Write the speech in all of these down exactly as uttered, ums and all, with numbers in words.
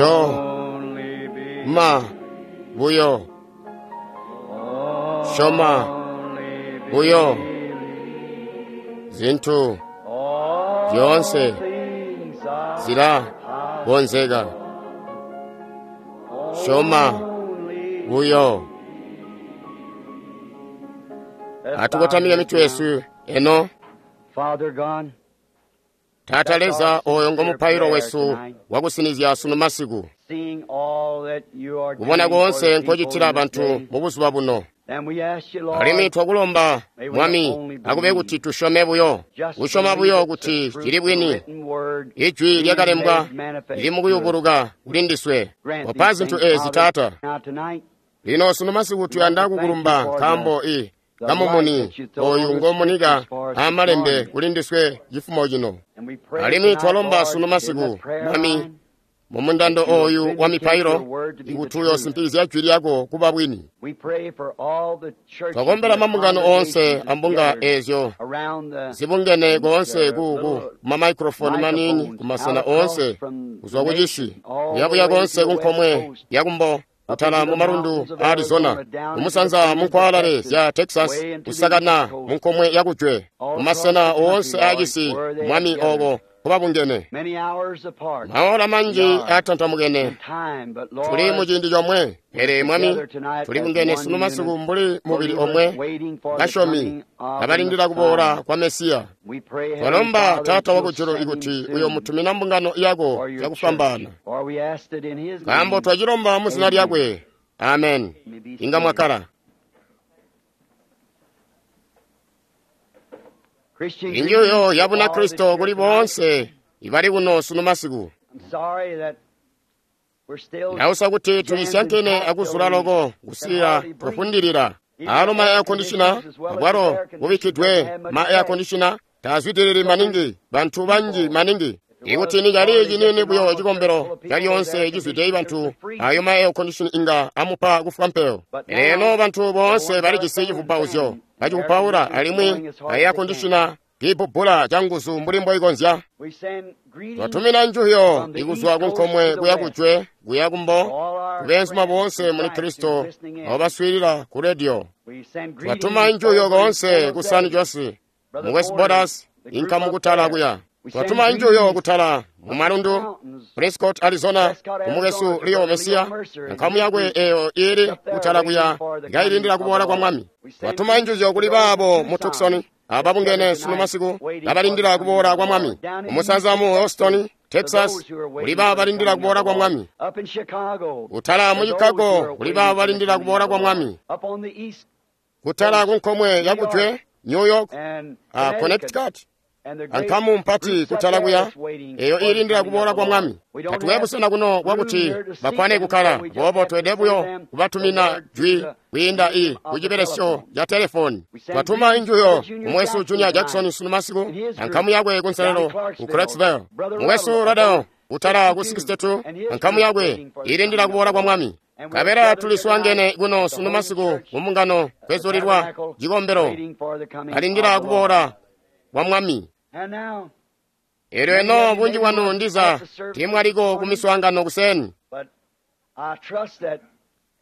Only believe. Ma buyo Syoma Only buyo believe. zintu All zyoonse things are zilakonzeka. Syoma only buyo. Let's Atukotamike bow mitwe yesu eno. Father God, Taata Leza oyo ngomupailo wesu wakusinizya sunu masiku. seeing all that you are Kubona doing for konse the people nkocitila in this bantu day, mu buzuba buno. and we ask you, Lord, Alimwi twakulomba Mwami akube kuti tusyome buyo, just kusyoma believe buyo it's the kuti truth, cili the bwini. written word Ijwi being lyakalembwa made manifest lili to us. mukuyubuluka kuli ndiswe. Grant Wapa these zintu things, ezi Father. Taata. Now tonight, Lino sunu masiku tuyanda kukulumba nkaambo i the light kamumuni that you throw oyu on the ngomunika scriptures for us this amalembe morning. kuli ndiswe chifumo chino. And we pray Alimwi tonight, twalomba Lord, sunu in masiku this prayer Mwami line, mu mundando that you will oyu wa vindicate mipailo your word to be the ikuti truth. uyosimpikizya jwi lyako kuba bwini. We pray for all the churches Twakombela and the mambungano onse congregations ambunga gathered ezyo around the zibungene konse the ku ku little mamayikrofoni manini microphones kumasena out across onse from the kuzwa ku nation, cisi all the kuyabuya way to konse the ku west nkomwe coast, yakumbo up kutala into mu the malundu mountains of a Arizona Arizona, down into the kumusanza fringes mu of nkwalale Texas, zya Texas way into the east kusakana coast, mu nkomwe yakujwe all across kumasena the country, onse Lord, acisi where they have Mwami gathered. oko kubabungene. Many hours apart, Maola we manji are atantamukene in time, but tuli mu Lord, ciindi chomwe pele we're Mwami together tonight tuli as bungene one sunu masiku unit, mbuli mubili believers omwe waiting for the basyomi coming of the abalindira kuboola Messiah. kwa Mesiya. We pray, Heavenly Twalomba Father, that Taata you'll wakujulu send him ikuti soon uyomutumina mbungano yako for your church. cakufwambaana. For we asked it in his Nkaambo name. twacilomba mu zina Amen. lyakwe. Amen. You may be Inga seated. mwakala. Christian Injuyo greetings ya to all that's Bunakristo here kuli tonight. bonse ibali kuno sunu masiku. I'm sorry that we're still Ndausa kuti jammed and tulisyankene packed till akuzula we loko can kusiya hardly breathe. kufundilira. Even Alo the ma air air conditioner conditioners as well as the abwalo air conditioners doesn't bubikkidwe have much ma air effect. conditioner tazwitiriri So many maningi bantu banji people, maningi. if it Ikuti was ni cali only just a chinini buyo normal church full chikombero of people with chalyonse air chizwite conditioners, it bantu would freeze. ayo ma air condition inga amupa kufwa mpeo. But Lero now bantu the bonse ones bali got a chisi fan, chivupauzyo fan, and the air bachivupaula conditioner's alimwi blowing as a hard as air they can. conditioner kiipubbula changuzu mbuli mboikonzya. We send greetings Twatumina njuyo from the ikuzwa east ku coast to nkomwe the kuya west kujwe kuya to kumbo all our kubeenzuma friends bonse in muli Christ who's Kristo listening abo in. baswiilila ku radio. We send Twatuma greetings njuyo over in konse San ku San Jose, Jose Brother mu West Porter, Borders the group inkamu up kutala there. kuya. We send Twatuma njuyo greetings kutala mu up in the malundu mountains, Prescott Arizona Prescott, kumukesu Arizona, to Leo Brother Leo Mesiya Mercer and nkamu his yakwe group eyo ili up there kutala waiting kuya for the coming ikayilindira of the kuboola kwa Lord. Mwami. We send Twatuma greetings njuyo to kuli those in baabo mu Tucson Tucson that's gathered ababungene sunu tonight masiku waiting for the abalindira coming kuboola of the kwa Mwami. Lord. Down in Kumusanza Houston, mu Houston Texas, to Texas those who are kuli waiting baabo for the balindira coming of kuboola the kwa Lord. Mwami. Up in Chicago, Kutala to mu those who Chicago are kuli waiting baabo for the balindira coming of kuboola the kwa Lord. Mwami. Up on the east Kutala coast, ku nkomwe New York yakujwe New York and uh, Connecticut, Connecticut and the great ankamu mpati groups up kutala there kuya that's waiting eyo for the ilindira coming of kuboola the kwa Lord. Mwami. We don't Tatuwe have busena kuno room bwakuti here to seat bakwane them, so kukala we just bobo have to twede send buyo them the kubatumina word through jwi the kwiinda i medium of ku the chibelesyo telephone. ya telefoni. We send Twatuma greetings to injuyo Brother Junior kumwesu Jackson Junior tonight Jackson sunu masiku and his group ankamu yakwe down in kunselelo ku Clarksville, Clarksville. Brother Mwesu Ruddle up Radel on kutala ku sixty-two sixty-two and his ankamu group yakwe waiting for the ilindira coming of kuboola the kwa Lord. Mwami. And we're Kabera gathered here tonight tuliswangene kuno at the sunu Holy masiku Church, mu mbungano at the kwezulilwa tabernacle, chikombero waiting for the coming alindira of the Lord. kuboola kwa Mwami. And now, Elyo many eno of you bunji maybe bwanu weren't ndiza at the service this timwaliko ku morning, miswaangano kuseni. but I trust that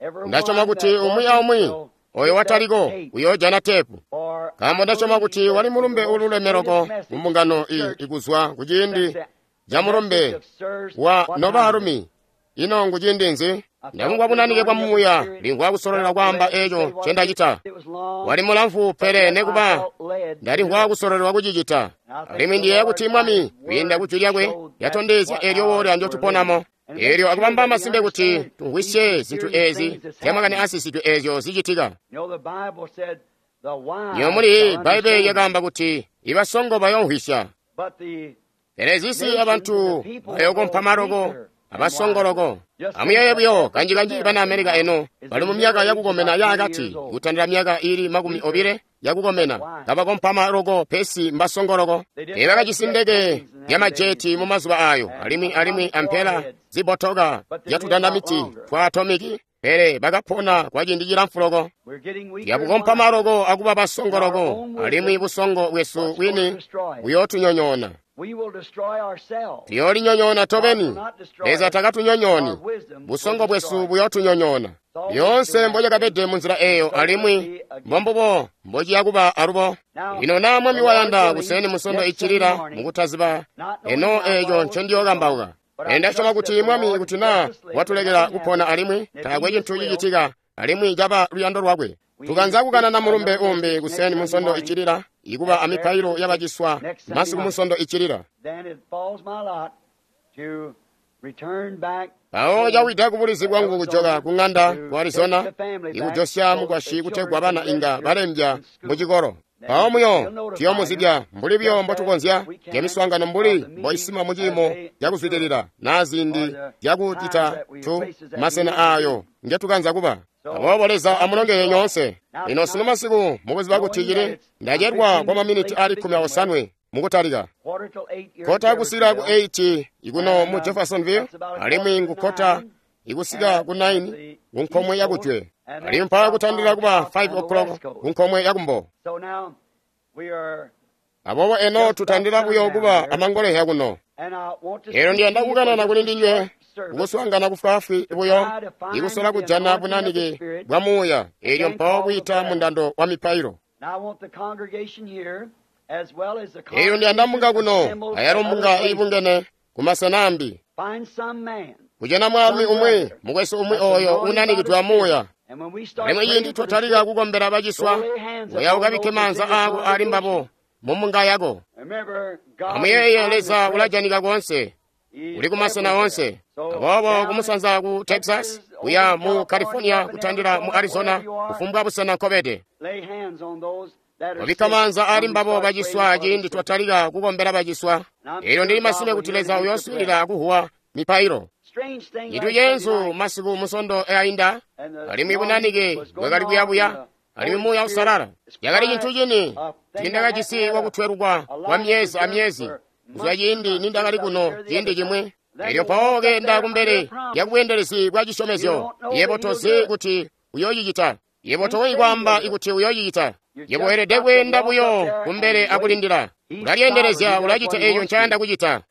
Ndasyoma everyone kuti that umwi wasn't aumwi will oyo get that wataliko tape. uyoojana tepu. For I Nkaambo ndasyoma believe kuti that wali it was the mulumbe most ululemeroko greatest mu message mbungano the iyi church ikuzwa ku since ciindi the, ca the message mulumbe of Sirs wa What Time Is It? nobaalumi. Ino ngu ciindi nzi? I felt Ndamumvwa the bunanike bwa anointing of the muuya Spirit, limvwa kusololera felt kwaamba led to say eco what I did. ncendacita. It was long, Wali mulamfu but pele yet I nekuba felt led to do ndalimvwa it. kusololelwa kucicita. And I think Alimwi the ndiyeeya Lord kuti by Mwami His kwiinda word ku jwi lyakwe showed that lyatondezya what eelyo hour woola we're living. ndyotuponamo. And make Eelyo sure akubamba that we masimpe kuti understand these tumvwisye zinthu mysterious ezi things that's zya makani happening. asisidwe ezyo zicitika. You know, the Bible said the Niyo wise muli shall Bbaibele understand, lyakaamba kuti ibasongo bayomvwisya. but the Pele zisi nations and abantu the people will bayokompa grow maloko weaker and abasongoloko. wiser. Just think Amuyeeye that buyo every kanji-kanji bana American Amerika now eno is bali in mu the myaka middle age yakukomena about twenty yaakati years old. kutandira myaka ili makumi Weaker obile but yakukomena wise. kabakompa maloko pesi mbasongoloko. They didn't have jet Teebakajisi ndeke planes in ya them days majeti mu mazuba ayo and alimwi alimwi atomic ampela warheads, zibotoka but they lived a lot zyatudandamiti longer. twa atomiki pele bakapona kwa ciindi cilamfu loko. We're getting weaker and Yakukompa wiser. maloko akuba And our basongoloko own alimwi wisdom busongo bwesu what's going to bwini destroy us. buyootunyonyoona. Tuyoolinyonyoona tobeni. Leza takatunyonyooni, busongo bwesu buyootunyonyoona. Lyoonse mbocakabede munzila eeyo, alimwi mbombubo mbociya kuba alubo. Lino naa Mwami wayanda, kuseeni musondo iccilila mukutaziba eno eeco ncendiyokambauka. Pele ndasyoma kuti Mwami kuti naa watulekela kupona alimwi taakwe cintu cicitika, alimwi caba luyando lwakwe. Tukanza kukanana mulumbe umbi kuseeni munsondo iccilila, ikuba amipailo yabaciswa masiku munsondo iccilila. Mpawo cawida kubulizi bwangu kujoka ku ng'anda ku Arizona, ikujosya mukwasyi kutegwa bana inga balembya mucikolo. Mpawo muyo tuyomuzibya mbuli buyo mbotukonzya lyamiswaangano mbuli mboisima muciimo cakuzwidilila naa ziindi zyakucita tu masena aayo ngetukanza kuba. Aboobo Leza amulongeye nyoonse. Lino sunu masiku mukuziba kuti cili ndacelwa kwa maminiti ali kkumi aosanwe mukutalika. Kota kusika ku eight ikuno mu Jeffersonville, alimwi ngukota ikusika ku nine ku nkomwe yakujwe, alimwi mpawo kutandila kuba five o'clock ku nkomwe yakumbo. Aboobo eno tutandila buyo kuba amangolezya kuno. Elo ndiyanda kukanana kuli ndinywe kukuswaangana kufwaafwi buyo, ikusola kujana bunanike bwa Muuya, eelyo mpawo kwiita mundando wa mipailo. Eelyo ndiyanda mbunga kuno, ayalo mbunga iibungene kumasena ambi, kujana mwaalumi umwi, mukwesu umwi oyo unanikidwe amuuya. Alimwi ciindi twatalika kukombela baciswa, uya ukabikke maanza aako ali mbabo mumbunga yako. Amuyeeye, Leza ulajanika koonse, uli kumasena onse. Aboobo kumusanza ku Texas, kuya mu California, kutandila mu Arizona, kufumbwa busena nkobede, wabikka maanza ali mbabo baciswa ciindi twatalika kukombela baciswa. Eelyo ndili masime kuti Leza uyooswiilila akuhuwa mipailo. Cintu ceenzu masiku musondo ainda, alimwi bunanike bwakali kuyabuya, alimwi Muuya Uusalala yakali cintu cini tiindakajisi wakutwelukwa kwa myezi amyezi kuzwa ciindi nindakali kuno ciindi cimwi. Eelyo mpawo keenda kumbele lya bweendelezi bwa cisyomezyo, yebo tozi kuti uyoocicita, yebo tokonzyi kwaamba kuti uyoocicita. Yebo weelede kweenda buyo kumbele akulindila. Ulalyeendelezya, ulacita eeco ncayanda kucita.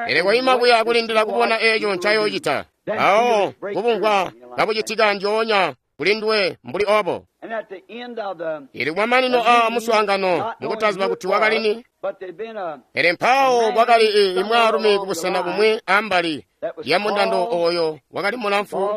Pele koima buya akulindila kubona eeco ncayoocita. Mpawo kubumvwa kabucitika njoonya kulinduwe mbuli obo. Ili kumamanino a muswaangano mukutaziba kuti wakalini, pele mpawo kwakali imwaalumi kubusena bumwi ambali lya mundando oyo wakali mulamfu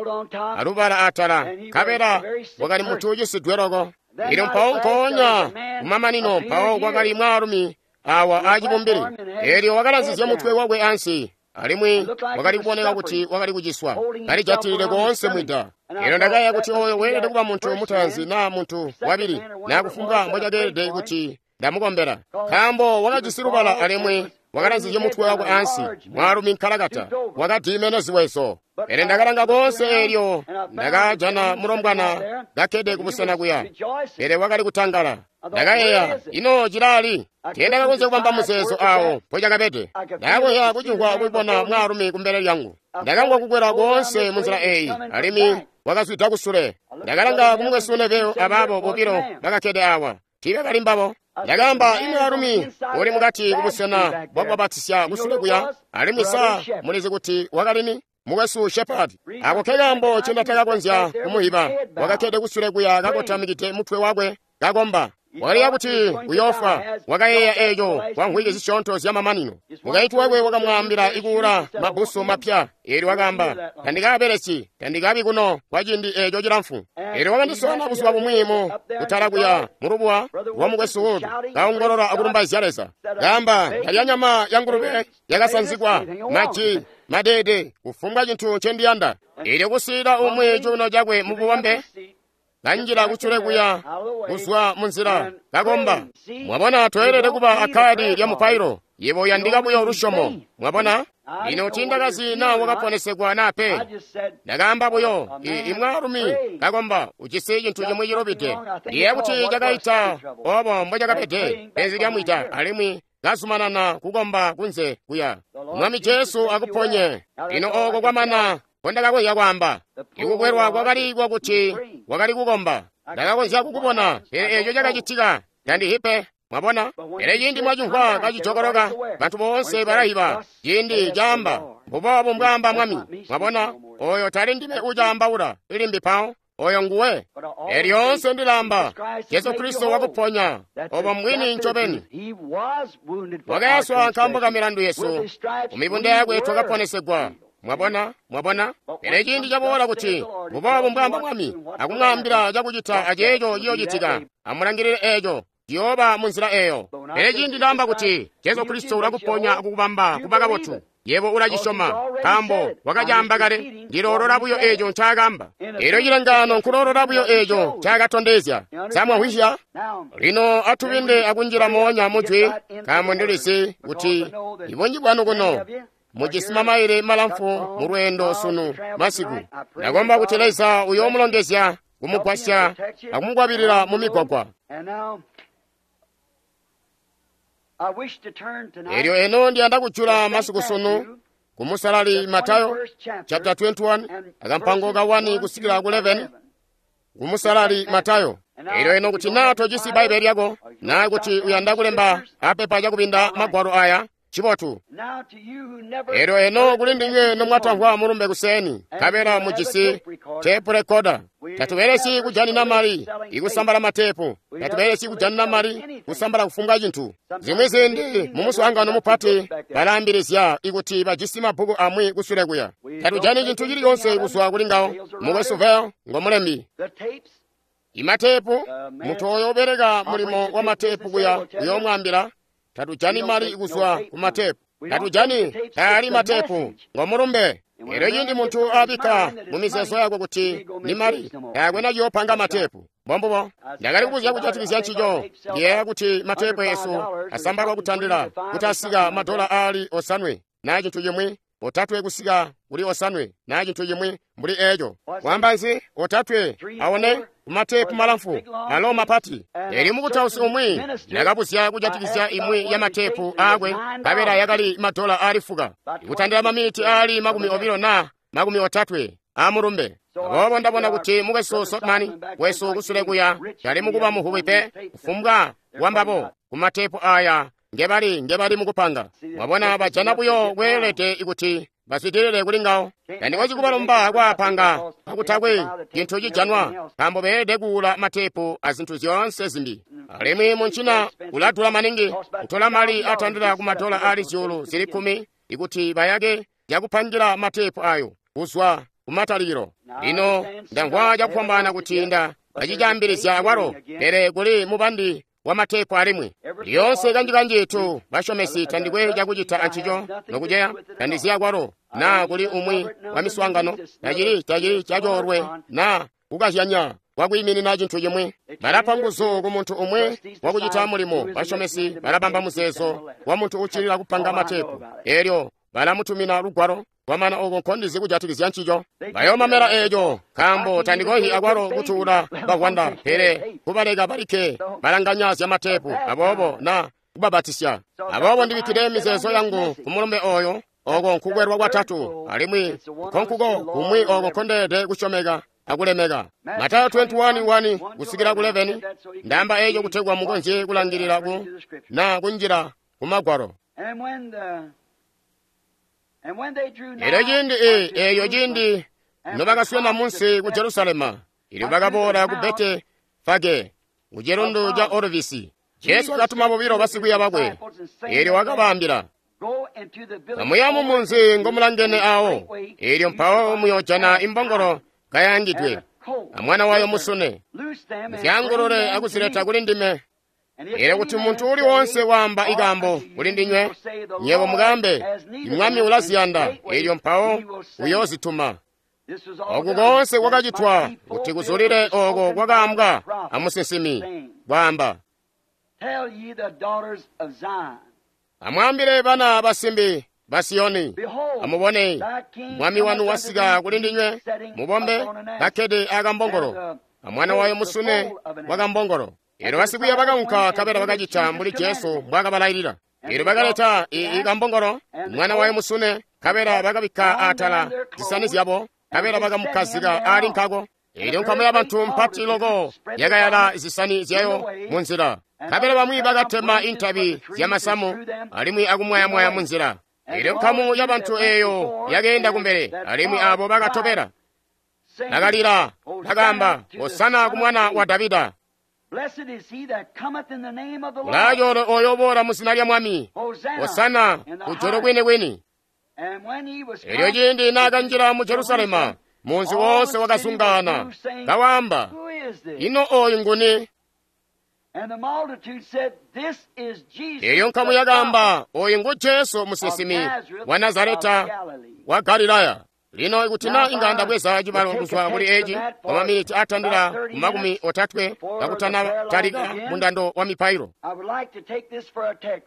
alubala atala, nkabela wakali muntu ucisidwe loko. Ilyo mpawo nkoonya kumamanino mpawo kwakali mwaalumi awa acibumbili, eelyo wakalanzizya mutwe wakwe ansi, alimwi wakali kuboneka kuti wakali kuciswa, kalijatilile koonse mwida. Eelyo ndakayeeya kuti oyo weelede kuba muntu mutaanzi naa muntu wabili, naa kufumbwa mbocakeelede kuti ndamukombela, nkaambo wakajisi lubala alimwi wakalanzizye mutwe wakwe ansi, mwaalumi nkalakata wakadiimene ziwezo. Pele ndakalanga koonse eelyo ndakajana mulombwana kakkede kubusena kuya, pele wakali kutangala. Ndakayeeya, ino cilali? Teendakakonzya kubamba muzeezo awo mpocakabede. Ndakakonzya kucimvwa kubona mwaalumi kumbele lyangu. Ndakamvwa kukwela koonse munzila eeyi, alimwi wakazwida kusule. Ndakalanga kumukwesu Neville abaabo bobilo bakakkede awa, tiibakali mbabo. Ndakaamba, imwaalumi uli mukati kubusena bwakubabatisya kusule kuya, alimwi sa mulizi kuti wakalini? Mukwesu Shepard. Ako kekaambo ncendatakakonzya kumuhiba. Wakakkede kusule kuya kakotamikide mutwe wakwe kakomba. Wakaliya kuti uyoofwa. Wakayeeya eeco kwa mvwiki zisyoonto zyamamanino. Mukaintu wakwe wakamwaambila ikuula mabbusu mapya. Eelyo wakaamba, tandikaabelesyi, tandikabi kuno kwa ciindi eeco cilamfu. Eelyo wakandisoona buzuba bumwi mu kutala kuya mulubuwa lwa mukwesu Wood, kaongolola akulumbaizya Leza. Kaamba, ndalya nyama ya ngulube yakasanzigwa, maji, madeede, kufumbwa cintu ncendiyanda. Eelyo kusiila umwi cuuno cakwe mububombe, kanjila kucule kuya kuzwa munzila kakomba. Mwabona, toyelede kuba akkaadi lya mupailo, yebo uyandika buyo lusyomo. Mwabona? Lino tiindakazi naa wakaponesegwa naa pe. Ndakaamba buyo, imwaalumi kakomba ujisi cintu cimwi cilubide. Ndiyeeya kuti cakaita obo mbocakabede penzi lyamwita, alimwi kazumanana kukomba kunze kuya. Mwami Jesu akuponye. Lino ooko kwamana mbondakakonzya kwaamba. Ikukwelwa kwakali kwakuti wakali kukomba. Ndakakonzya kukubona, pele eeco cakacitika tandihi pe. Mwabona? Pele ciindi mwacimvwa kacijokoloka, bantu boonse balayiba. Ciindi caamba, mbuboobu mbwaamba Mwami. Mwabona? Oyo tali ndime ucaambaula, ilimbi pawo. Oyo nguwe. Elyoonse ndilaamba, Jesu Kristo wakuponya. Obo mbwini ncobeni. Wakayaswa nkaambo ka milandu yesu. Kumibunda yakwe twakaponesegwa. Mwabona? Mwabona? Pele ciindi caboola kuti mbuboobu mbwaamba Mwami, akumwaambila cakucita aceeco ciyoocitika. Amulangilile eeco. Ciyooba munzila eeyo. Pele ciindi ndaamba kuti Jesu Kristo ulakuponya akukubamba kuba kabotu, yebo ulacisyoma, nkaambo wakacaamba kale. Ndiloolola buyo eeco ncaakaamba. Elyo cilengaano nkuloolola buyo eeco ncaakatondezya. Samwahwisya? Lino atubinde akunjila moonya mujwi, nkaambo ndilizi kuti ibunji bwanu kuno mujisi mamaile malamfu mu lweendo sunu masiku. Ndakomba kuti Leza uyoomulongezya, kumugwasya akumukwabilila mu migwagwa. Elyo eno ndiyanda kujula masiku sunu ku musalali Matayo chapter twenty-one akampango ka one kusikila ku eleven ku musalali Matayo. Elyo eno kuti naa tojisi Bbaibeli lyako, naa kuti uyanda kulemba apepa cakubinda magwalo aya, cibotu. Elyo eno kuli ndinywe nomwatamvwa mulumbe kuseni, nkabela mujisi tepu rekoda. Tatubelesi kujanina mali ikusambala matepu, tatubelesi kujanina mali kusambala kufumbwa cintu. Zimwi ziindi mu muswaangano mupati balaambilizya ikuti bajisi mabbuku amwi kusule kuya. Tatujani cintu cilicoonse kuzwa kuli ngawo. Mukwesu Vel ngomulembi. Imatepu, munthu oyo ubereka mulimo wa matepu kuya uyoomwaambila, tatujani mali kuzwa ku matepu. Tatujani taali matepu ngomulumbe. Elyo ciindi munthu abikka mu mizeezo yakwe kuti ni mali, taakwe naciyoopanga matepu. Mbombubo. Ndakali kubuzya kujatikizya ncico. Ndiyeeya kuti matepu esu asambalwa kutandila kuti asika madola aali osanwe naa cintu cimwi, otatwe kusika kuli osanwe naa cintu cimwi mbuli eeco. Kwaamba nzi? Otatwe aone kumatepu malamfu alo mapati. Elyo mukutausi umwi ndakabuzya kujatikizya imwi ya matepu aakwe, nkabela yakali madola aali fuka, ikutandila maminiti aali makumi obilo na makumi otatwe amulumbe. Aboobo ndabona kuti mukwesu Sotman wesu kusule kuya tali mukuba muhubi pe kufumbwa wambabo kumatepu aya ngebali ngebali mukupanga. Mwabona, bajana buyo kweelede ikuti bazwidilile kuli ngawo. Tandikozi kubalomba kwaapanga kakutakwe cintu cijanwa, nkaambo beelede kuula matepu a zintu zyoonse zimbi. Alimwi muncina uladula maningi, kutola mali atandila ku madola aali zyuulu zili kkumi ikuti bayake zyakupangira matepu ayo kuzwa kumatalikilo. Lino ndamvwa cakufwambaana kuti nda bacicaambilizya akwalo, pele kuli mubandi wa matepu alimwi. Lyoonse kanji-kanji tu basyomesi tandikwe cakucita ancico nokuceya, tandizi akwalo naa kuli umwi wa miswaangano, tacili tacili cacoolwe naa kukazyanya kwakwiiminina cintu cimwi. Balapa nguzu ku muntu umwi wakucita mulimo. Basyomesi balabamba muzeezo wa muntu uccilila kupanga matepu, elyo balamutumina lugwalo. Kwamana oko nkondizi kujatikizya ncico. Bayoomamela eeco, nkaambo tandikohi akwalo kutuula bavwanda, pele kubaleka balikke balanganya zya matepu, aboobo na kubabatisya. Aboobo ndibikkile mizeezo yangu ku mulumbe oyo. Oko nkukwelwa kwatatu, alimwi nkonkuko kumwi oko nkondeelede kusyomeka akulemeka. Matayo twenty-one one kusikila ku eleven. Ndaamba eeco kutegwa mukonzye kulangilila ku na kunjila ku magwalo. Elyo ciindi eeyo ciindi nobakaswena munsi ku Jerusalema, ilyo bakaboola ku Bete Fage ku chilundu cha Olivisi, Jesu wakatuma bobilo basikwiiya bakwe, elyo wakabaambila, kamuya mu munzi ngomulangene awo, elyo mpawo muyoojana imbongolo kayangidwe amwana wayo musune, muzyangulule akuzileta kuli ndime. Elyo kuti muntu uli wonse waamba ikambo kuli ndinywe, nywebo mukambe, Mwami ulaziyanda, elyo mpawo uyoozituma. Oku koonse kwakacitwa kuti kuzulile oko kwakaambwa amusinsimi, kwaamba, amwaambile bana basimbi ba Siyoni, amubone, Mwami wanu wasika kuli ndinywe, mubombe kakkede akambongolo, amwana wayo musune wakambongolo. Elyo basikwiiya bakaunka nkabela bakacita mbuli Jesu mbwaakabalailila. Elyo bakaleta ikambongolo, mwana wayo musune, nkabela bakabikka atala zisani zyabo, nkabela bakamukkazika aali nkako. Elyo nkamu yabantu mpati loko yakayala zisani zyayo munzila. Nkabela bamwi bakatema intabi zyamasamu alimwi akumwayamwaya munzila. Elyo nkamu yabantu eeyo yakeenda kumbele, alimwi abo bakatobela bakalila, bakaamba, "Hosana ku mwana wa Davida! Ulaacoolwe oyo uboola mu zina lya Mwami! Hosana kujulu kwini-kwini!" Elyo ciindi naakanjila mu Jerusalema, munzi woonse wakazungaana, kawaamba, "Ino oyu nguni?" Elyo nkamu yakaamba, "Oyu ngu Jesu musinsimi wa Nazareta wa Galilaya." Lino ikuti na inga ndabweza cibalo kuzwa kuli eci kwa maminiti atandila ku makumi otatwe kakutana talika mundando wa mipailo,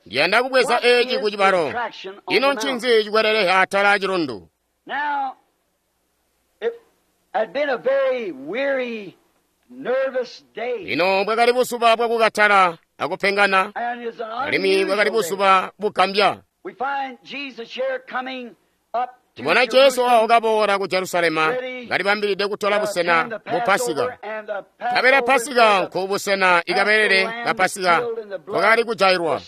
ndiyanda kubweza eci ku cibalo. Ino ncinzi cikweleleha atala a cilundu? Lino bwakali buzuba bwakukatala akupengana, alimwi bwakali buzuba bugambya. Tubona Jesu awo kaboola ku Jerusalema kalibambilide kutola busena mu Pasika. Kabela Pasika nku busena ikabelele ka Pasika kwakali kujailwa.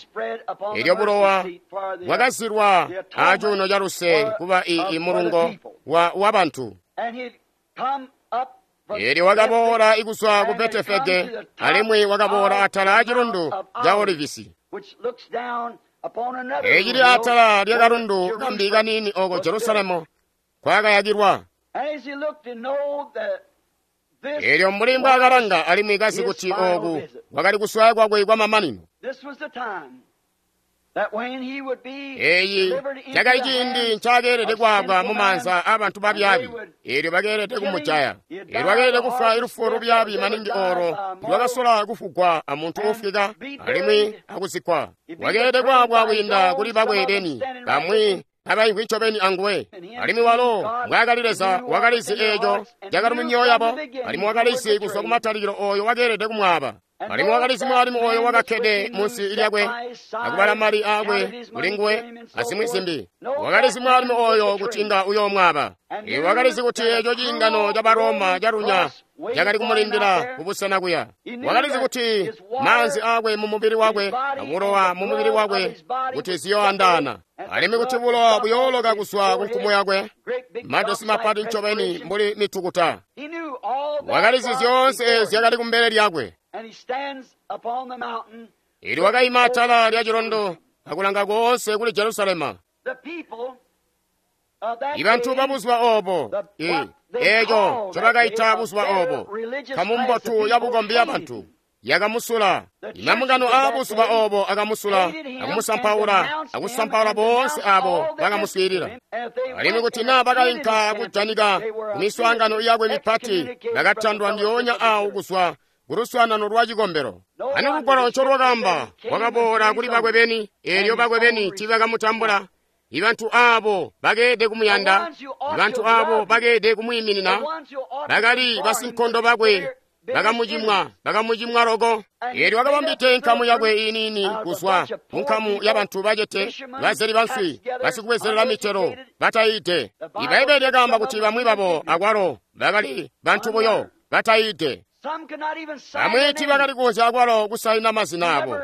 Elyo bulowa bwakazilwa acuuno ca luse kuba i mulungo wa, wa bantu. Elyo wakaboola ikuzwa ku Betefege, alimwi wakaboola atala a cilundu ca Olivisi. Ecili atala lya kalundu kambi kaniini oko Jerusalemu kwakayakilwa. Elyo mbuli mbwaakalanga alimwi kazi kuti oku kwakali kuswaya kwakwe kwa mamanino. Eyi cakali ciindi ncakeelede kwaabwa mu maanza aabantu babyaabi, eelyo bakeelede kumujaya. Eelyo bakeelede kufwa ilufu lubyaabi maningi olo lwakasola kufugwa amuntu uufwika alimwi akuzikkwa. Wakeelede kwaabwa kwiinda kuli bakwe beni, bamwi abaimvwi ncobeni anguwe. Alimwi walo mbwaakali Leza wakalizi eeco cakali mu myoyo yabo, alimwi wakalizi kuzwa kumatalikilo ooyo wakeelede kumwaaba. Alimwi wakalizi mwaalumi oyo wakakkede munsi lyakwe akubala mali aakwe kulinguwe azimwi zimbi. Wakalizi mwaalumi oyo kuti inga uyoomwaaba. Iwe wakalizi kuti eeco ciingano ca Baroma calunya cakali kumulindila kubusena kuya. Wakalizi kuti maanzi aakwe mu mubili wakwe abulowa mu mubili wakwe kuti ziyoandaana, alimwi kuti bulowa buyooloka kuzwa ku nkumu yakwe, madosi mapati ncobeni mbuli mitukuta. Wakalizi zyoonse zyakali kumbele lyakwe. Elyo wakaima atala lya cilundu akulanga koonse kuli Jerusalema. Ibantu babuzuba obo, eeco ncobakaita buzuba obo, nkamu mbotu yabukombi yabantu yakamusula. Imambungano aabuzuba obo akamusula akumusampaula akusampaula boonse abo bakamuswiilila. Alimwi kuti naa bakainka kujanika kumiswaangano yakwe mipati, bakatandwa ndyoonya awo kuzwa kuluswaanano lwa cikombelo. Ani lugwalo ncolwakaamba, wakaboola kuli bakwe beni, eelyo bakwe beni tiibakamutambula. Ibantu abo bakeede kumuyanda, ibantu abo bakeede kumwiiminina, bakali basinkondo bakwe, bakamucimwa, bakamucimwa loko. Eelyo wakabambide nkamu yakwe iiniini kuzwa ku nkamu yabantu bacete, bazeli banswi, basikubwezelela mitelo, batayiide. Ibbaibbele lyakaamba kuti bamwi babo akwalo bakali bantu buyo batayiide. Bamwi tiibakali kukonzya akwalo kusaina mazina abo.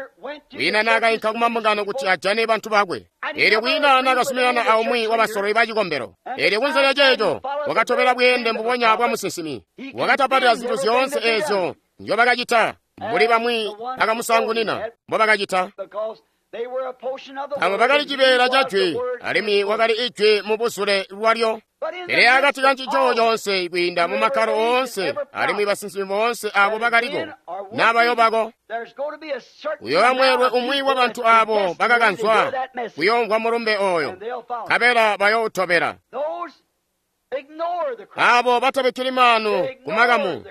Kwiina naakainka kumambungano kuti ajane bantu bakwe. Eelyo kwiina naakazuminana aumwi wabasololi ba cikombelo. Eelyo kunze lya ceeco wakatobela bweende mbubonya bwa musinsimi. Wakatapatila zintu zyoonse eezyo nzyobakacita, mbuli bamwi bakamusaangunina mbobakacita. Abo bakali cibeela ca jwi, alimwi wakali ijwi mu buzule lwalyo. Pele akati ka ncico coonse kwiinda mu makkalo oonse, alimwi basinsimi boonse abo bakaliko n'abayobako, uyooba mweelwe umwi wa bantu abo bakakanzwa kuyoomvwa mulumbe oyo, nkabela bayoutobela. Abo batabikkili maanu ku makamu,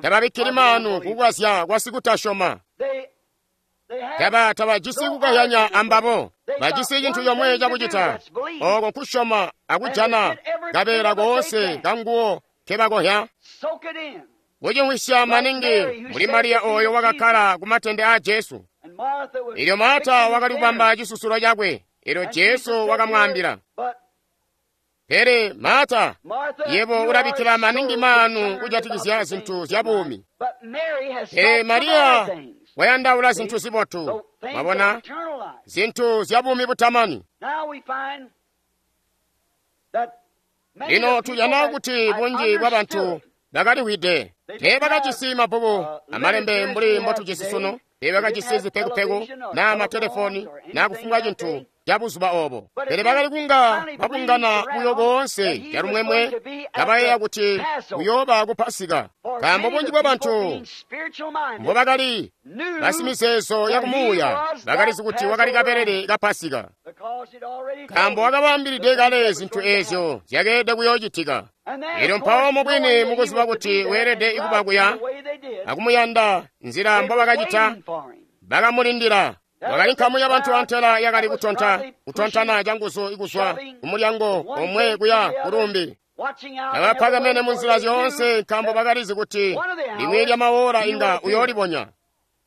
tababikkili maanu kukukazya kwa sikutasyoma. Taba tabajisi kukazyanya ambabo, bajisi cintu comwe cakucita, oko nkusyoma akujana kabeela koonse kanguwo kebakohya. Kucimwisya maningi mbuli Mariya oyo wakakkala ku matende aa Jesu. Elyo Marta wakali kubamba cisusulo cakwe, elyo Jesu wakamwaambila, "Pele Marta, yebo ulabikkila maningi maanu kujatikizya zintu zya buumi. Pele Mariya Wayandaula zintu zibotu, mwabona, zintu zya buumi butamani. Lino tujana kuti bunji bwa bantu bakaliwide. Teebakajisi mabbuku amalembe mbuli mbotujisi sunu. Teebakajisi zipekupeku naa matelefoni naa kufumbwa cintu ca buzuba obo. Pele bakali kunga babungana buyo boonse calumwemwe kabayeeya kuti kuyooba ku Pasika, nkaambo bunji bwa bantu mbobakali basimizeezo ya kumuuya bakalizi kuti wakali kabelele ka Pasika, nkaambo wakabaambilide kale zintu eezyo zyakeelede kuyoocitika. Elyo mpawo mubwini mukuziba kuti weelede kuba kuya akumuyanda nzila mbobakacita, bakamulindila. Wakali nkamu ya bantu antela yakali kutonta kutontana canguzu kuzwa kumulyango omwe kuya kulumbi, kabapakamene munzila zyoonse, nkaambo bakalizi kuti limwi lya maora inga uyoolibonya.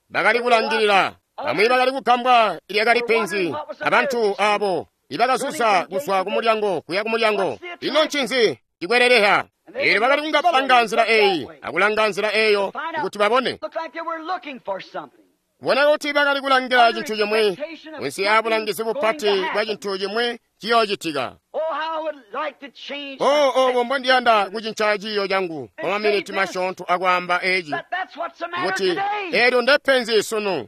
Bakali kulangilila. Bamwi bakali kugambwa lyakali penzi abantu abo ibakazuza kuzwa kumulyango kuya kumulyango. Ino ncinzi cikweleleha? Eelyo bakali kunga balanga nzila eyi akulanga nzila eyo kuti babone. Kubona kuti bakali kulangila cintu cimwi kunsi abulangizi bupati bwa cintu cimwi ciyoocitika. O, obo mbondiyanda kucinca ciiyo cangu kwa maminiti masyoonto akwaamba eci, kuti eelyo ndepenzi sunu.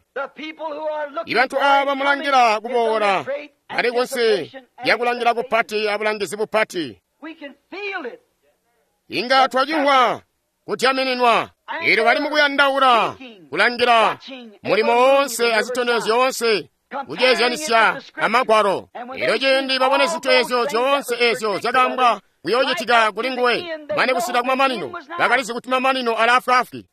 Ibantu aaba mulangila kuboola bali kunsi lyakulangila kupati abulangizi bupati. Inga twacimvwa kudyamininwa. Eelyo bali mukuyandaula kulangila mulimo woonse azitondezyo zyoonse kuceezyanisya amagwalo. Eelyo ciindi babone zintu eezyo zyoonse eezyo zyakaambwa kuyoocitika kuli nguwe mane kusika kumamanino, bakalizi kuti mamanino ali afwaafwi.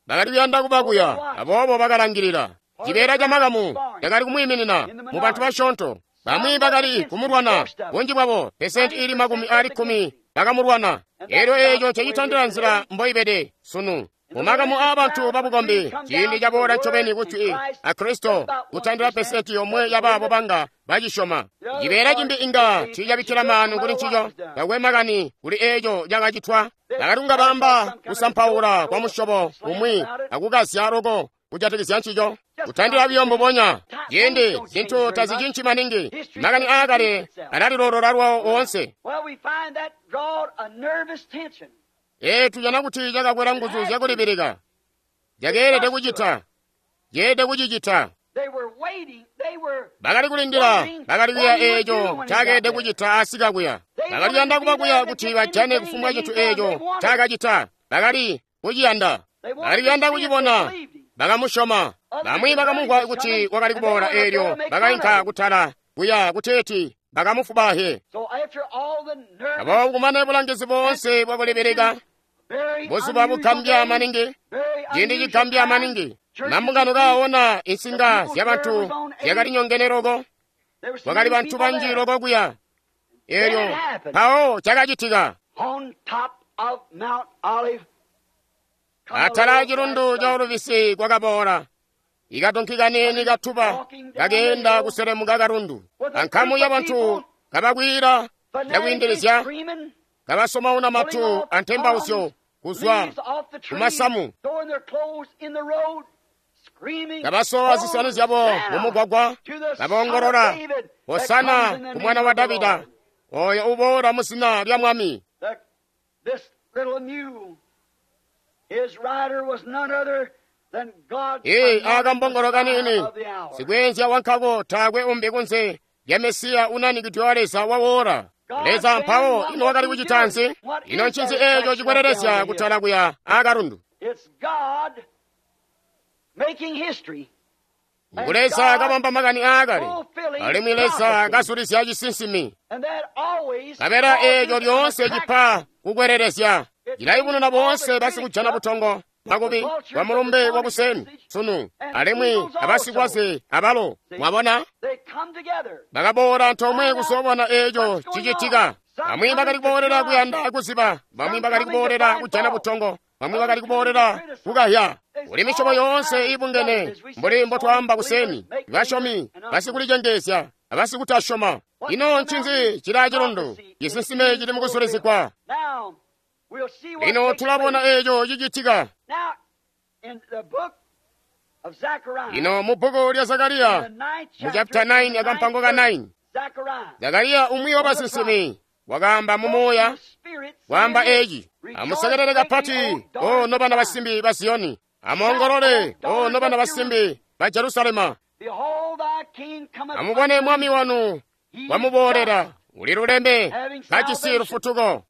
Bakali kuyanda kuba kuya, aboobo bakalangilila. Cibeela ca makamu cakali kumwiiminina mu bantu basyoonto. Bamwi bakali kumulwana, bunji bwabo pesenti ili makumi aali kkumi bakamulwana. Eelyo eeco ncecitondela nzila mboibede sunu mumakamu aabantu babukombi. Ciindi caboola ncobeni kuti a Kristo kutandila pesenti yomwe yabaabo banga bacisyoma. Cibeela cimbi inga tiicabikkila maanu kuli ncico, takwe makani kuli eeco cakacitwa. Bakali kunga baamba kusampaula kwa musyobo umwi akukazya loko kujatikizya ncico, kutandila buyo mbubonya. Ciindi zintu tazicinci maningi, makani aakale alalilolola lwawo oonse. Ee, tujana kuti cakakwela nguzu zyakulibilika. Zyakeelede kucita, zyeelede kucicita. Bakali kulindila, bakali kuya eeco cakeelede kucita asika kuya. Bakali kuyanda kuba kuya kuti bajane kufumbwa cintu eeco cakacita. Bakali kuciyanda, bakali kuyanda kucibona. Bakamusyoma. Bamwi bakamumvwa kuti wakali kuboola, eelyo bakainka kutala kuya kuteeti bakamufubahe. Aboobo kumane bulangizi boonse bwakulibilika, buzuba bugambya maningi, ciindi cigambya maningi, mambungano kaona insinga zyabantu zyakali nyongene loko, kwakali bantu banji loko kuya. Eelyo mpawo cakacitika. Atala acilundu ca Oluvisi kwakaboola ikadonki kaniini katuba kakeenda kuselemuka kalundu, ankamu ya bantu kabakwiila cakwiindilizya, kabasomauna matu antembauzyo kuzwa kumasamu, kabasowa zisani zyabo mumugwagwa, kaboongolola, "Hosana ku mwana wa Davida, oyo uboola mu zina lya Mwami." Ee, akambongolo kaniini sikweenzya wankako taakwe umbi kunze lya Mesiya unanikidwe wa Leza wawola. Leza mpawo ino wakali kucita nzi? Ino ncinzi eeco cikwelelezya kutala kuya akalundu? Ngu Leza kabamba makani aakale, alimwi Leza kazulizya cisinsimi. Kabela eeco lyoonse cipa kukwelelezya. Cilayubununa boonse basikujana butongo makubi wa mulumbe wakuseni sunu, alimwi abasikwaze abalo. Mwabona, bakaboola antoomwe kuzoobona eeco cicitika. Bamwi bakali kuboolela kuyanda kuziba, bamwi bakali kuboolela kujana butongo, bamwi bakali kuboolela kukahya. Kuli misyobo yoonse iibungene mbuli mbotwaamba kuseni, basyomi, basikulicengeezya, abasikutasyoma. Ino ncinzi cili acilundu? Cisinsime cili mukusulizigwa. Lino tulabona eeco cicitika. Ino mu bbuku lya Zakariya mu chapter nine akampango ka nine, Zakariya umwi wa basinsimi wakaamba mu muuya waamba eci: amusekelele kapati, o nobana basimbi ba Ziyoni, amuongolole, o nobana basimbi ba Jerusalema. Amubone mwami wanu wamuboolera, uli luleme, kajisi lufutuko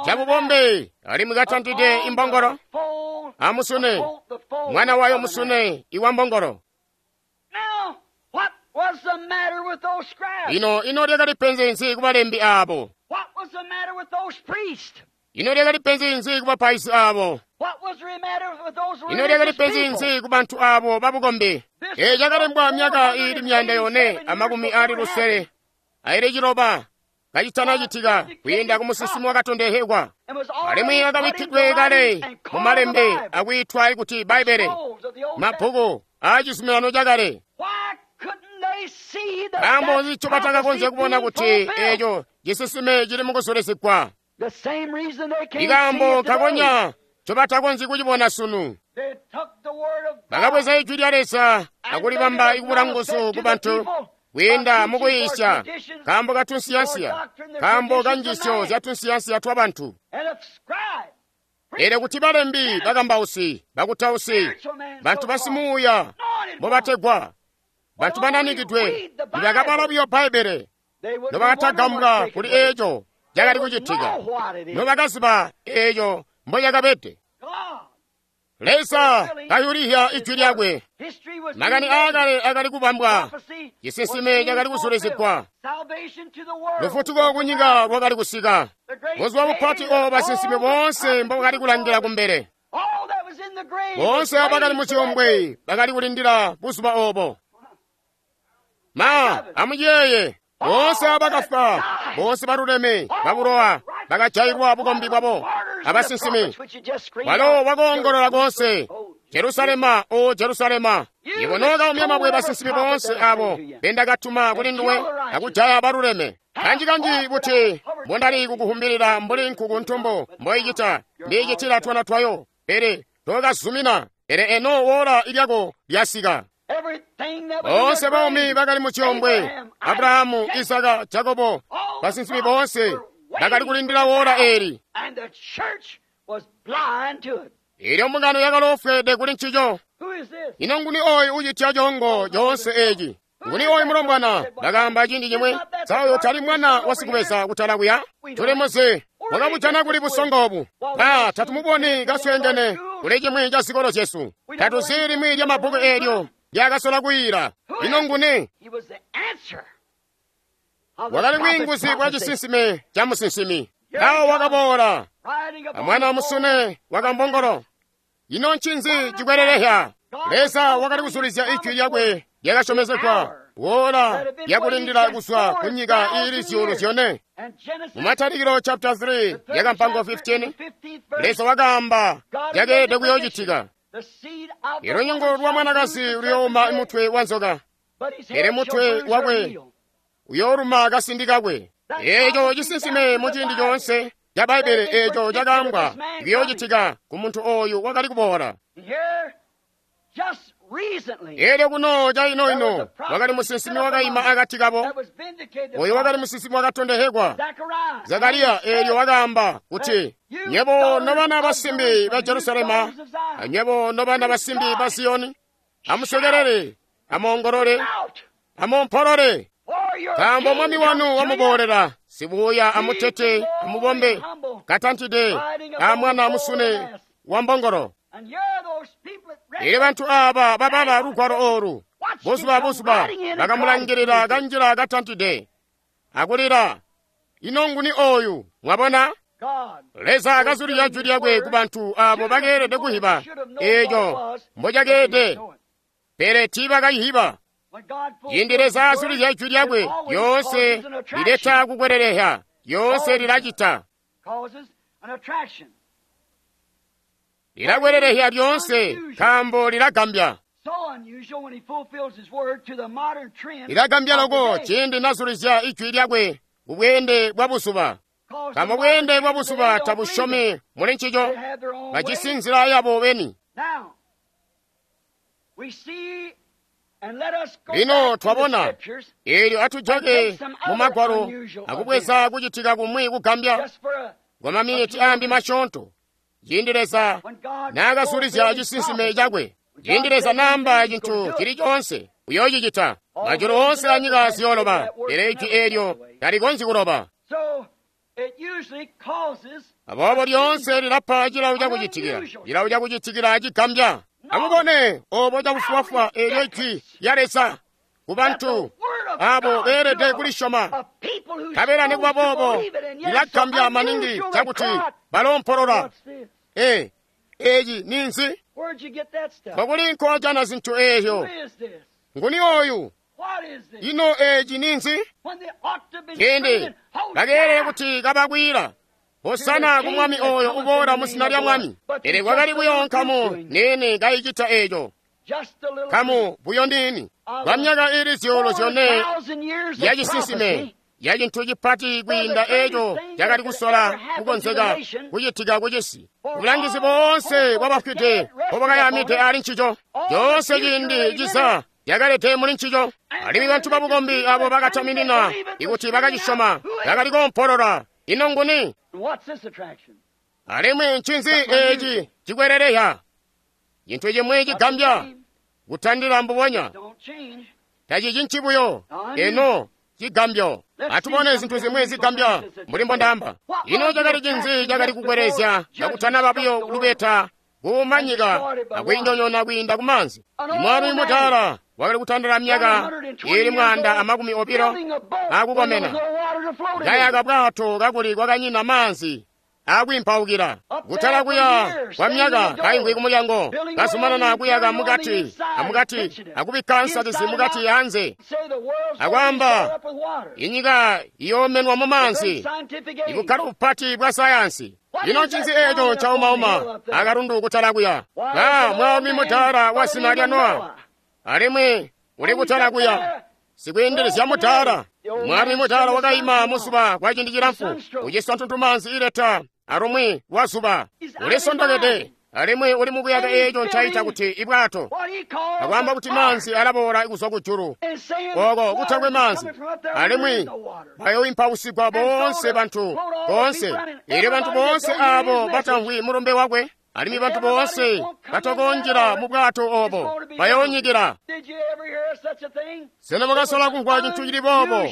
cabubombe, alimwi katantide imbongolo, amusune, mwana wayo musune iwa mbongolo. Ino ino lyakali penzi nzi kubalembi abo? Ino lyakali penzi nzi kubapaizi abo? Ino lyakali penzi nzi kubantu abo babukombi? Eeci cakalembwa myaka iili myanda yone amakumi aali lusele aili ciloba kacitanacitika kwiinda ku musinsimi wakatondehekwa, alimwi akabikkidwe kale mu malembe akwiitwa kuti Bbaibele, mabbuku aa Cizuminano Cakale. Nkaambo nzi ncobatakakonzya kubona kuti eeco cisinsime cili mukuzulisigwa? Ikaambo kakonya ncobatakonzyi kucibona sunu. Bakabweza ijwi lya Leza akulibamba ikubula nguzu ku bantu kwiinda mukuyiisya nkaambo ka tunsiyansiya, nkaambo ka njiisyo zya tunsiyansiya twa bantu. Eelyo kuti balembi, bakambausi, bakutausi, bantu basimuuya mbobategwa, bantu bananikidwe, nibakabala buyo Bbaibbele, nobakatagambwa kuli eeco cakali kucitika, nobakaziba eeco mboyakabede. Leza kayulihya ijwi lyakwe. Makani aakale akali kubambwa, cisinsime cakali kuzulizigwa, lufutuko kunyika lwakali kusika, buzuba bupati obo basinsimi boonse mbobakali kulangila kumbele. Boonse abakali mu ciombwe bakali kulindila buzuba obo. Ma, amuyeeye, boonse abakafwa, boonse baluleme babulowa bakajailwa bukombi bwabo abasinsimi. Walo wakoongolola koonse, Jerusalema, o Jerusalema, iwe nookaumya mabwe basinsimi boonse abo bendakatuma kuli nduwe akujaya baluleme. Kanji-kanji buti mbondali kukuhumbilila mbuli nkuku ntumbu mboicita, ndiicitila twana twayo, pele tookazumina. Pele eno woola ilyako lyasika. Boonse baumi bakali mu ciombwe, Abrahamu, Isaka, Jakobo, basinsimi boonse bakali kulindila woola eeli. Eelyo mbungano yakaloofweede kuli ncico. Ino nguni ooyu ucitya coongo coonse eeci? Nguni ooyu mulombwana? Bakaamba ciindi cimwe, sa oyo tali mwana wa sikubeza kutala kuya? Tulimuzi, wakabujana kuli busongo obu. Ba tatumuboni kasweengene kuli cimwi ca zikolo zyesu. Tatuzi limwi lya mabbuku eelyo lyakasola kuyiila. Ino nguni? Wakali bwiinguzi bwa cisinsime ca musinsimi. Awo wakaboola amwana wamusune wakambongolo. Ino ncinzi cikwelelehya? Leza wakali kuzulizya ijwi lyakwe lyakasyomezegwa woola lyakulindila kuzwa ku nyika iili zyuulu zyone. Mu Matalikilo chapter three yakampango fifteen, Leza wakaamba lyakeelede kuyoocitika. Ilunyungu lwa mwanakazi luyooma mutwe wa nzoka, pele mutwe wakwe uyooluma kasindi kakwe. Eeco cisinsime mu ciindi coonse ca Bbaibbele eeco cakaambwa kuyoocitika ku muntu ooyu wakali kuboola. Eelyo kuno caino-ino wakali musinsimi wakaima akati kabo, oyo wakali musinsimi wakatondehekwa Zakariya. Eelyo wakaamba kuti, nywebo nobana basimbi ba Jerusalema, anywebo nobana basimbi ba Ziyoni, amusekelele, amoongolole, amompolole, nkaambo mwami wanu wamuboolera, sibuuya amutete amubombe, katantide amwana musune wa mbongolo. Eelyo bantu aaba babala lugwalo oolu buzuba buzuba bakamulangilila kanjila katantide akulila, ino nguni ooyu? Mwabona, Leza akazulizya jwi lyakwe ku bantu aabo bakeelede kuhiba eeco mbocakeede, pele tiibakayihiba. Ciindi Leza azulizya ijwi lyakwe, lyoonse lileta kukwelelehya, lyoonse lilacita. Lilakwelelehya lyoonse nkaambo lilagambya. Lilagambya loko ciindi nazulizya ijwi lyakwe ku bweende bwa buzuba. Nkaambo bweende bwa buzuba tabusyomi muli ncico, bajisi nzila yabo beni. Lino twabona eelyo atujake mu Magwalo akubweza kucitika kumwi kugambya kwa maminiti ambi masyoonto, ciindi Leza naakazulizya cisinsime cakwe, ciindi Leza naamba cintu cili coonse uyoocicita. Majulu oonse anyika ziyooloba, pele ijwi eelyo talikonzyi kuloba. Aboobo lyoonse lilapa cilawo cakucitikila, cilawo cakucitikila cigambya. Amubone obo cakufuwafwa eelyo ijwi lya Leza ku bantu abo beelede kulisyoma. Nkabela nikuba boobo lilagambya maningi cakuti baloompolola. E, eci ninzi? Nkokuli nkojana zintu eezyo? Nguni oyu? Ino eci ninzi? Ciindi bakeelele kuti kabakwila Hosana ku mwami oyo uboola mu zina lya Mwami. Pele kwakali buyo nkamu niini kayicita eco, nkamu buyo niini kwa myaka ili zyuulu zyone ya cisinsime ya cintu cipati kwiinda eco cakali kusola kukonzeka kucitika kucisi. Bulangizi boonse bwabafwide mbobwakayamide ali ncico, coonse ciindi ciza yakalete muli ncico. Alimwi bantu babukombi abo bakataminina ikuti bakacisyoma bakali koompolola, ino nguni? Alimwi ncinzi eci cikweleleya? Cintu cimwi cigambya kutandila mbubonya, tacicinci buyo eno cigambyo. Atubone zintu zimwi zigambya mbuli mbondaamba. Ino cakali cinzi cakali kukwelezya kakutanaba buyo lubeta kumanyika akwiinyonyoona kwiinda kumanzi? Mwami mudaala wakali kutandila myaka ili mwanda amakumi obilo akukomena, kayaka bwato kakuli kwakanyina maanzi akwiimpaukila. Kutala kuya kwa myaka kaimvwi kumulyango, kazumanana kuyaka mukati amukati akubikka nsakizi mukati anze, akwaamba inyika iyoomenwa mu maanzi. Ibukkalo bupati bwa sayansi. Ino ncinzi eeco caumauma akalundu kutala kuya? Ba mwami mudaala wa zina lya Nowa, alimwi uli kutala kuya sikwiindilizya mudaala. Mwami mudaala wakaima muzuba kwa ciindi cilamfu, uciswa ntuntumaanzi ileta alumwi lwa zuba. Ulisondokede alimwi uli mukuyaka eeco ncaita kuti ibwato, akwaamba kuti maanzi alaboola kuzwa kujulu oko kutakwe maanzi, alimwi bayoimpausigwa boonse bantu boonse. Eelyo bantu boonse aabo batamvwi mulumbe wakwe, alimwi bantu boonse batakonjela mu bwato obo bayoonyikila. Sena mwakasola kumvwa cintu cili boobo?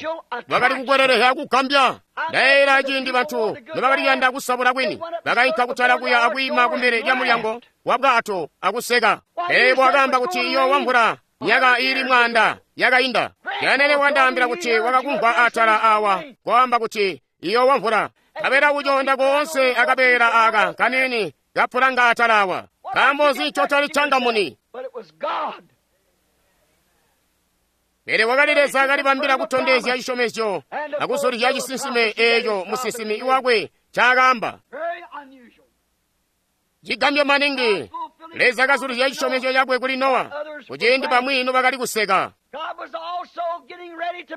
Bakali kukweleleha kugambya. Ndayeeyela ciindi bantu nobakali kuyanda kusabula kwini, bakainka kutala kuya akwiima kumbele lya mulyango wa bwato akuseka. Pele bwakaamba kuti iyoowa mvula myaka iili mwaanda yakainda. Yanene wandaambila kuti wakakumvwa atala awa kwaamba kuti iyoowa mvula. Kabela kuconda koonse akabeela aka kanini kapulanga atala awa. Nkaambo nzi ncotali cangamuni? Pele wakali Leza kalibambila kutondezya cisyomezyo akuzulizya cisinsime eeco musinsimi wakwe ncaakaamba. Cigambyo maningi, Leza kazulizya cisyomezyo cakwe kuli Nowa kuciindi bamwi nobakali kuseka.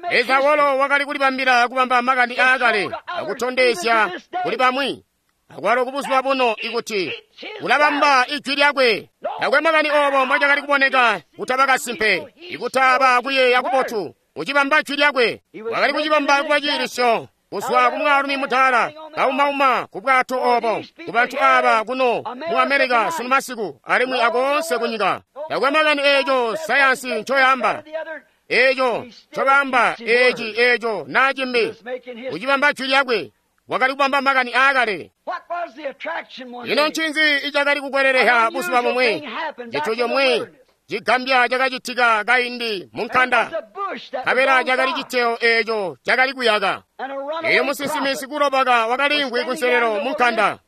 Leza walo wakali kulibambila kubamba makani aakale akutondezya kuli bamwi akwalo kubuzuba buno ikuti ulabamba ijwi lyakwe. Takwe makani obo mbocakali kuboneka kutaba kasimpe, ikutaba kuyeeya kubotu, ucibamba jwi lyakwe. Wakali kucibamba kuba ciilisyo kuzwa ku mwaalumi mudaala kaumauma ku bwato obo ku bantu aba kuno mu Amerika sunu masiku alimwi akoonse kunyika. Takwe makani eeco sayansi ncoyamba, eeco ncobaamba, eci eeco naa cimbi, ucibamba jwi lyakwe. Wakali kubamba makani aakale. Ino ncinzi icakali kukweleleha buzuba bumwi? Cintu cimwi cigambya cakacitika kaindi mu nkanda, nkabela cakali citeo eeco cakali kuyaka. Eeyo musinsimi sikulobaka wakaliimvwi kunselelo mu nkanda.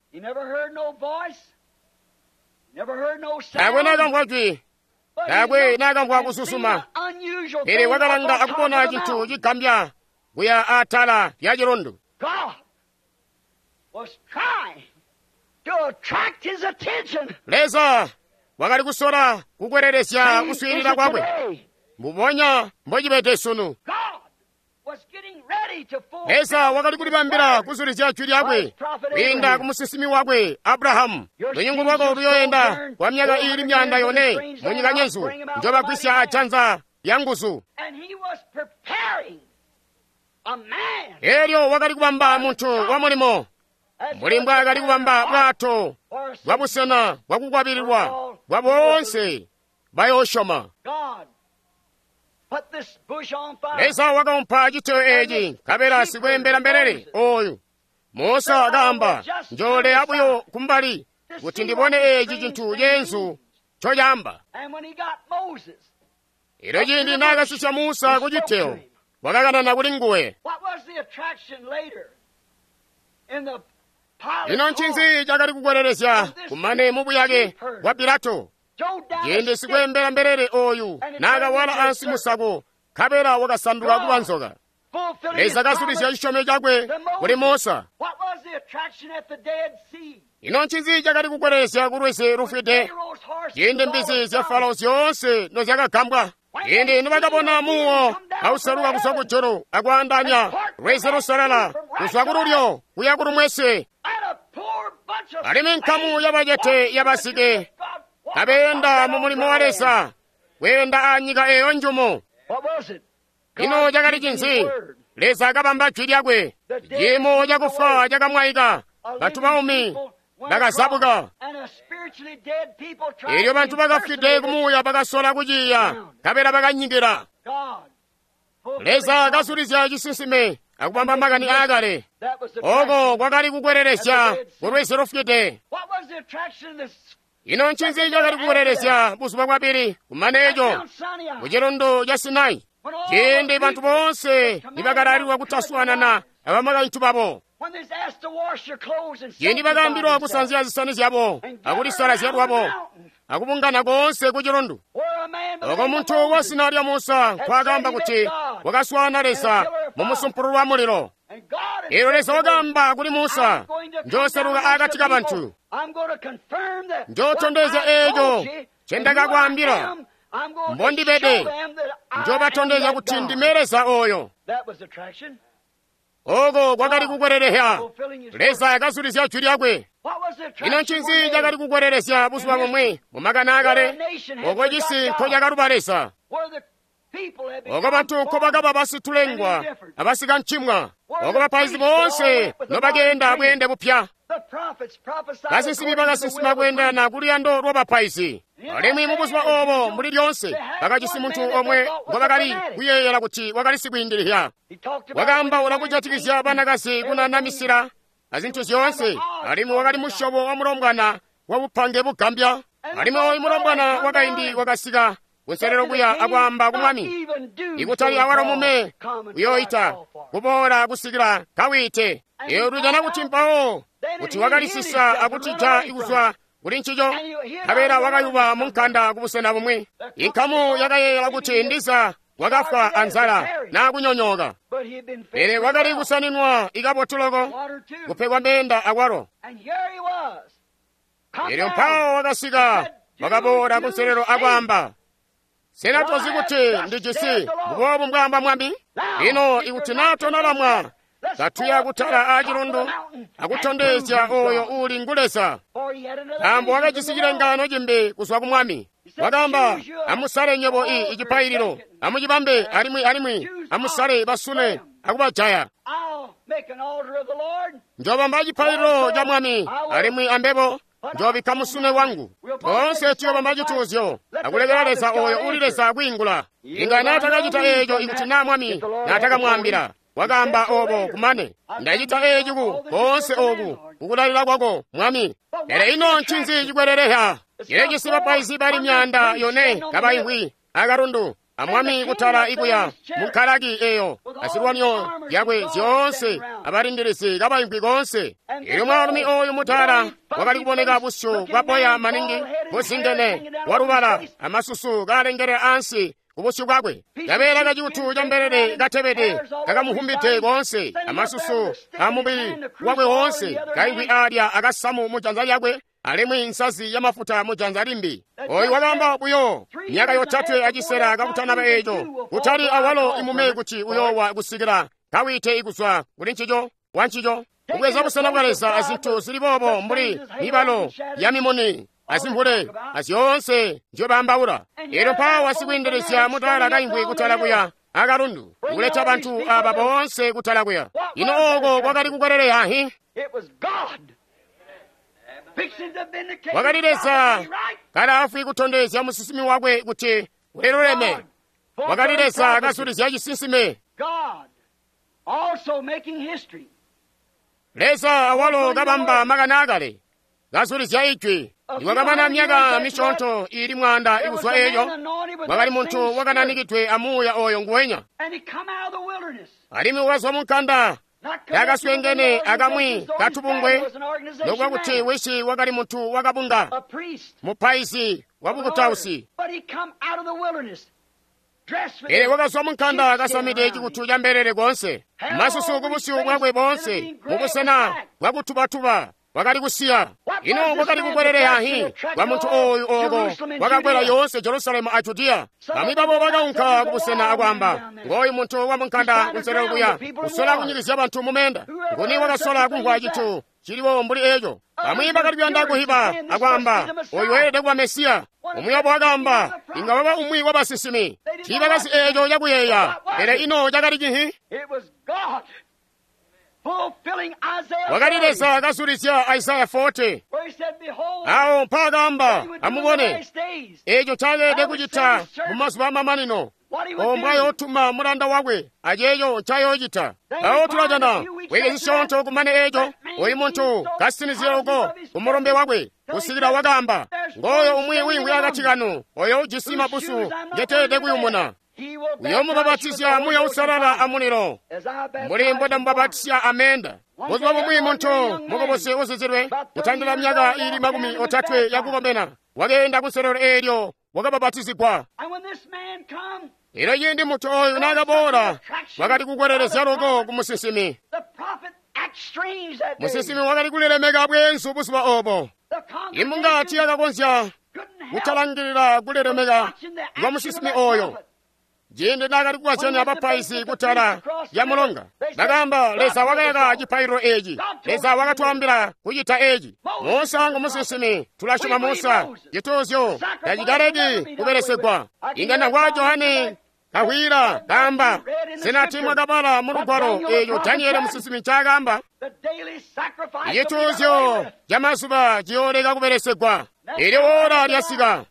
Taakwe naakamvwa jwi, taakwe naakamvwa kususuma, pele wakalanga akubona cintu cigambya kuya atala lya cilundu. Leza wakali kusola kukwelelesya kuswiilila kwakwe mbubonya mbocibede sunu. Leza wakali kulibambila kuzulizya jwi lyakwe kwiinda ku musinsimi wakwe Abrahamu. Lunyungu lwako luyoyenda kwa myaka iili myanda yone mu nyika nyenzu, njobagwisya ajanza lya nguzu. Elyo wakali kubamba muntu wa mulimo mbuli mbwaakali kubamba bwato bwa busena bwakukwabililwa bwa boonse bayoosyoma. Leza wakaumpa citeyo eeci, nkabela sikweembela mbelele oyu Musa akaamba, njooleya buyo kumbali kuti ndibone eeci cintu ceenzu ncocaamba. Elyo ciindi naakasisya Musa ku citeyo, wakakanana kuli nguwe. Ino ncinzi cakali kukwelelezya kumane mu buyake bwa Pilato? Ciindi sikweembela mbelele oyu naakawala ansi musako, nkabela wakasanduka kuba nzoka. Leza kazulizya cisyomyo cakwe kuli Musa. Ino ncinzi cakali kukwelelezya ku lwizi lufwide? Ciindi mbizi zya Farao zyoonse nozyakagambwa. Ciindi nibakabona muwo auseluka kuzwa kujulu akwaandanya lwizi lusalala kuzwa kululyo kuya kulumwesi, alimwi nkamu yabacete yabasike kabeenda mu mulimo wa Leza, kweenda anyika eyo njumu. Ino cakali cinzi? Leza kabamba jwi lyakwe. Ciimo cakufa cakamwaika, bantu baumi bakazabuka. Elyo bantu bakafwide kumuuya bakasola kuciya, nkabela bakanyikila. Leza kazulizya cisinsime akubamba makani aakale. Oko kwakali kukwelelezya ku lwizi lufwide. Ino ncinzi cakali kukwelelezya buzuba bwabili kumane eco ku cilundu ca Sinai, ciindi bantu boonse nibakalalilwa kutaswaanana abamakaintu babo, ciindi bakaambilwa kusanzya zisani zyabo akulisalazya lwabo akubungana koonse ku cilundu, oko muntu wa zina lya Musa nkwaakaamba kuti wakaswaana Leza mu musumpulu wa mulilo. Elyo Leza wakaamba kuli Musa, njooseluka akati ka bantu, njootondezya eeco ncendakakwaambila mbondibede, njoobatondezya kuti ndime Leza oyo. Oko kwakali kukwelelehya. Leza akazulizya jwi lyakwe. Ino ncinzi cakali kukwelelezya buzuba bumwi mu makani aakale, oko cisi nkocakaluba Leza, oko bantu nkobakaba basitulengwa abasikancimwa, oko bapaizi boonse nobakeenda bweende bupya. Basinsimi bakasinsima kweendelana kuluyando lwabapaizi. Alimwi mubuzuba oobo mbuli lyoonse bakajisi muntu omwe ngobakali kuyeeyela kuti wakali sikwiindilihya. Wakaambaula kujatikizya banakazi kunanamisila azintu zyoonse, alimwi wakali musyobo wa mulombwana wa bupange bugambya. Alimwi oyu mulombwana wakaindi wakasika kunselelo kuya akwaamba ku mwami, ikutali awalo mume uyooita kuboola kusikila kawiite. Eyo tujana kuti mpawo kuti wakalisisa akutija kuzwa kuli ncico, nkabela wakayuba mu nkanda kubusena bumwi. Inkamu yakayeeyela kuti ndiza wakafwa anzala naa kunyonyooka, pele wakali kusaninwa ikabotu loko, kupegwa meenda akwalo. Elyo mpawo wakasika wakaboola kunselelo akwaamba, sena tozi kuti ndijisi mbuboobu mbwaamba mwami? Lino ikuti naa tonalamwa, katuya kutala aacilundu akutondezya oyo uuli ngu Leza. Nkaambo wakajisi cilengaano cimbi kuzwa ku mwami. Wakaamba, amusale nywebo i icipaililo, amucibambe alimwi alimwi amusale basune akubajaya. Njoobamba cipaililo ca mwami alimwi ambebo njoobikka musune wangu. Toonse tuyoobamba cituuzyo akulekela Leza oyo uuli Leza kwiingula. Inga naatakacita eeco ikuti naa mwami naatakamwaambila. Wakaamba obo kumane, ndacita eeci ku koonse oku kukulalila kwako mwami. Pele ino ncinzi cikwelelehya? Cilecisi bapaizi bali myanda yone kabaimvwi akalundu amwami kutala ikuya munkalaki eyo azilwanyo zyakwe zyoonse abalindilizi kabaimvwi koonse. Elyo mwaalumi oyu mutala wakali kuboneka busyu bwa boya maningi buzingene walubala amasusu kaalengelela ansi kubusyu bwakwe, kabeela kaciutu ca mbelele katebede kakamuhumbide koonse, amasusu amubili wakwe woonse kaimvwi alya akasamu mu janza lyakwe, alimwi nsazi yamafuta mu janza limbi. Oyu wakaamba buyo myaka yotatwe acisela kakutanaba eeco, kutali awalo imume kuti uyoowa kusikila kawite kuzwa kuli ncico wa ncico kubweza busena bwa Leza azintu zili boobo mbuli mibalo ya mimuni azimvule azyoonse nzyobaambaula. Elyo mpawo sikweendelezya mutala kaimvwi kutala kuya akalundu kuleta bantu aba boonse kutala kuya. Ino oko kwakali kukweleleya hi? Wakali Leza kalaafwi kutondezya musinsimi wakwe kuti uliluleme. Wakali Leza kasulizya cisinsime. Leza awalo kabamba makani akale kasulizya ijwi. Niwakamana myaka misyoonto ili mwaanda ikuzwa eyo, wakali muntu wakananikidwe amuuya oyo nguwenya, alimwi wakazwa munkanda yakaswengene akamwi katubungwe, nokuba kuti wisi wakali muntu wakabunga, mupaizi wabukutausi. Pele wakazwa munkanda kasamide cikutu ca mbelele koonse, masusu kubusyu bwakwe boonse, mubusena bwakutubatuba wakali kusiya. Ino kwakali kukweleleya hi kwa muntu oyu oko kwakakwela yoonse Jerusalemu a Judiya. Bamwi babo bakaunka kubusena akwaamba, ngooyu muntu wa munkanda kunselelo kuya kusola kunyikizya bantu mumenda. Nguni wakasola kumvwa cintu ciliwo mbuli eco? Bamwi bakali kuyanda kuhiba akwaamba, oyu weelede kuba Mesiya. Umwi wabo wakaamba, inga waba umwi wa basinsimi. Tiibakazi eco cakuyeeya, pele ino cakali cihi? Wakali Leza kasulizya Isaya forty. Awo mpaakaamba, amubone eco ncayeelede kucita mu mazuba amamanino, ombwa yootuma mulanda wakwe aceeco ncayoocita. Awo tulajana weke zisyoonto kumane eco, oyu muntu kasinizya uko kumulombe wakwe kusikila wakaamba, ngooyo umwi wiimvwi akati kanu oyo ujisi mabusu ngeteelede kuyumuna. Uyoomubapatizya Muuya Uusalala amulilo, mbuli mbondamubapatizya amenda. Buzuba bumwi muntu mukubusi uzizilwe kutandila myaka ili makumi otatwe yakukomena wakeenda kunselelo eelyo wakabapatizigwa. Elyo ciindi muntu oyu naakaboola, wakali kukwelelezya loko ku musinsimi. Musinsimi wakali kulilemeka bweenzu buzuba obo. Imbunga tiyakakonzya kutalangilila kulilemeka kwa musinsimi oyo. Ciindi naakali kukazyanya abapaizi kutala ya mulonga, bakaamba, Leza wakayaka cipaililo eeci. Leza wakatwaambila kucita eeci. Musa ngu musinsimi, tulasyoma Musa. Cituuzyo tacikaleki kubelesegwa. Inga ndamvwa Johane kahwila kaamba, sena timwakabala mu lugwalo eeco Daniele musinsimi ncaakaamba? Icituuzyo camazuba ciyooleka kubelesegwa. Eelyo ora lyasika.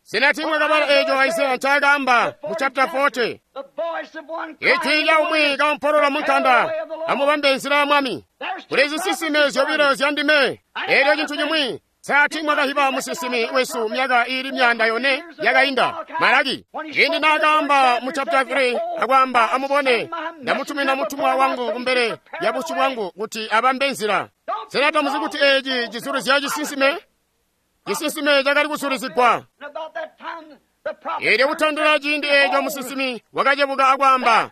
Sena timwakabala eeco Isaya ncaakaamba mu chapter forty? Ijwi lya umwi kaompolola munkanda, amubambe nzila ya Mwami. Kuli zisinsime zyobilo zya ndime. Eelyo cintu cimwi, sa timwakahiba musinsimi wesu myaka ili myanda yone yakainda, Malaki. Ciindi naakaamba mu chapter three akwaamba, amubone, ndamutumina mutumwa wangu kumbele ya busyu bwangu kuti abambe nzila. Sena tamuzi kuti eeci cisulizya cisinsime? Cisinsime cakali kusulizigwa. Eelyo kutandila ciindi eeco musinsimi wakacebuka akwaamba,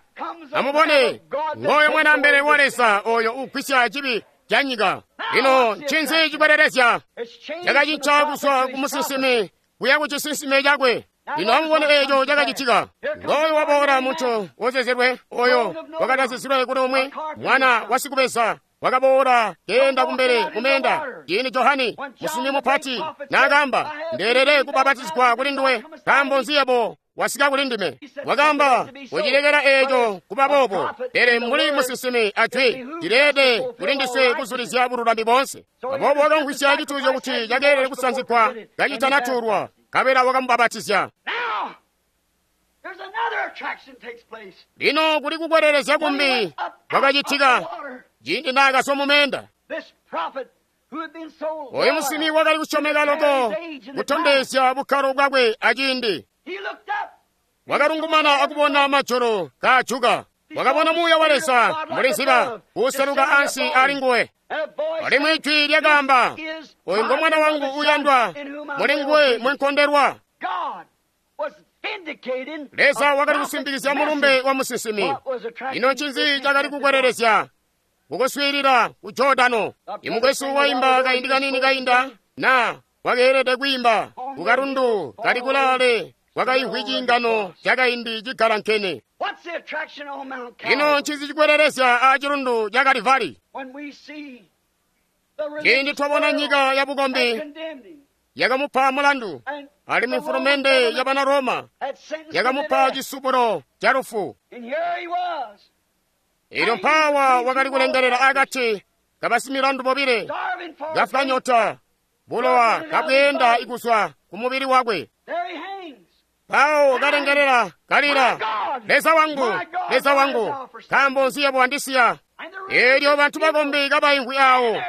amubone, ngooyo mwana mbelele wa Leza oyo ugwisya cibi ca nyika. Lino ncinzi cikwelelezya? Cakacinca kuzwa ku musinsimi kuya ku cisinsime cakwe. Lino amubone eeco cakacitika. Ngooyo waboola muntu wozezelwe oyo wakatazizilwe kuli umwi mwana wa sikubeza wakaboola keenda kumbele kumenda. Ciindi Johane musinsimi mupati naakaamba, ndeelede kubapatizigwa kuli nduwe, nkaambo nzi yebo wasika kuli ndime? Wakaamba, kucilekela eeco kuba boobo, pele mbuli musinsimi ajwi cileede kuli ndiswe kuzulizya bululami boonse. Aboobo wakamvwisya cituuzyo kuti cakeelede kusanzigwa kacitanatuulwa, nkabela wakamubapatizya. Lino kuli kukwelelezya kumbi kwakacitika ciindi naakazwa mumenda. Oyu musinsimi wakali kusyomeka loko kutondezya bukkalo bwakwe aciindi. Wakalungumana akubona majulu kaajuka. Wakabona Muuya wa Leza mbuli nziba kuseluka ansi ali nguwe. Alimwi ijwi lyakaamba, oyu ngo mwana wangu uyandwa, muli nguwe mwenkondelwa. Leza wakali kusimbikizya mulumbe wa musinsimi. Ino ncinzi cakali kukwelelezya? Kukuswiilila ku Jordano. Imukwesu waimba kaindi kanini kainda, na wakeelede kwiimba kukalundu kali kulaale kwakaimvwi ciingano cakaindi cigalankene. Ino ncinzi cikwelelezya a cilundu ca Kalivari? Ciindi twabona nyika ya bukombi yakamupa mulandu, alimwi mfulumende ya bana Roma yakamupa cisubulo ca lufu. Elyo mpawa wakali kulengelela akati kabasimilandu bobile, kafwa nyota, bulowa kabweenda ikuzwa ku mubili wakwe. Pawo kalengelela kalila, Leza wangu, Leza wangu, nkaambo nzi yebo wandisiya? Elyo bantu bakombi kabaimvwi awo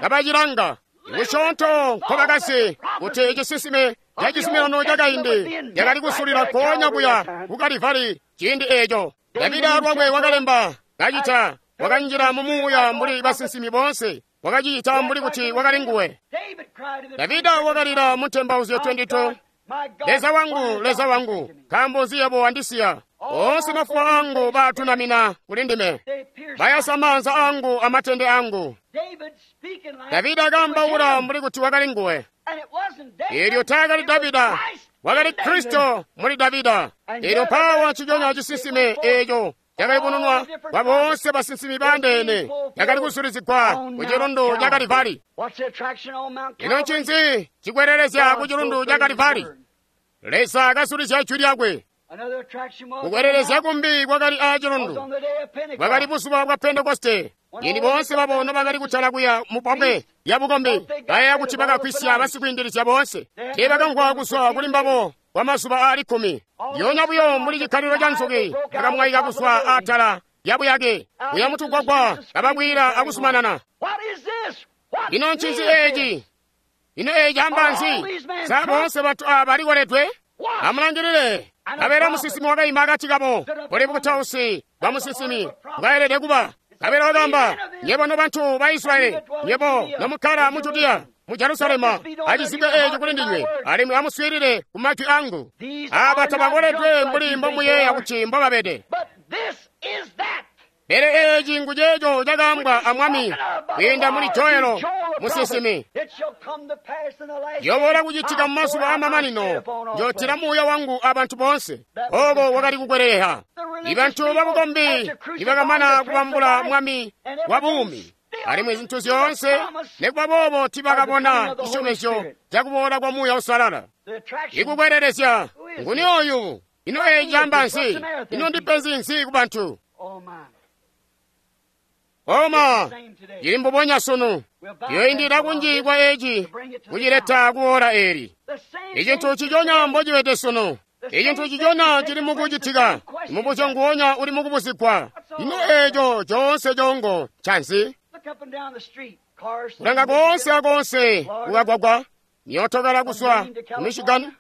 kabacilanga kusyoonto nkobakasi kuti cisisime ca cisimirano cakaindi cakali kusulila nkoonya kuya ku Kalivari ciindi eeco. Davida lwakwe wakalemba kacita, wakanjila mu muuya mbuli basinsimi boonse, wakacita mbuli kuti wakali nguwe. Davida wakalila mu ntembauzyo makumi abili abili, Leza wangu, Leza wangu, nkaambo nzi yebo wandisiya? Oonse mafuwa angu baatunamina kuli ndime, bayasa maanza angu amatende angu. Davida kaambaula mbuli kuti wakali nguwe. Elyo taakali Davida, wakali Kristo muli Davida. Elyo mpawa ciconya cisisime eeco cakayubununwa kwa boonse basinsimi baandeene, cakali kusulizigwa ku cilundu ca Kalivari. Ino ncinzi cikwelelezya ku cilundu ca Kalivari? Leza kasulizya jwi lyakwe. Kukwelelezya kumbi kwakali aa cilundu, bwakali buzuba bwa Pentekoste. Ini boonse babo nobakali kutala kuya mu pobwe lya bukombi, bayeeya kuti bakakwisya basikwiindilizya boonse. Teebakamvwa kuzwa kuli mbabo kwa mazuba aali kkumi. Lyoonya buyo mbuli cikkalilo ca nzuki, bakamwaika kuzwa atala lya buyake kuya mutugwagwa, kabakwiila akuzumanana. Ino ncinzi eeci? Ino eeci amba nzi? Sa boonse bantu aaba balikoledwe? Amulangilile, kabela musinsimi wakaima akati kabo, buli bukutausi bwa musinsimi bwaelede kuba. Kabela wakamba, nyebo nobantu ba Israyeli, nyebo nomukkala mu Judiya, mu Jerusalema, acizibwe eeci kuli ndinywe, alimwi amuswiilile ku majwi angu. Aaba tabakoledwe mbuli mbomuyeeya kuti mbobabede. Pele eeci nguceeco cakaambwa a Mwami kwiinda muli Joelo musinsimi. Yoboola kucitika mu mazuba amamanino, njootila muuya wangu abantu boonse. Ooko wakali kukweleleha. Ibantu babukombi nibakamana kubambula Mwami wa buumi, alimwi zintu zyoonse, nikuba boobo tibakabona cisyomezyo cakuboola kwa Muuya Uusalala. Ikukwelelezya, nguni oyu? Ino eeci caamba nzi? Ino ndipenzi nzi ku bantu? Oma, cili mbubonya sunu. Yoindila kunji kwa eeci kucileta kuora eli. Icintu ciconya mbocibede sunu. Icintu ciconya cili mukucitika. Mubuzyo nguwonya uli mukubuzigwa. Ino eeco coonse congo ncanzi? Kulanga koonse akoonse kukagwagwa, myootokala kuzwa ku Michigan,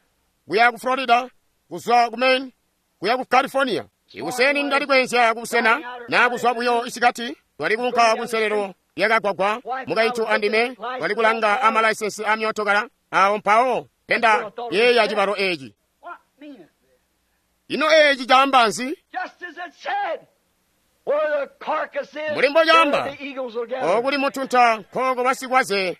kuya ku Florida, kuzwa ku Maine, kuya ku California. Ikuseni ndali kwenzya kubusena na kuzwa buyo isikati, twali kuunka kunselelo yakagwagwa, mukaintu andime twali kulanga amalaisensi a myootokala awo mpawo penda yeeya cibalo eeci. Ino eeci caamba nzi? Mbuli mbocaamba, okuli mutunta nkooko basikwaze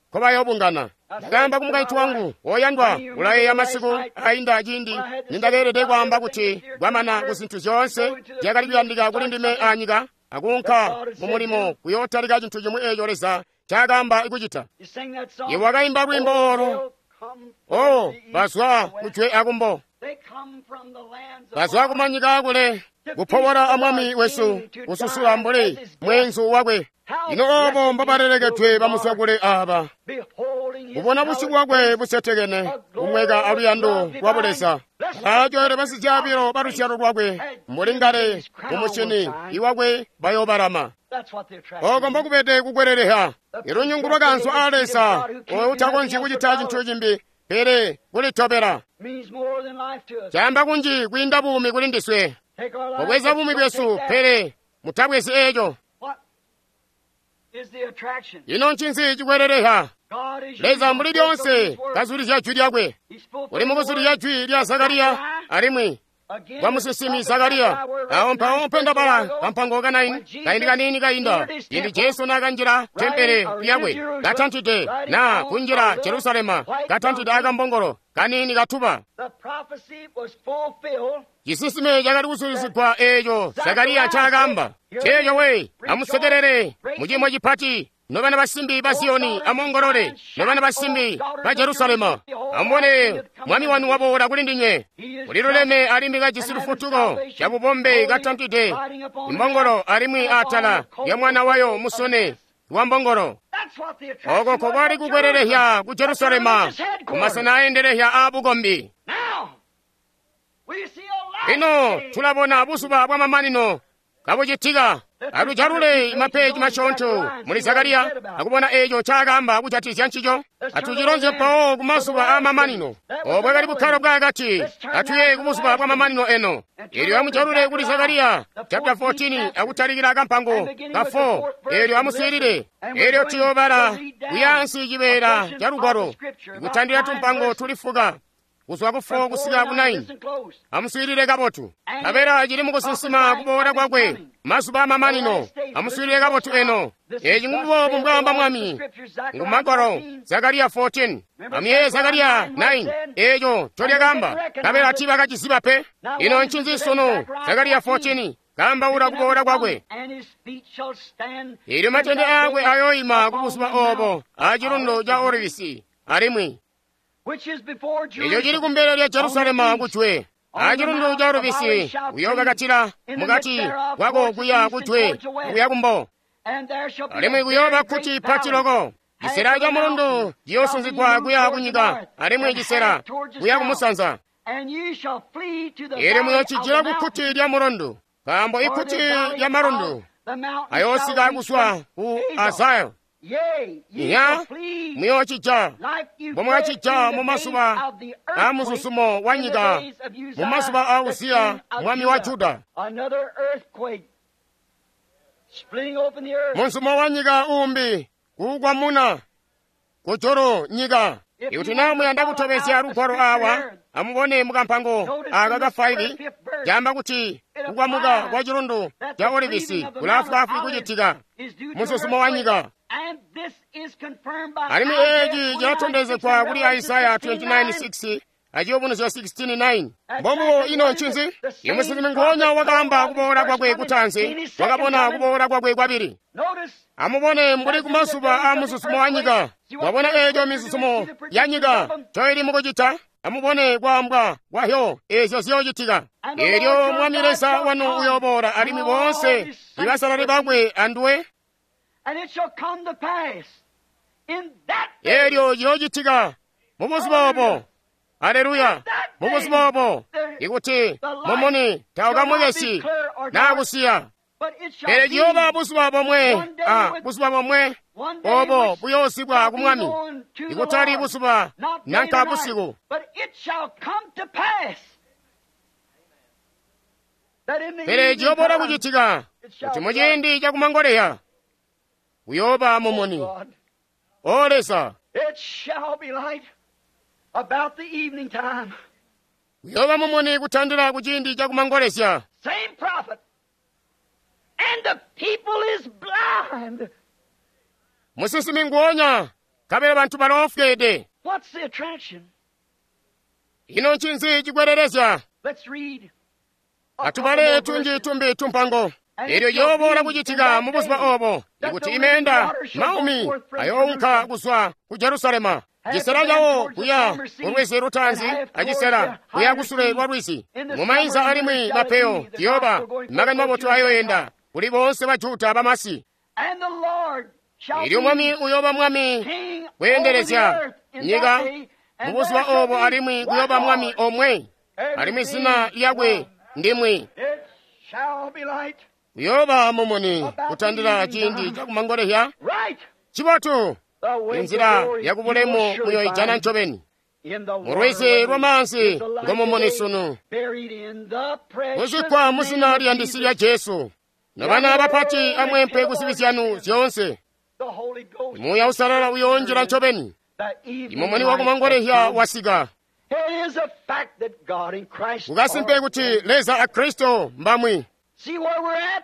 nkobayoobungana. Ndakaamba ku mukaintu wangu, woyandwa, ulayeeya masiku ainda ciindi nindakeelede kwaamba kuti kwamana ku zintu zyoonse zyakali kuyandika kuli ndime anyika, akuunka mu mulimo kuyootalika cintu cimwi eeco Leza ncaakaamba kucita. Iwe wakaimba lwiimbo oolo, o bazwa kujwe akumbo, bazwa kumanyika akule, kupobola a Mwami wesu, kususula mbuli mweenzu wakwe. Ino obo mbobalelekedwe bamuswakule aaba, kubona busyu bwakwe busetekene, kumweka aluyando lwa Buleza. Baajoele basizyabilo ba luzyalo lwakwe, mbuli ngale mumusyini iwakwe bayoobalama. Oko mbokubede kukweleleha. Ilunyungu lwakanzwa a Leza, oyo utakonzyi kucita cintu cimbi pele kulitobela. Caamba kunji kwiinda buumi kuli ndiswe. Mubweza buumi bwesu, pele mutabwezi eeco. Ino ncinzi cikweleleha? Leza mbuli lyoonse kazulizya jwi lyakwe. Uli mukuzulizya jwi lya Zakariya, alimwi kwa musinsimi Zakariya. Awo mpawo mpendabala kampango ka naini kaindi kaniini kainda ciindi Jesu naakanjila tempele lyakwe katantide na kunjila Jerusalema katantide akambongolo kaniini katuba. Cisinsime cakali kusulizigwa eeco Zakariya ncaakaamba. Ceeco we, amusekelele muciimo cipati nobana basimbi ba Ziyoni, amongolole nobana basimbi ba Jerusalema. Amubone mwami wanu waboola kuli ndinywe, uliluleme alimwi kajisi lufutuko cabubombe katantide imbongolo alimwi atala lya mwana wayo musone wa mbongolo. Oko kokwali kukwelelehya ku Jerusalema kumasena aendelehya a bukombi. Ino tulabona buzuba bwa mamanino kabucitika. Atujalule mapeji masyoonto muli Zakariya akubona eeco ncaakaamba kujatizya ncico. Atucilonzye mpawo kumazuba aamamanino. Obo bwakali bukkalo bwaakati. Atuye kubuzuba bwa mamanino eno. Eelyo amujalule kuli Zakariya chapter fourteen akutalikila kampango ka four. Eelyo amuswiilile. Eelyo tuyoobala kuyaansi cibeela ca lugwalo kutandila tumpango tuli fuka kuzwa ku four kusika ku nine. Amuswiilile kabotu. Kabela cili mukusinsima kuboola kwakwe mazuba amamanino. Amuswiilile kabotu eno. Eci nguboobu mbwaamba Mwami ngumagwalo Zakariya fourteen. Amuyeeye Zakariya nine eeco ncolyakaamba. Kabela tiibakaciziba pe. Ino ncinzi sunu? Zakariya fourteen kaambaula kuboola kwakwe. Eelyo matende aakwe ayooima kubuzuba oobo acilundu ca Olivisi alimwi eco cili kumbele lya Jerusalema kujwe. Acilundu ca Olivisi uyookakatila mukati kwako kuya kujwe kuya kumbo, alimwi kuyooba kkuti pati loko. Cisela ca mulundu ciyoosunzigwa kuya kunyika, alimwi cisela kuya kumusanza. Eelyo muyoocijila kukkuti lya mulundu, nkaambo ikkuti lya malundu ayoosika kuzwa ku Azayo. Iya, muyoocija mbomwakacija mumazuba a muzuzumo wa nyika, mumazuba a Uziya mwami wa Juda. Muzuzumo wa nyika uumbi kuukwamuna kujulu nyika. Ikuti naa muyanda kutobezya lugwalo awa, amubone mukampango aka ka five caamba kuti kukwamuka kwa cilundu ca Olivisi kulaafwaafwi kucitika muzuzumo wa nyika. Alimwi eeci cilatondezegwa kuli Isaya twenty-nine six aciyubunuzyo sixteen nine. Mbombubo ino ncinzi? Imusinsimi nguonya wakaamba kuboola kwakwe kutaanzi, wakabona kuboola kwakwe kwabili. Amubone mbuli kumazuba a muzuzumo wa nyika. Mwabona eeco mizuzumo ya nyika ncoili mukucita? Amubone kwaambwa kwahyo eezyo ziyoocitika. Eelyo Mwami Leza wanu uyooboola alimwi boonse ibasalali bakwe anduwe. Eelyo ciyoocitika mubuzuba obo. Aleluya! Mubuzuba obo, ikuti mumuni taukamwekesi naa kusiya, pele ciyooba buzuba bomwe a buzuba bomwe obo buyoozibwa ku Mwami, ikutali buzuba nanka busiku. Pele ciyoobola kucitika kuti muciindi cakumangoleya kuyooba mumuni. O Leza, kuyooba mumuni kutandila kuciindi cakumangolezya. Musinsimi nguonya, kabela bantu baloofweede. Ino ncinzi cikwelelezya? Atubale tunji tumbi tumpango. Eelyo ciyooboola kucitika mubuzuba obo, ikuti imeenda maumi ayoonka kuzwa ku Jerusalema, cisela cawo kuya kulwizi lutaanzi acisela kuya kusule lwa lwizi. Mumainza alimwi mapeyo ciyooba makani mabotu ayoyenda kuli boonse ba Juda bamasi. Eelyo Mwami uyooba Mwami kweendelezya nyika mubuzuba obo, alimwi kuyooba Mwami omwe, alimwi zina lyakwe ndimwi. Kuyooba mumuni kutandila ciindi cakumangolezya. Cibotu, inzila yakubulemu muyoijana ncobeni. Mulwizi lwamaanzi ngomumuni sunu, kuzikkwa muzina liyandisi lya Jesu. Nobana bapati amwempe kuzibi zyanu zyoonse. Muuya Usalala uyoonjila ncobeni. Imumuni wakumangolezya wasika. It is a fact that God and Christ Kukasimpe are kuti one. Leza a Kristo mbamwi. See where we're at?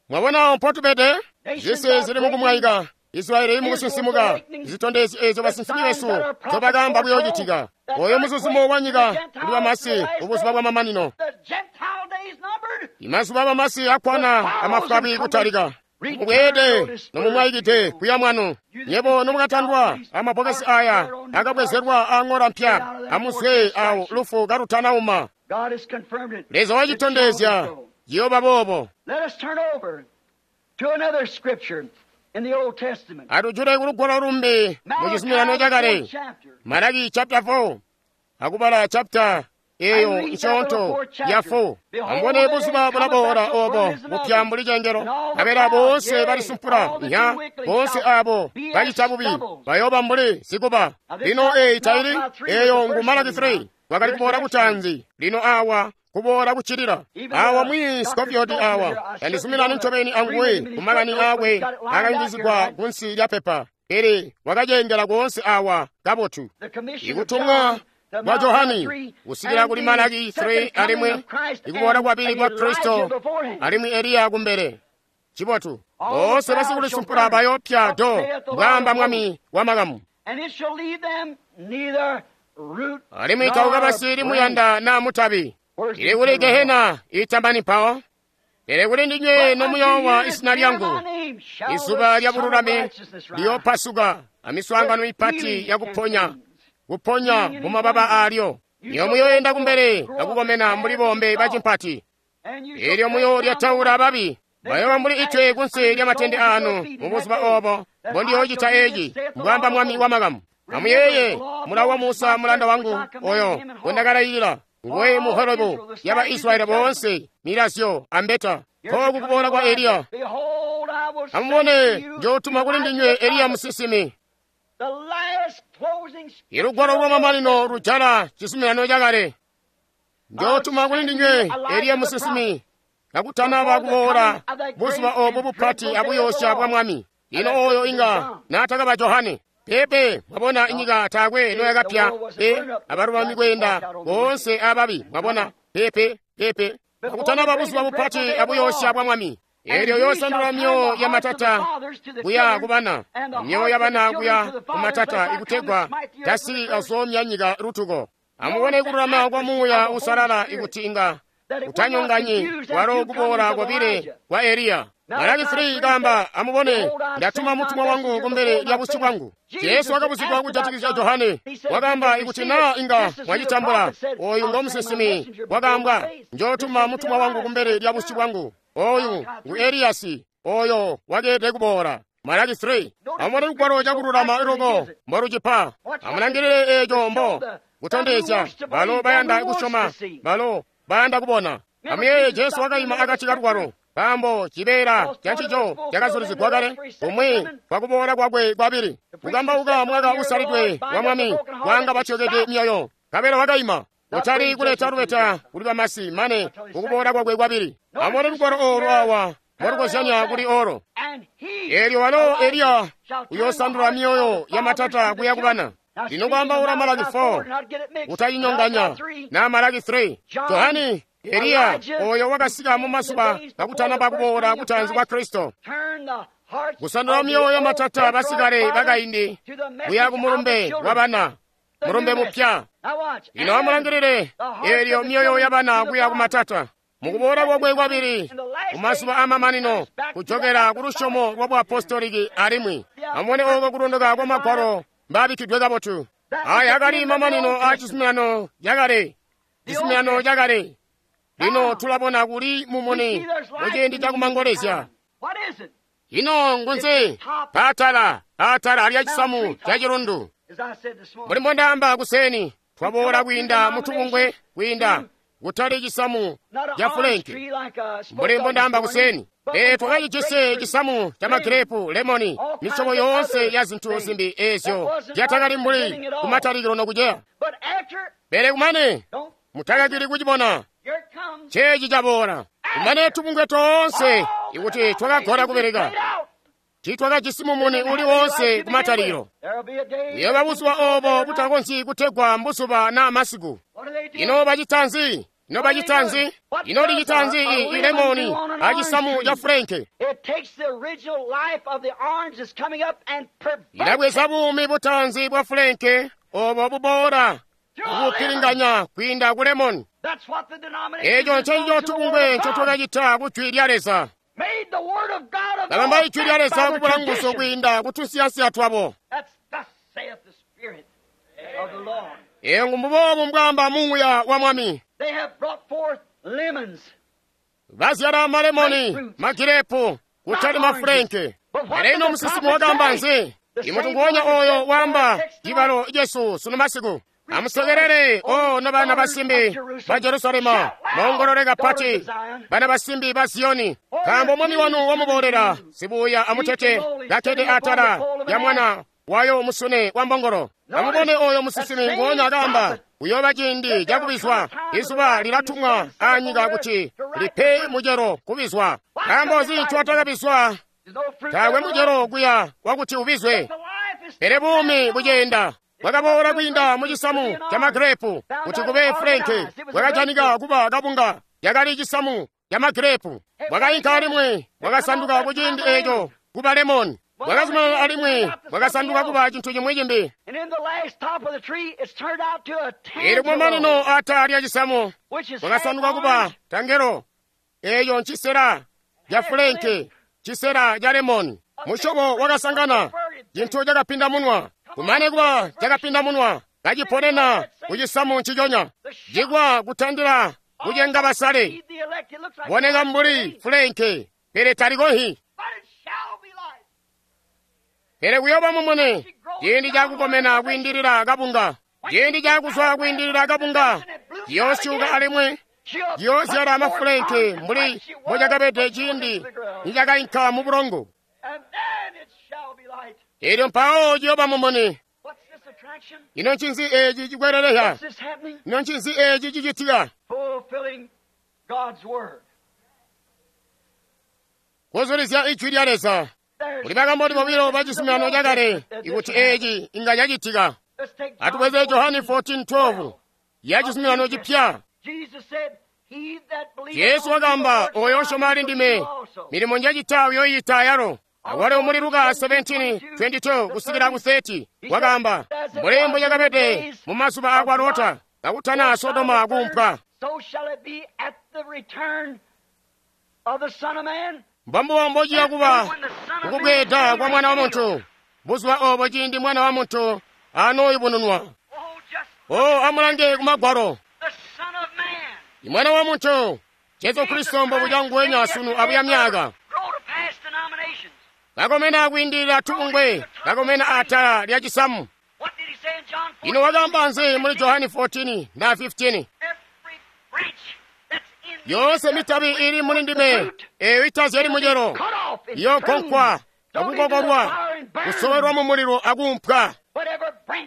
Mwabona mpotubede? Zisi zili mukumwayika. Israeli mukusinsimuka. Zitondezi ezo basinsimi besu tobakamba kuyochitika. Oyo muzuzumo wa nyika kuli bamasi ubuzuba bwa mamanino. The Gentile days numbered. Imazuba bamasi akwana amafwabi kutalika. Mubweede nomumwayikide kuya mwanu. Nyebo nomukatandwa amabokesi aya akabwezerwa ang'ola mpya amuzwe awo lufu kalutanauma. God has confirmed it. Leza wachitondezya yoba bobo. Let us turn over to another scripture in the Old Testament. Atujule kulugwalo lumbi mu chizuminano Malachi chakale. fourth chapter. Malaki chapter four akubala chapter eyo nchonto ya four. Ambone buzuba bulabora obo bupya mbuli chengero kabera bonse balisumpula nya bonse abo bachita bubi bayoba mbuli zikuba. Lino eyi taili eyo ngu Malaki three wakali kubora kutanzi lino awa kubora kuchilira awa mwi Scofield awa yandizuminani ncobeni anguwe kumakani akwe akayungizigwa kunsi lya pepa ili wakacengela konse awa kabotu. The commission of Ikutumwa John to kwa Malachi Johani three, kusikila and kuli the Malaki second three coming alimwi of Christ ikubora and kwabili kwa Elijah Kristo beforehand. alimwi Eliya kumbele. Chibotu All bonse the proud basikulisumpula shall burn. bayopya Thus do saith the Lord mbwamba of mwami hosts. wa makamu. And it shall leave them neither root Alimwi nor tauka basili branch. muyanda na mutabi. Where's the Ili kuli eternal Gehena itamani mpawo. Pele kuli ndinywe But unto nomuyowa you that isina fear lyangu. my name shall Izuba the lya Son of bululami Righteousness rise. liyopasuka amiswaangano With ipati healing yakuponya and things. kuponya mu mababa alyo. Iyo muyoyenda kumbele akukomena mbuli bombe bachimpati. And you shall Elyo cut muyo down the lyataula babi bayoba mbuli itwe kunsi lya matende anu mu buzuba obo mbondiyochita echi mbwamba mwami wa makamu. Amuyeye mulawo wa Musa mulanda wangu oyo gwendakalayilira nguwe mu Horebu ya Baisraeli bonse milazyo ambeta koku kuboola kwa Eliya. Behold, I will send Amubone to you njotuma kuli ndinywe Eliya musisimi. the last closing Ilugwalo lwa mamanino lujala chizuminano chakale. Njotuma kuli ndinywe Eliya musisimi kakutanaba kuboola buzuba obo bupati abuyosha bwa mwami. Ino oyo inga natakaba Johane. Pepe mwabona inyika taakwe noyakapya pe abalulami kwenda bonse ababi mwabona pepe pepe kakutanaba buzuba bupati abuyosha bwa mwami. Elyo yosandula myoyo ya matata kuya kubana myoyo ya bana kuya kumatata ikutegwa tasili azomya nyika lutuko. Amubone kululama kwa muuya usalala ikuti inga utanyonganyi walo kuboola kwabile kwa Eliya. Malaki three ikamba amubone ndatuma mutumwa wangu kumbele lya busyu bwangu. Yesu akabuzigwa kujatikizya Johane wakamba ikuti na inga mwachitambula oyu ngo musisimi wakambwa njotuma mutumwa wangu kumbele lya busyu bwangu. Oyu ngu Eliyasi oyo wakeete kuboola. Malaki three amubone lugwalo chakululama iloko mboluchipa. Amulangilile echo mbo kutondezya balo bayanda kusyoma balo bayanda kubona. Amuyeye Jesu wakayima akati ka lugwalo pambo chibeera cha nchicho chakazulizigwa kale kumwi kwa kuboola kwakwe kwabili kukambauka mwaka usalidwe wa mwami kwanga bathyokede myoyo kabela wakayima kutali kuleta lubeta kuli bamasi mane kukuboola kwakwe kwabili. Amubone lugwalo olu awa mwalukozyanya kuli olo. And he, Elyo walo Eliya shall turn the uyosandula hearts myoyo of the ya fathers matata to the kuya kubana. children. Now, Lino speaking kwambaula of Malaki Malachi four four, not get it mixed. utayinyonganya Malachi three, na Malaki three. John, Johani Eliya Elijah, oyo wakasika mu masuba kakutanaba kuboola kutanzi kwa Kristo turn the hearts kusandula of the myoyo ya old matata patriarch basikale fathers bakaindi to the message kuya of ku the mulumbe children. wa bana The mulumbe new mupya. message. Now watch. Lino And amulangilire the hearts elyo of the myoyo ya children bana to the kuya ku fathers. matata mukuboola kwakwe kwabili kumasuba amamanino kujokera ku lusyomo lwa buapostoliki alimwi amubone oko kulondoka kwa magwalo mbabikkidwe kabotu. Aya akali mamanino a chizuminano chakale chizuminano chakale. Lino tulabona kuli We mumuni see there's light muciindi in the chakumangolezya. time. What is it? Ino ngunze patala atala alya chisamu cha chilundu. As I said this morning, Mbuli mbondaamba kuseni twaboola kwiinda mutubungwe kwiinda kutali chisamu not an cha orange fulenki. tree like I spoke Mbuli of this mbondaamba morning, kuseni but e we got twakacijise grapefruit, chisamu cha magirepu lemoni all kinds misyobo of yonse other ya zinthu things zimbi that ezyo wasn't zyatakali right at the mbuli beginning at all. kumatalikilo nokucheya. But after, Pele kumane don't, mutakakili kuchibona here it comes. chechi chaboola kumane tubungwe tonse ikuti twakagona kupereka Laid out. Tiitwakajisi mumuni uli woonse kumatalikilo. Kuyooba buzuba obo butakonzyi kutegwa mbuzuba naa masiku. Ino bacita nzi? Ino bacita nzi? Ino licita nzi ilemoni acisamu ca fulenke? Ilabweza buumi butaanzi bwa fulenke obo buboola kubupilinganya kwiinda ku lemoni. Eco ncencico tubungwe ncotwakacita ku Jwi lya Leza. Kabamba Ijwi lya Leza kubula nguzu kwiinda kutunsiyansiya twabo. Eyo mbuboobu mbwaamba Muuya wa Mwami. Bazyala malemoni, magirepu, kutali mafulenke. Pele ino musinsimi wakaamba nzi? Imuntu nguonya oyo waamba cibalo cesu sunu masiku. Amusekelele, o nobana basimbi ba Jerusalema, moongolole kapati bana basimbi ba Ziyoni, nkaambo mwami wanu wamuboolera sibuya amutete kakkede atala ya mwana wayo musune wa mbongolo. Amubone oyo musinsimi nguonya akaamba, kuyooba ciindi cakubizwa, izuba lilatumwa anyika kuti lipe mucelo kubizwa. Nkaambo nzi ncootakabizwa? Taakwe mucelo kuya wakuti ubizwe, pele buumi buceenda. Bwakaboola kwiinda mucisamu ca magirepu kuti kube fulenke. Bwakajanika kuba kabunga, yakali cisamu ca magirepu. Bwakainka alimwi bwakasanduka kuciindi eco kuba lemoni. Bwakazumanana alimwi bwakasanduka kuba cintu cimwi cimbi. Eelyo kumamanino atala lya cisamu bwakasanduka kuba tangelo. Eeyo ncisela ca fulenke, cisela ca lemoni. Musyobo wakasangana cintu cakapinda munwa. Kumane kuba cakapinda munwa, kaciponena kucisamu nciconya. Cikwa kutandila kucenga basale. Boneka mbuli fulenke, pele talikohi. Pele kuyooba mumuni ciindi cakukomena kwiindilila kabunga, ciindi cakuzwa kwiindilila kabunga, ciyoosyuka alimwi ciyoozyala mafulenke mbuli mbocakabede ciindi nicakainka mu bulongo. Eelyo mpawo ciyooba mumuni. Ino ncinzi eeci cikwelelehya? Ino ncinzi eeci cicitika? Kuzulizya Ijwi lya Leza. Kuli bakamboni bobilo ba cizuminano cakale ikuti eeci inga cacitika. Atubweze Johani fourteen twelve ya cizuminano cipya. Yesu wakaamba, oyo osyoma ali ndime, milimo njacita uyoyita yalo. Awalo muli Luka seventeen twenty-two kusikila ku thirty wakaamba, mbuli mbocakabede mu mazuba akwa Lota kakutana Sodoma kuumpwa, mbombubo mbociya kuba kukubweeda kwa Mwana wa Muntu buzuba obo ciindi Mwana wa Muntu anooyubununwa. O amulange ku Magwalo. Mwana wa Muntu Jesu Kristo mbobuca nguwenya sunu abuya myaka. Kakomena kwiindilila tubungwe, kakomena atala lya cisamu. Ino wakaamba nzi muli Johani fourteen na fifteen? Yonse mitabi ili muli ndime eyo itazyali mucelo iyogonkwa akukokolwa, kusowerwa mu mulilo akuumpwa.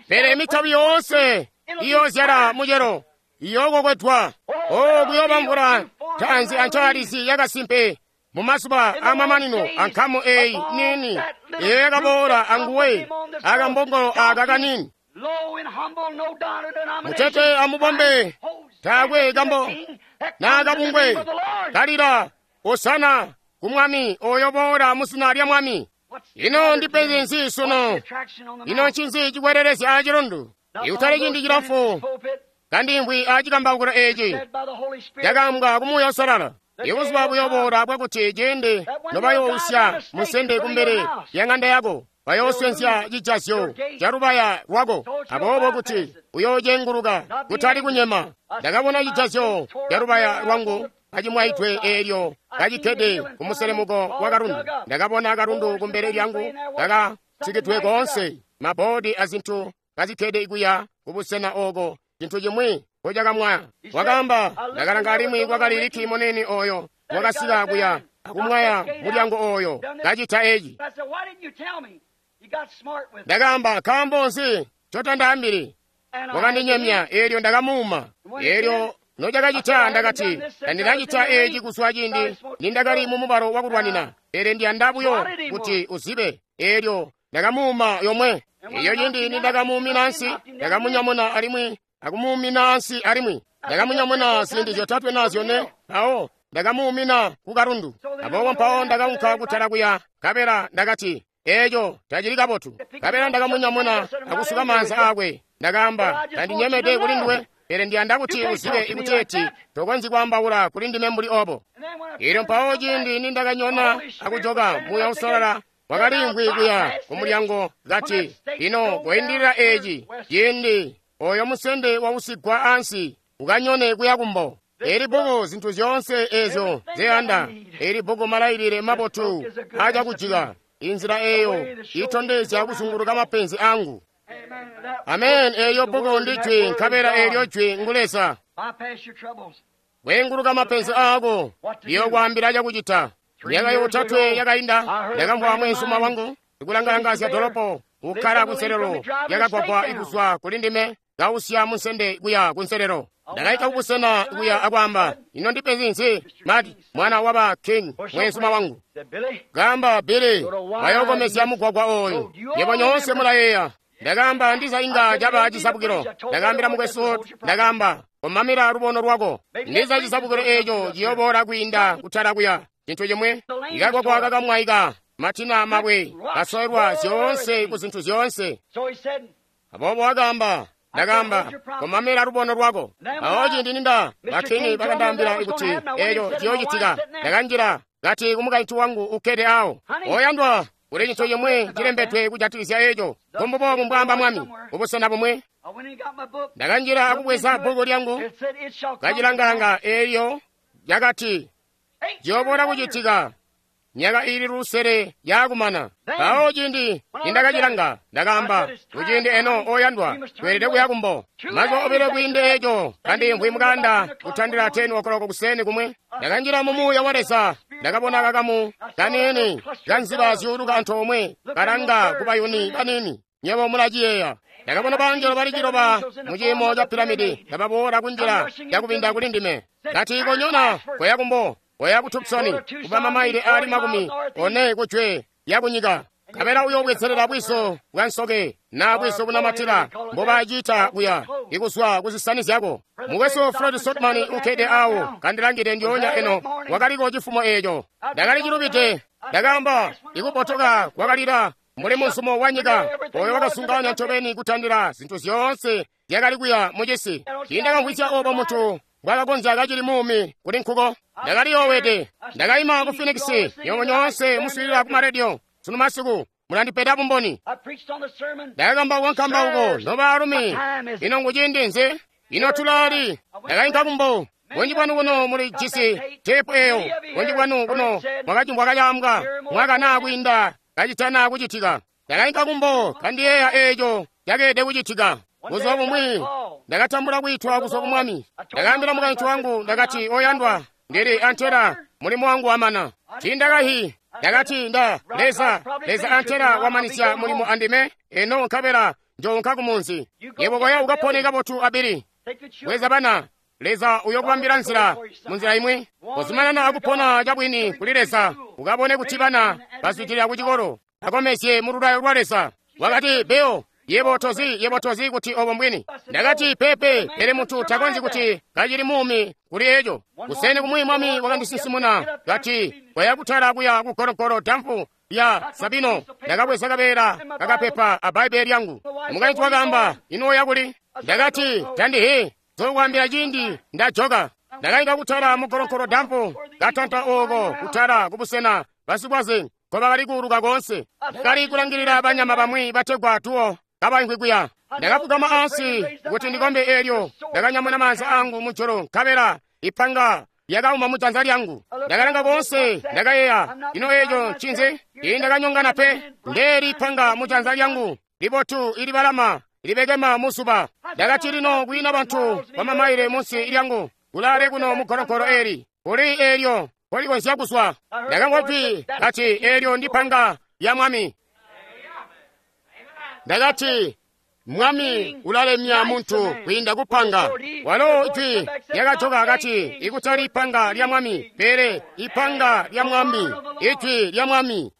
Pele mitabi yoonse iyoozyala mucelo iyookokwedwa. O kuyooba mvula ntaanzi ancaalizi yakasimpe mu mazuba amamanino ankamu eyi nini eyo yakaboola anguwe akambongolo aka kanini. Mutete amubombe taakwe kambo na kabungwe kalila osana ku Mwami oyo boola mu zina lya Mwami. Ino ndipenzi nzi sunu? Ino ncinzi cikwelelezya acilundu? Ikutali ciindi cilamfu kandimvwi acikambaukilo eci cakaambwa ku Muuya Uusalala. Ibuzuba buyoboola bwakuti ciindi nobayousya musende kumbele ya ŋanda yako, bayooswenzya cijazyo calubaya lwako, aboobo kuti uyoocenguluka kutali kunyema. Ndakabona cijazyo calubaya lwangu kacimwaidwe eelyo kacikkede kumuselemuko wa kalundu. Ndakabona kalundu kumbele lyangu kakatsikidwe koonse, maboodi azintu kazikkede kuya kubusena ooko cintu cimwi nkocakamwaya. Wakaamba, ndakalanga alimwi kwakali liki munene oyo wakasika kuya akumwaya mulyango oyo kacita eci. nocakacita. Ndakati, tandinacita eeci kuzwa ciindi nindakali mumubalo wakulwanina, pele ndiyanda buyo kuti uzibe. Eelyo ndakamuuma yomwe. Eyo ciindi nindakamuumina ansi, ndakamunyamuna alimwi akumuumina ansi alimwi ndakamunyamuna ziindi zyotatwe na zyone, mpawo ndakamuumina ku kalundu. Aboobo mpawo ndakaunka kutala kuya, nkabela ndakati, eeco tacili kabotu. Nkabela ndakamunyamuna akusuka maanza aakwe. Ndakaamba, tandinyemede kuli nduwe, pele ndiyanda kuti uzibe ikuteeti tokonzyi kwaambaula kuli ndime mbuli obo. Elyo mpawo ciindi nindakanyona akujoka, Muuya Uusalala wakaliimvwi kuya kumulyango kati, lino koindilila eeci ciindi oyo musende wausigwa ansi ukanyone kuya kumbo. Eli bbuku zintu zyoonse eezyo nzeyanda. Eli bbuku malailile mabotu aacakujika inzila eeyo itondezya kuzunguluka mapenzi angu. Amen. Eeyo bbuku ndi jwi, nkabela eelyo jwi ngu Leza. Weenguluka mapenzi aako, liyokwaambila cakucita. Myaka yotatwe yakainda, ndakamvwa mweenzuma wangu ikulangalangazya dolopo ukkala kunselelo lyakagwagwa kuzwa kuli ndime, kausya munsende kuya kunselelo. Ndakaita kubusena kuya akwaamba, ino ndipenzi nzi, Mati, mwana waba King, mweenzuma wangu. Kaamba, Billy, wayokomezya mugwagwa oyu. Yebo nyoonse mulayeeya. Ndakaamba, ndiza inga caba cisabukilo. Ndakaambila mukwesu, ndakaamba, komamila lubono lwako. Ndiza cisabukilo eeco ciyoboola kwiinda kutala kuya. Cintu cimwe, ikagwagwa kakamwaika, matina mabwe, kasoelwa zyoonse ku zintu zyoonse. Aboobo wakaamba, ndakaamba, komamela lubono lwako. Awo ciindi ninda bakini bakandaambila kuti eeco ciyoocitika, ndakanjila kati kumukaintu wangu ukkede awo, oyandwa, kuli cintu cimwe cilembedwe kujatikizya eeco. Mbuboobu mbwaamba Mwami, kubusena bumwe. Ndakanjila akubweza bbuku lyangu, kacilangalanga, eelyo lyakati ciyoboola kucitika myaka iili lusele yakumana. Mpawo ciindi nindakacilanga, ndakaamba, kuciindi eno oyandwa, tweelede kuya kumbo. Mazuba obilo kwiinde eeco, kandimvwi mukanda kutandila teni okoloko kuseni kumwe, ndakanjila mu Muuya wa Leza. Ndakabona kakamu kaniini kanziba zyuuluka antoomwe, kalanga kubayuni baniini. Nyebo mulaciyeeya. Ndakabona bangelo bali ciloba mu ciimo ca piramidi kababoola kunjila yakubinda kuli ndime. Kati, konyona koya kumbo, koya ku Tucson, kuba mamaile ali makumi one kujwe yakunyika. Nkabela uyobwezelela bwiso bwa nsoke na bwiso bunamatila mbobacita kuya ikuzwa kuzisani zyako. Mukwesu Fred Sotman ukkede awo kandilangide ndyoonya eno, wakaliko cifumo eeco. Ndakali cilubide. Ndakaamba, ikubotoka kwakalila mbuli muzumo wa nyika oyo wakasunganya ncobeni kutandila zintu zyoonse zyakali kuya mucisi. Tiindakamvwisya obo muntu mbwakakonzya kacili muumi kuli nkuko. Ndakaliyoowede. Ndakaima ku Phoenix, nywebo nyoonse muswiilila ku marediyo sunu masiku mulandipeda bumboni. Ndakakambauka nkambauko, nobaalumi, ino nguciindi nzi? Ino tulali? Ndakainka kumbo. Bunji bwanu kuno muli jisi teepu eyo. Bunji bwanu kuno mwakacimvwa kacaambwa mwaka naa kwiinda kacitana kucitika. Ndakainka kumbo kandiyeeya eeco cakeelede kucitika. Buzuba bumwi ndakatambula kwiitwa kuzwa ku Mwami. Ndakaambila mukaintu wangu, ndakati, oyandwa, ndili antela mulimo wangu wamana. Tiindakahi. Ndakati, nda Leza, Leza antela wamanisya mulimo andime, eno nkabela njounka kumunzi. Yebo koya ukapone kabotu abili. Bweza bana, Leza uyokubambila nzila munzila imwi. Kozumanana akupona cabwini kuli Leza, ukabone kuti bana bazwidilila kucikolo, akomezye mu lulayo lwa Leza. Wakati, Beo, yebo tozi, yebo tozi kuti obo mbwini. Ndakati, pepe, pele muntu takonzyi kuti kacili muumi kuli eco. Kuseni kumwi Mwami wakandisinsimuna, kati, koya kutala kuya ku gologolo damfu lya Sabino. Ndakabweza kabeela kakapepa a Bbaibele lyangu. Mukaintu wakaamba, ino oya kuli? Ndakati, tandihi, zokwaambila ciindi ndajoka. Ndakainka kutala mu gologolo damfu, katanta ooko kutala kubusena basikwaze nkobakali kuuluka koonse. Ndakali kulangilila banyama bamwi bategwa tuwo kabaimvwi kuya. Ndakafugama ansi kuti ndikombe eelyo ndakanyamuna maanza angu mujulu, nkabela ipanga lyakauma mujanza lyangu. Ndakalanga koonse, ndakayeeya, ino eeco ncinzi? Tiindakanyongana pe. Ndeeli ipanga mujanza lyangu libotu ilibalama libekema muzuba. Ndakati, lino kwiina bantu bamamaile munsi lyangu kulaale kuno mugologolo eeli, kuli eelyo kolikonzya kuzwa. Ndakamvwa jwi kati, eelyo ndipanga lya Mwami. Ndakati, Mwami ulalemya muntu kwiinda kupanga. Walo jwi lyakajoka kati, ikutali ipanga lya Mwami, pele ipanga lya Mwami, ijwi lya Mwami.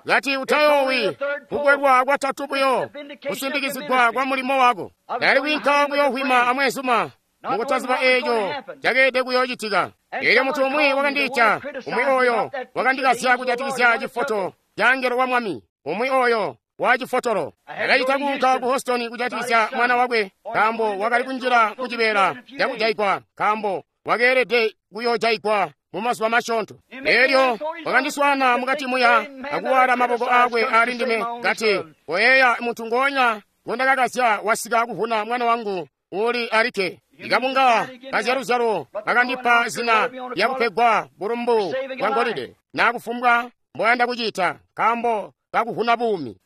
Kati utayoowi kukwelwa kwatatu buyo, kusimbikizigwa kwa mulimo wako. Ndali kwiinka kuyohwima amweenzuma mukutaziba eeco cakeelede kuyoocitika. Eelyo muntu umwi wakandiita, umwi oyo wakandikazya kujatikizya cifoto ca angelo wa Mwami, umwi oyo wa cifotolo. Ndakacita kuunka ku Houston kujatikizya mwana wakwe, nkaambo wakali kunjila mu cibeela cakujaigwa, nkaambo wakeelede kuyoojayigwa mu mazuba masyoonto. Eelyo wakandiswaana mukati muya akuwala maboko aakwe ali ndime, kati, koyeeya muntu ngoonya ngondakakazya wasika kuvuna mwana wangu uli alikke. Ikabunga kazyaluzyalo kakandipa zina lyakupegwa bulumbu bwa ngolide nakufumbwa mboyanda kucita nkaambo kakuvuna buumi.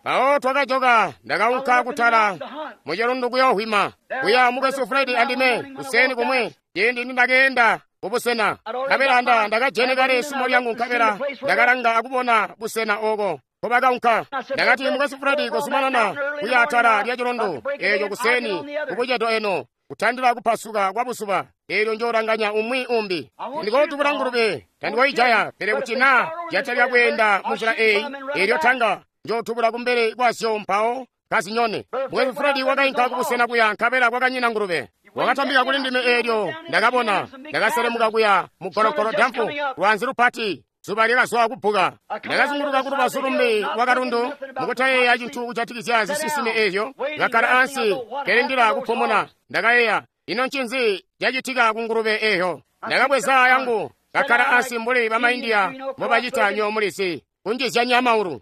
Mpawo twakajoka, ndakaunka kutala mucilundu kuyohwima kuya mukwesu Fred andime kuseni kumwe ciindi nindakeenda kubusena. Nkabela nda ndakajene kale sumo lyangu, nkabela ndakalanga akubona busena oko nkobakaunka. Ndakati, mukwesu Fred, kozumanana kuya atala lya cilundu eeco kuseni kubucedo eno kutandila kupasuka kwa buzuba, eelyo njoolanganya umwi umbi. Ndikootubula ngulube, tandikoijaya, pele kuti naa zyatalika kweenda munzila eeyi, eelyo tanga njootubula kumbele kwazyo mpawo kazinyone. Mukwesu Fred wakainka kubusena kuya, nkabela kwakanyina ngulube. Wakatambika kuli ndime, eelyo ndakabona, ndakaselemuka kuya mugologolo damfu lwanzi lupati. Zuba lyakazwa kubbuka. Ndakazunguluka kulubazu lumbi lwa kalundu mukutayeeya cintu kujatikizya zisinsime eezyo. Ngakkala ansi kelindila kupumuna. Ndakayeeya, ino ncinzi cacitika ku ngulube eeyo? Ndakabweza yangu, ngakkala ansi mbuli bamaindiya mbobacita nyo mulizi, kunjizyanya maulu.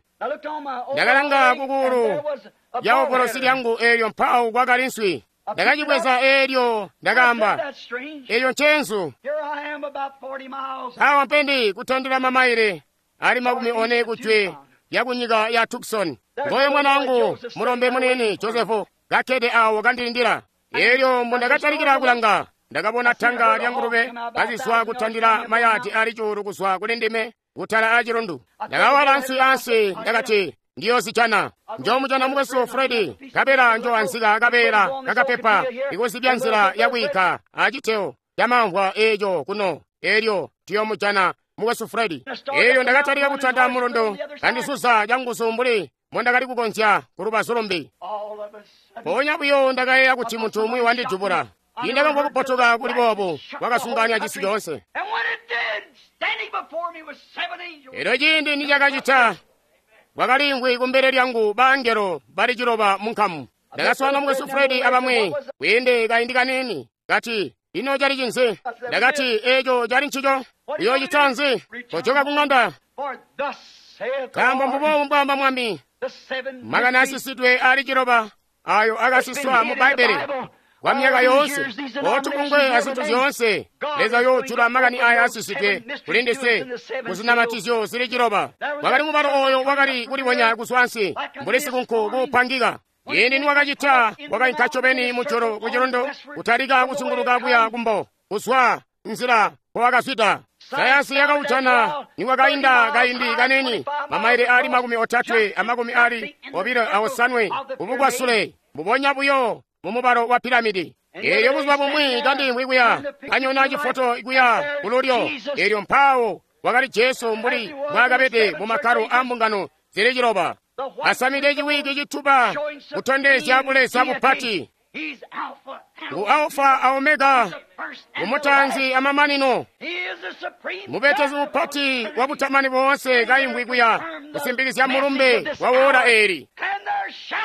Ndakalanga kukuulu lya ovolosi lyangu, eelyo mpawo kwakali nswi. Ndakacibweza eelyo ndakaamba, eeyo nceenzu. Awa mpendi kutandila mamaile ali makumi one kujwe lya kunyika ya Tucson. Ngoyo mwana wangu mulombe munini Josefu kakkede awo kandilindila. Eelyo mbundakatalikila kulanga, ndakabona tanga lya ngulube kazizwa kutandila mayadi ali cuulu kuzwa kuli ndime kutala acilundu. Ndakawala nswi ansi, ndakati, ndiyozijana. Njoomujana mukwesu Fredi, nkabela njoanzika kabeela kakapepa ikuzibya nzila yakwiika aciteo camamvwa eeco kuno, eelyo tuyoomujana mukwesu Fredi. Eelyo ndakatalika kutanda mulundu kandisuza canguzu mbuli mbondakali kukonzya kulubazu lumbi. Mpoonya buyo ndakayeeya kuti muntu umwi wandidubula. Indakamvwa kupotoka kuli boobu kwakasunganya cisi coonse. Eelyo ciindi nicakacita, kwakaliimvwi kumbele lyangu baangelo bali ciloba mu nkamu. Ndakaswaana mukwesu Fredi abamwi kwiinde kaindi kaniini, kati, ino cali cinzi? Ndakati, eeco cali ncico. Uyoocita nzi? Kojoka ku ŋanda. Nkaambo mbuboobu mbwaamba Mwami, makani asisidwe ali ciloba ayo akasiswa mu Bbaibbele kwa myaka yoonse, otubungwe azintu zyoonse. Leza yoojula makani aya asisidwe kuli ndiswe kuzinamatizyo zili ciloba. Wakali mubalo oyo wakali kulibonya kuzwa ansi mbuli sikunku kuupangika. Ciindi niwakacita, wakainka ncobeni mujulu ku cilundu, kutalika kuzunguluka kuya kumbo kuzwa nzila mpowakazwida. Sayansi yakaujana niwakainda kaindi kanini mamaile ali makumi otatwe amakumi ali obilo aosanwe kubukwasule, mbubonya buyo mumubalo wa piramidi. Eelyo buzuba bumwi kandimvwi kuya kanyona cifoto kuya kululyo, eelyo mpawo wakali Jesu mbuli mbwaakabede mu makkalo a mbungano zili ciloba, asamide ciwiki cituba kutondezya buleza bupati. Ngu Alfa a Omega, ngumutaanzi amamanino, mubetesi mupati wa butamani boonse kaimvwi kuya kusimbikizya mulumbe wa wora eeli.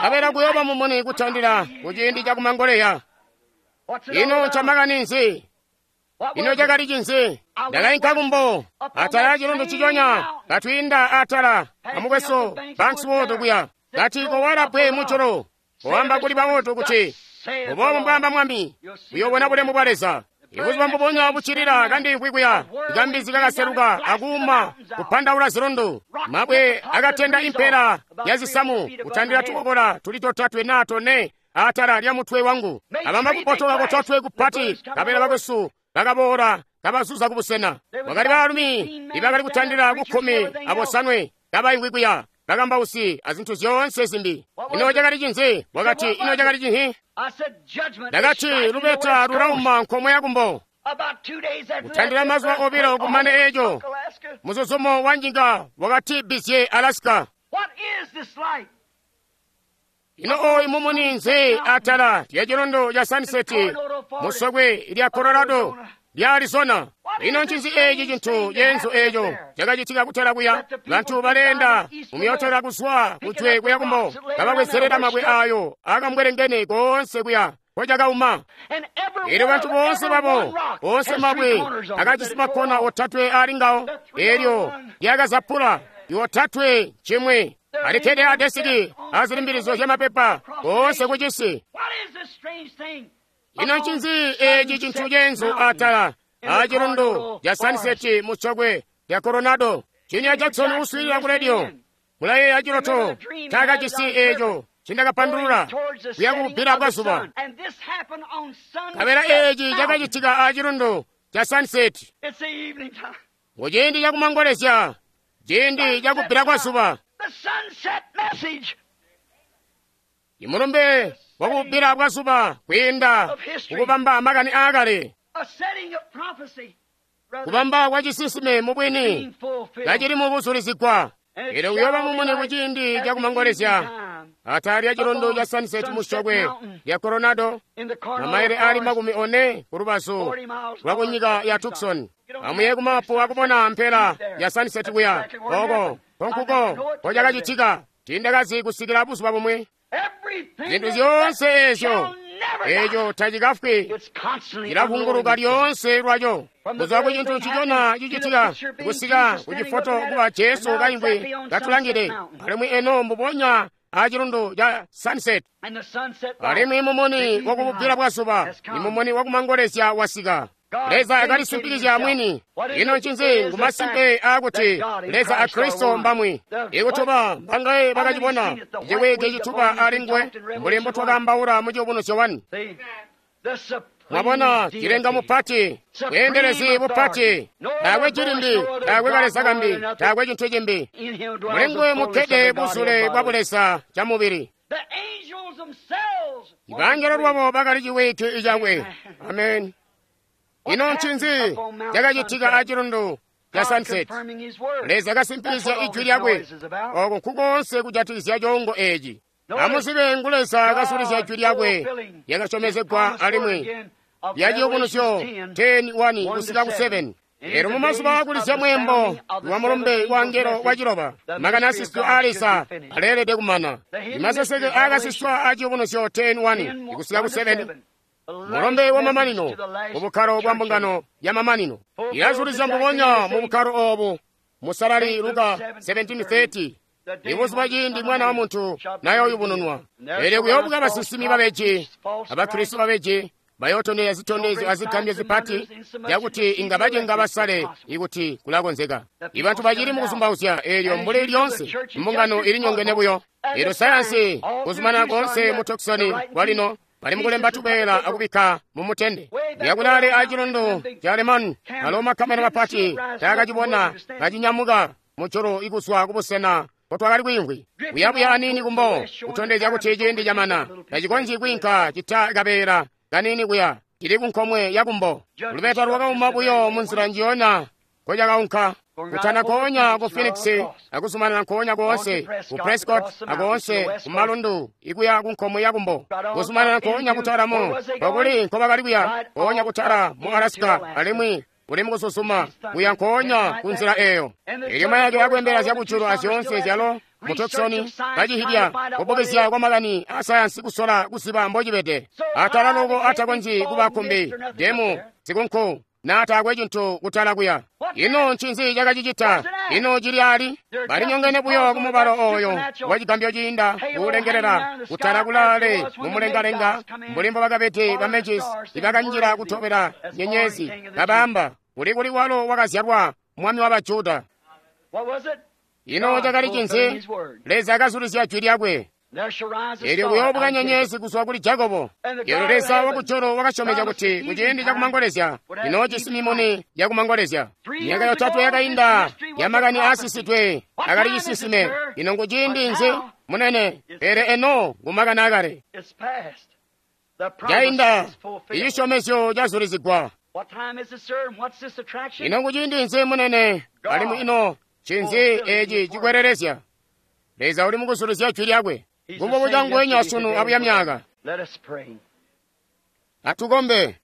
Abela kuyooba mumuni kutandila kuciindi cakumangoleya. Ino ncamakani nzi? Ino cakali cinzi? Ndakainka kumbo atala acilundu ciconya katwiinda atala amukwesu Bankswood kuya, kati kowala bwe mujulu, koamba kuli bawotu kuti, mbuboobu mbwaamba Mwami, uyoobona bulemu bwa Leza. Ibuzuba mbubonya buccilila kandimvwi kuya, ikambizi kakaseluka akuuma kupandaula zilundu, mabwe akatenda impela ya zisamu kutandila tukokola tuli totatwe naa tone atala lya mutwe wangu. Abamba kupotoka kototwe kupati, kabela bakwesu bakaboola kabazuza kubusena. Kwakali baalumi ibakali kutandila kukkumi abosanwe kabaimvwi kuya, bakambausi azintu zyoonse zimbi. Ino cakali cinzi? Wakati, ino cakali cinhi? Ndakati, lubeta lulauma nkomwe yakumbo. Kutandila mazuba obilo kumane eco, muzuzumo wa nyika wakati bizye Alaska. Ino oyu mumuni nzi atala lya cilondo ca Sunset musokwe lya Colorado lya Arizona? Ino ncinzi eci cintu ceenzu eco cakacitika kutala kuya? Bantu baleenda mumyotola kuzwa kujwe kuya kumbo, kababwezelela mabwe ayo akambwelengene koonse kuya kocakauma. Elyo bantu boonse babo, boonse mabwe akajisi makkona otatwe ali ngawo, elyo lyakazapula yotatwe chimwe. Alikkede adesiki azilimbilizo zyamapepa koonse kucisi. Ino ncinzi eci cintu ceenzu atala acilundu ca Sunset musokwe lya Coronado? Junior Jackson uswiilila ku radio mulayeeya ciloto cakajisi eco cindakapandulula kuya kububbila bwa zuba. Kabela eci cakacitika acilundu ca Sunset muciindi cakumangolezya, ciindi cakubbila kwa zuba. Imulumbe wakubbila bwa zuba kwiinda kukubamba makani aakale, kubamba kwa cisisime mubwini kacili mubuzulizigwa. Elyo kuyoba mumuni kuciindi cakumangolezya atala lya cilondo ca Sunset musokwe lya Coronado, mamaile ali makumi one kulubazu lwa kunyika ya Tucson. Amuye kumapu akubona mpela ya Sunset kuya oko konkuko kocakacitika. Tindakazi kusikila buzuba bumwe. Zinthu zyoonse ezyo eco tacikafwi, cilavunguluka lyoonse lwaco kuzwa ku cintu ncicona cicitika kusika ku cifoto kuba Jesu kaimvwi katulangide, alimwi eno mbubonya acilundu ca Sunset. Alimwi mumuni wakububbila bwa zuba ni mumuni wakumangolezya wasika. Leza akalisimpikizya mwini. Ino ncinzi ngumasimpe aakuti Leza a Kristo mbamwi. Ikutuba mbangaye bakacibona ciwike cituba ali nguwe mbuli mbotwakambaula mu Ciyubunuzyo wani. Mwabona cilenga mupati, bweendelezi bupati, taakwe cilimbi, taakwe kaleza kambi, taakwe cintu cimbi. Muli nguwe mukkede buzule bwa buleza ca mubili. Ibangelo lwabo bakali ciwike icakwe. Amen. Ino ncinzi cakacitika acilundu ca Sunset? Leza kasimpikizya ijwi lyakwe. Oko nkukoonse kujatikizya coongo eci. Amuzibe ngu Leza kasulizya ijwi lyakwe lyakasyomezegwa alimwi lya Ciyubunuzyo ten one kusika ku seven. Lero mumazuba akulizya mwembo wa mulumbe wa ngelo wa ciloba, makani asiswe a Leza aleelede kumana. Imaseseke akasiswa a Ciyubunuzyo ten one kusika ku seven. Mulumbe wa mamanino mu bukkalo bwa mbungano ya mamanino ilazulizya mbubonya mu bukkalo obu. Musalali Luka seventeen thirty, ibuzuba ciindi mwana wa muntu nayoyubununwa. Elyo kuyoobuka basinsimi babeji abakristo babeji bayootondezya zitondezyo azigambyo zipati zyakuti inga bacenga basale ikuti kulakonzeka. Ibantu bacili mukuzumbauzya elyo mbuli lyonse mbungano ilinyongene buyo. Elyo sayansi kuzumanana koonse mu Tucson kwalino bali mukulemba tubeela akubikka mumutende. Yakulale acilundu ca Lemon, alo makamera mapati taakacibona kacinyamuka mujulu ikuzwa kubusena kotwakali kwiimvwi. Kuyabuya aniini kumbo kutondezya kuti ciindi camana tacikonzyi kwiinka cita kabeela kaniini kuya cili kunkomwe yakumbo. Lubeta lwakauma buyo munzila njiyona kocakaunka. Kutana nkoonya ku Phoenix akuzumanana nkoonya koonse ku Prescott akoonse ku malundu ikuya ku nkomwe yakumbo, kuzumanana nkoonya kutala mu kokuli nkobakali kuya nkoonya kutala mu Alaska, alimwi uli mukusuzuma kuya nkoonya ku nzila eyo. Elyo mayake akwembela zyakujulu azyoonse zyalo mu Tucson kacihidya kubukizya kwa makani a sayansi kusola kuziba mbocibede. Atala loko atakonzyi kuba kumbi demu zikunku na taakwe cintu kutala kuya. Ino ncinzi cakacicita? Ino cili ali? Balinyongene buyo kumubalo oyo wa cigambyo ciinda kuulengelela kutala kulaale mumulengalenga mbuli mbobakabede ba Magis ibakanjila kutobela nyenyezi kabaamba kuli kuli walo wakazyalwa mwami wa Bajuda. Ino cakali cinzi? Leza akazulizya jwi lyakwe. Elyo kuyoobuka nyenyezi kuzwa kuli Jakobo. Elyo Leza wakujulu wakasyomezya kuti kuciindi cakumangolezya inoojisi mimuni yakumangolezya. Myaka yotatwe yakainda yamakani aasisidwe akali cisisime. Ino nguciindi nzi, munene? Pele eno ngumakani akale. Cainda, icisyomezyo cazulizigwa. Ino nguciindi nzi, munene? Alimwi ino ncinzi eci cikwelelezya? Leza uli mukuzulizya jwi lyakwe. Ngumbobuca nguwenya sunu abuya myaka. Atukombe.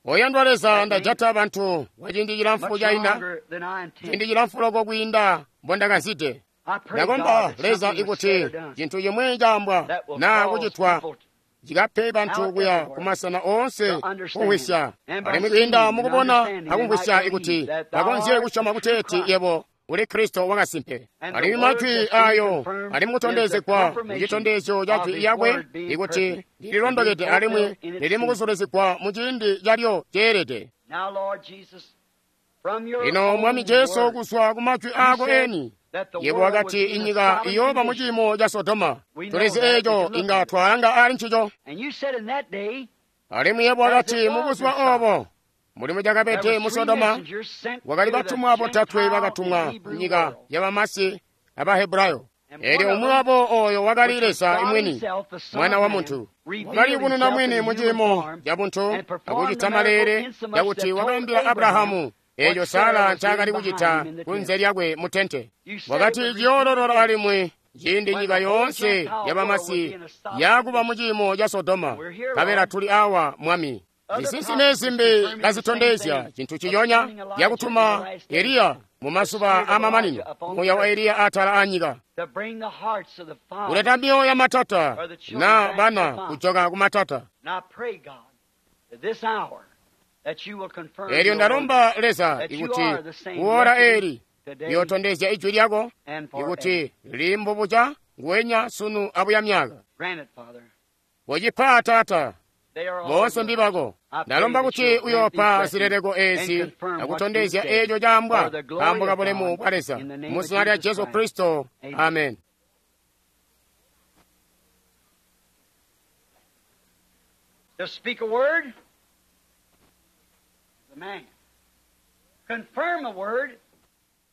Oyandwa Leza, ndajata bantu kwa ciindi cilamfu cainda, ciindi cilamfu loko kwiinda mbondakazide. Ndakomba Leza ikuti cintu cimwi caambwa naa kucitwa cikape bantu kuya kumasena oonse kumvwisya, alimwi kwiinda mukubona akumvwisya ikuti bakonzye kusyoma kuteeti yebo uli Kristo wakasimpe. Alimwi majwi ayo ali mukutondezegwa mucitondezyo ca jwi lyakwe ikuti lililondokede alimwi lili mukuzulizigwa mu ciindi calyo ceelede. Lino Mwami Jesu, kuzwa ku majwi ako eni, yebo wakati inyika iyooba mu ciimo ca Sodoma. Tulizi eeco, inga twalanga ali ncico. Alimwi yebo wakati mu buzuba obo, mulimo cakabede mu Sodoma, wakali batumwa botatwe bakatumwa nyika yabamasi Abahebrayo. Elyo umwi wabo oyo wakali Leza mwini, Mwana wa muntu, wakaliyubununa mwini mu ciimo ca buntu akucita maleele cakuti wakaambila Abrahamu eeco Sara ncaakali kucita kunze lyakwe mu tente. Wakati ciyoololola alimwi ciindi nyika yoonse yabamasi yakuba mu ciimo ca Sodoma. Nkabela tuli awa, Mwami. Zisinsime zimbi kazitondezya cintu ciyonya yakutuma Eliya mu mazuba amamanino, muuya wa Eliya atala anyika, kuleta mioyo ya matata na bana kujoka ku matata. Elyo ndalomba Leza ikuti kuora eli liyotondezya ijwi lyako ikuti limbubuca nguwenya sunu abuya myaka. Wocipa Tata, boonse mbibako. Ndalomba kuti uyoopa zileleko ezi akutondezya eeco caambwa nkaambo ka bulemu bwa Leza, mu zina lya Jesu Kristo, amen. To speak a word, the man. Confirm a word,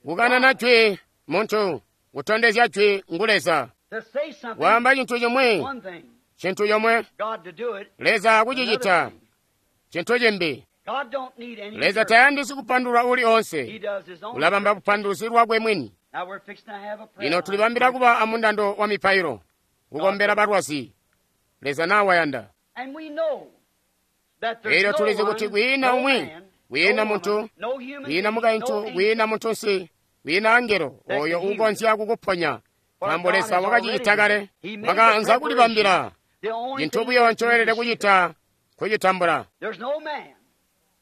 Kukanana jwi muntu, kutondezya jwi ngu Leza. to say something, Waamba cintu cimwi, one thing. cintu comwe, God to do it, Leza akucicita, another thing. cintu cimbi. God don't need any Leza interpreter. tayandisi kupandulula uli He onse, does his own. ulabamba bupanduluzi lwakwe mwini. Now we're fixing to have a prayer. Lino tulibambila kuba amundando wa mipailo, kukombela balwazi. Leza nawayanda. And we know that there's Elyo no tulizi one, kuti kwiina no umwi, man, kwiina no muntu, woman, no human kwiina being, mukaintu, no angel kwiina muntunsi, kwiina angelo oyo uukonzya kukuponya, nkaambo Leza wakacicita kale. Wakaanza kulibambila. The only Cintu thing buyo you ncoelede can do is kucita kucitambula. There's no man,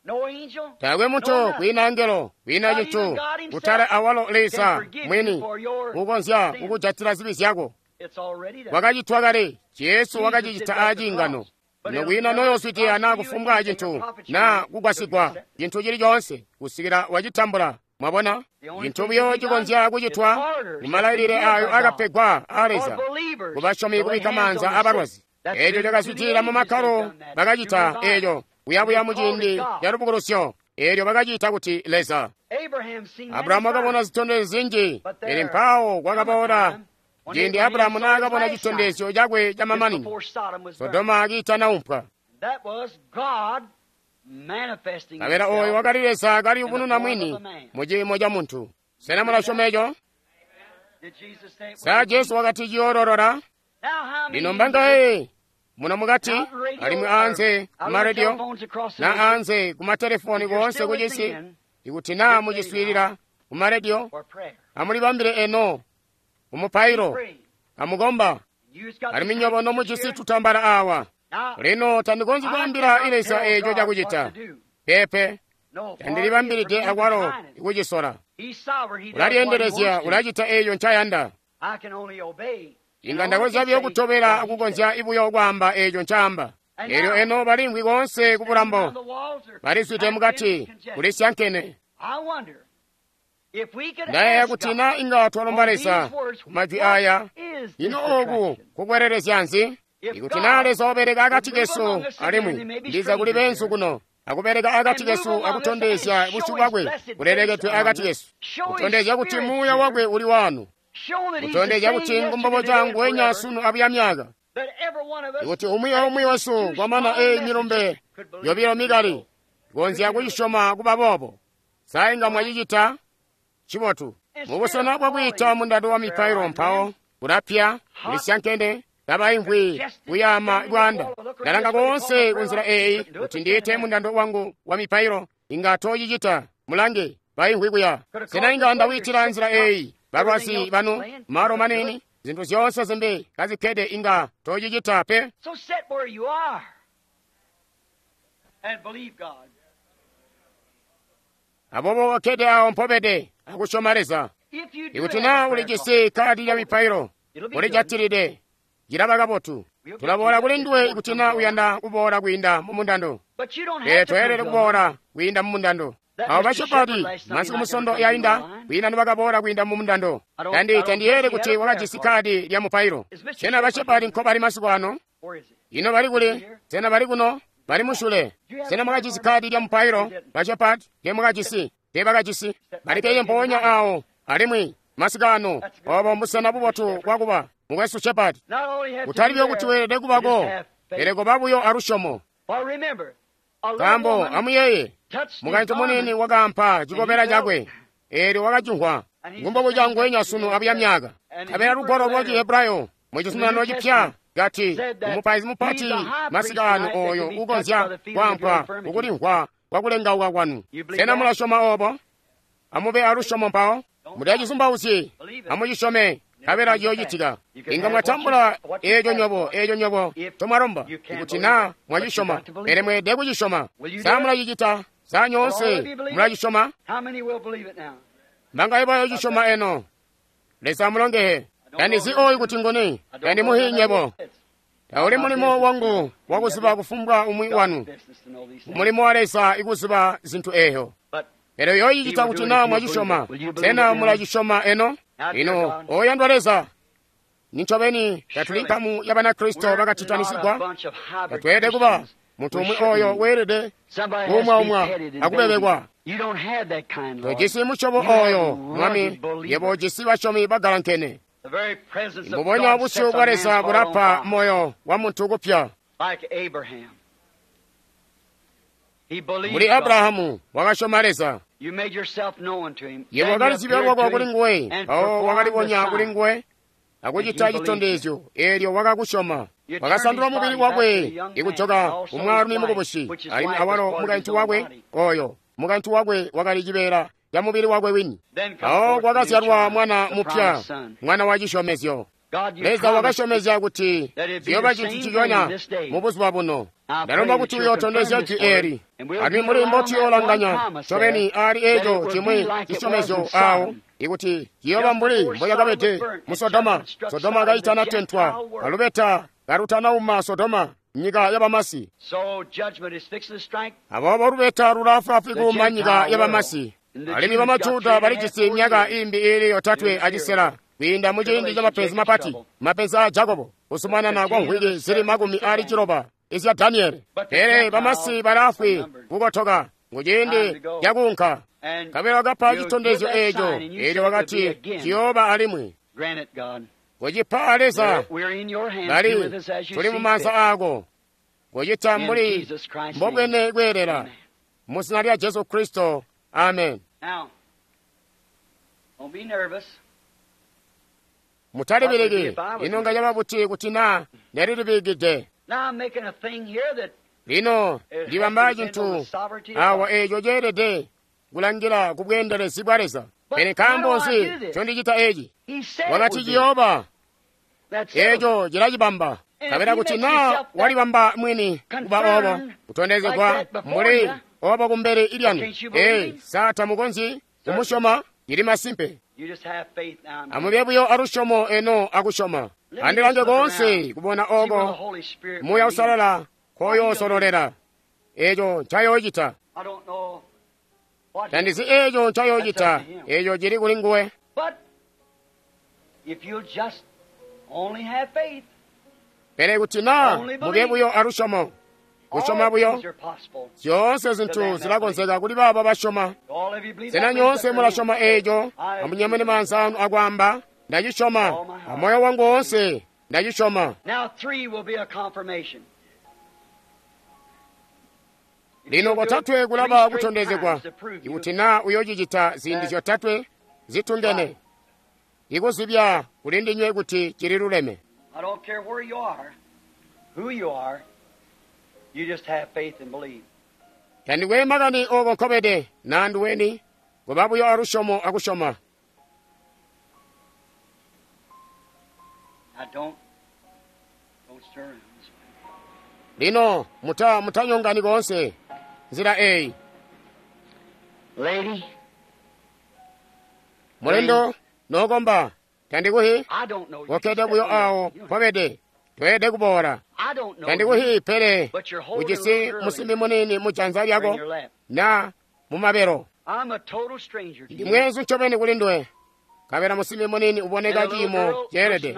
no angel, Taakwe no muntu, nothing kwiina angelo, kwiina Not even cintu, God himself kutali awalo can Leza forgive you mwini for your uukonzya sins. kukujatila zibi zyako. It's already done. Wakacitwa kale, Jesu Jesus wakacicita did that at the aciingano. cross. But Lino it'll kwiina never noyoswitiya prosper naa you kufumbwa anything cintu or profit you naa anything kugwasigwa till you cintu cili coonse kusikila wacitambula. Mwabona, The only cintu thing buyo to be cikonzya done kucitwa is orders mu malailile that ayo been given by akapegwa a God Leza for believers kubasyomi to lay kubikka hands on maanza the sick. abalwazi. That's Eeco been through the cakazwidilila mu ages they've makkalo done that. bakacita Through revival. eeco kuyabuya They mu called it ciindi God. ca lubukulusyo. Eelyo bakaciita kuti Leza. Abraham seen many Abrahamu wakabona signs, zitondezyo zinji, but pele there mpawo come a kwakaboola time when ciindi Abraham Abrahamu saw his naakabona last sign citondezyo cakwe just camamanino, before Sodom was burned. Sodoma akiitana That was God manifesting Kabela oyo himself wakali Leza in the kaliyubununa form of mwini a man. mu ciimo ca muntu. Sena mulasyoma eco? Did Jesus say it Sa would be? Jesu wakati ciyoololola? Now how many Lino of you mbangaye muno mukati out on radio alimwi or anze out on kumarediyo telephones across the na nation, anze kumatelefoni if you're koonse still kucisi, listening ikuti naa get ready now muciswiilila kumarediyo, for prayer. amulibambile eno Be kumupailo, praying. amukomba. You've got Alimwi these nyobo handkerchiefs nomujisi here. tutambala awa. Now, Lino tandikonzyi I kwaambila cannot Leza tell eeco God what cakucita. to do. Pepe, No, far be it from tandilibambilide me to akwalo define it. ikucisola. He's sovereign. He does what he Ulalyendelezya, wants to. ulacita eeco ncayanda. I can only obey. And Inga only ndakonzya can buyo say kutobela what he says. akukonzya ibuyo kwaamba eeco ncaamba. And Eelyo now, eno balimvwi koonse ku standing bulambo, around the walls are balizwide packed in mukati, congestion. kulisyankene. I wonder Ndayeeya kuti na inga twalomba Leza majwi aya, ino oku kukwelelezya nzi? Ikuti na Leza wabeleka akati kesu alimwi ndiza kuli benzu kuno akubeleka akati kesu akutondezya busyu bwakwe bulelekedwe akati kesu, kutondezya kuti muuya wakwe uli wanu, kutondezya kuti ngumbobo cangu wenya sunu abuya myaka, ikuti umwi aumwi wesu kwamana eyi milumbe yobilo mikali konzya kucisyoma kuba boobo, sa inga mwacicita? Cibotu. Mubusena bwakwiita mundando wa mipailo mpawo kulapya kulisyankene kabaimvwi kuyaama bwanda. Ndalanga koonse kunzila eyi kuti ndiite mundando wangu wa mipailo, inga tocicita. Mulange baimvwi kuya. Sena inga ndawiitila nzila eyi balwazi banu malo manini zintu zyoonse zimbi kazikkede inga tocicita pe. So sit where you are and believe God. Aboobo okkede awo mpobede akusyoma Leza. If you do Ikuti have naa a prayer ulijisi kadi lya mipailo, it'll be good. ulijatilide, cilaba kabotu. Tulaboola kuli nduwe ikuti naa uyanda kuboola kwiinda mu mundando. But you don't Pele have to toyelede come kuboola kwiinda mu mundando. Awo bashepadi masiku musondo yainda kwiinda nibakaboola kwiinda mu mundando. Tandi tandiyele kuti wakajisi kadi lya mupailo. Sena bashepadi nkobali masiku ano? Where is it? Ino bali kuli? Sena bali kuno? Bali mushule. Sena mwakajisi kadi lya mupailo? Bashepadi temwakajisi, tebakajisi. Balikeye mpoonya awo alimwi masiku ano obo mbusena bubotu bwakuba mukwesu Shepard. Not only have to Kutali be buyo kuti there, weelede you kubako, just have faith. pele koba buyo alusyomo. For remember, a little Nkaambo woman amuyeeye, touched his mukaintu munini garment, wakaampa cikobela cakwe, eelyo wakacimvwa. Ngumbobo cangwenya sunu abuya myaka. Nkabela lugwalo lwa Cihebrayo mu Cizuminano Cipya kati umupaizi mupati masiku ano oyo ukonzya kwampwa kukulimvwa kwakulengauka kwanu. Sena mulasyoma obo? Amube alusyomo mpawo. Mutacizumbauzyi, amucisyome, nkabela ciyoocitika. Inga mwatambula eeco nyobo, eeco nyobo ncomwalomba, ikuti naa mwacisyoma, pele mweelede kucisyoma. Sa mulacicita? Sa nyoonse mulacisyoma? How many will believe it now? Mbangaye bayoocisyoma eno? Leza amulongehe. Tandizi oyu kuti nguni, tandimuhi nyebo. Tauli mulimo wangu wakuziba kufumbwa umwi wanu. Business to know these things. Mulimo wa Leza ikuziba zintu eeyo. But Pele yoyicita kuti naa mwacisyoma. Sena mulacisyoma eno? Ino oyandwa Leza, nincobeni tatuli nkamu ya Banakristo we're not a bakacitanisigwa. bunch of hybrid Tatweelede kuba Christians. muntu We umwi shouldn't oyo be. weelede Somebody has to be kuumwaumwa petted and akubebekwa. babied. You don't have that kind, Lord. Tojisi musyobo You have oyo, rugged Mwami, yebo believers. ujisi basyomi bagalankene. The very presence of Mbubonya God busyu sets a bwa man's Leza heart on bulapa fire, moyo wa muntu kupya. like Abraham. He believed Muli God. Abrahamu wakasyoma Leza. You made yourself known to him. Yebo Then you wakalizibya appeared lwako to kuli him nguwe, and mpawo performed the wakalibonya kuli sign. nguwe akucita And he chitondezyo, eelyo wakakusyoma. You turned Wakasandula his mubili body back to wakwe the young man, ikujoka and also kumwaalumi his wife, mukubusi, which his alimwi wife was awalo part of his mukaintu own wakwe body. oyo mukaintu wakwe wakali cibeela ca mubili wakwe wini. Then come Mpawo forth the new kwakazyalwa child, mwana the mupya, promised son. mwana wa cisyomezyo. God, you Leza promised wakasyomezya kuti that it'd be ciyooba the cintu same ciconya thing this day. mu buzuba buno. I Ndalomba pray kuti that you'll uyootondezya confirm jwi this word, eli and we'll alimwi be muli allowed that mbotuyoolanganya one promise ncobeni there, aali that it eeco will be cimwi like it was in cisyomezyo awo Sodom. ikuti ciyooba Just mbuli before mboyakabede Sodom was burnt, mu and Sodoma. judgment struck Sodoma Sodom, the kaitanatentwa, Gentile world. kalubeta kalutanauma Sodoma, nyika yabamasi. So judgment is fixing to strike Aboobo lubeta lulaafwaafwi the kuuma nyika Gentile yabamasi. world. And the Alimwi Jews got bamajuda three and a half balijisi more myaka years. imbi iili yotatwe acisela kwiinda mu ciindi ca mapenzi mapati, mapenzi a Jakobo, kusumanana kwa nkhwiki zili makumi ali ciloba izya Daniele. Pele bamasi balaafwi kukotoka mu ciindi cakuunka. And Nkabela wakapa you'll citondezyo give that eeco, sign, and you eelyo said it would wakati be again. ciyooba alimwi. Grant it, God. Kucipa Leza, We're in your hands. Be bali with us as you tuli see mu maanza fit. aako. Kucita In mbuli Jesus Christ's name. mbobwene kweelela. Amen. Mu zina lya Jesu Kristo, amen. Now, don't be nervous. Mutalibiriki, ino nga yaba buti kuti naa nelilibikide. Now I'm making a thing here that Lino it has to ndibamba depend on cintu the sovereignty of awa God. eeco ceelede kulangila ku bweendelezi bwa Leza. But Pele nkaambo why do I nzi do this? ncondicita eeci? He said it Wakati would be. ciyooba, That's settled. eeco cilacibamba. And if Nkabela he kuti makes naa himself that walibamba mwini kuba obo, confirmed kutondezegwa like that before mbuli you, obo kumbele ilyanu. can't you believe Ee, him? sa tamukonzyi kumusyoma? Cili masimpe. You just have faith now. and Amube buyo alusyomo eno akusyoma. Let me Andilange just look koonse around, kubona see where the oko Holy Spirit will Muuya lead. Uusalala koyoosololela. Eeco ncayoocita. I don't know Tandizi eeco ncayoocita, eeco cili kuli nguwe. Pele kuti naa mube buyo alusyomo, kusyoma buyo, zyoonse zintu zilakonzeka kuli baabo basyoma. Sena nyoonse mulasyoma eeco? Amunyamune maanza anu akwaamba, ndacisyoma amoyo wangu woonse, ndacisyoma. Lino kotatwe kulaba kutondezegwa, ikuti naa uyoocicita ziindi zyotatwe zitungene, ikuzibya kuli ndinywe kuti cili luleme. Tandikwe makani ooko nkobede naa nduweni, kuba buyo alusyomo akusyoma. Lino muta mutanyongani koonse nzila eyi. Mulendo nokomba, tandikuhi kokkede buyo awo mpobede, toyede kuboola. Tandikuhi pele ujisi musimbi muniini mu janza lyako na mu mabelo. Ndi mweenzu ncobeni kuli nduwe. Kabela musimbi muniini uboneka ciimo ceelede,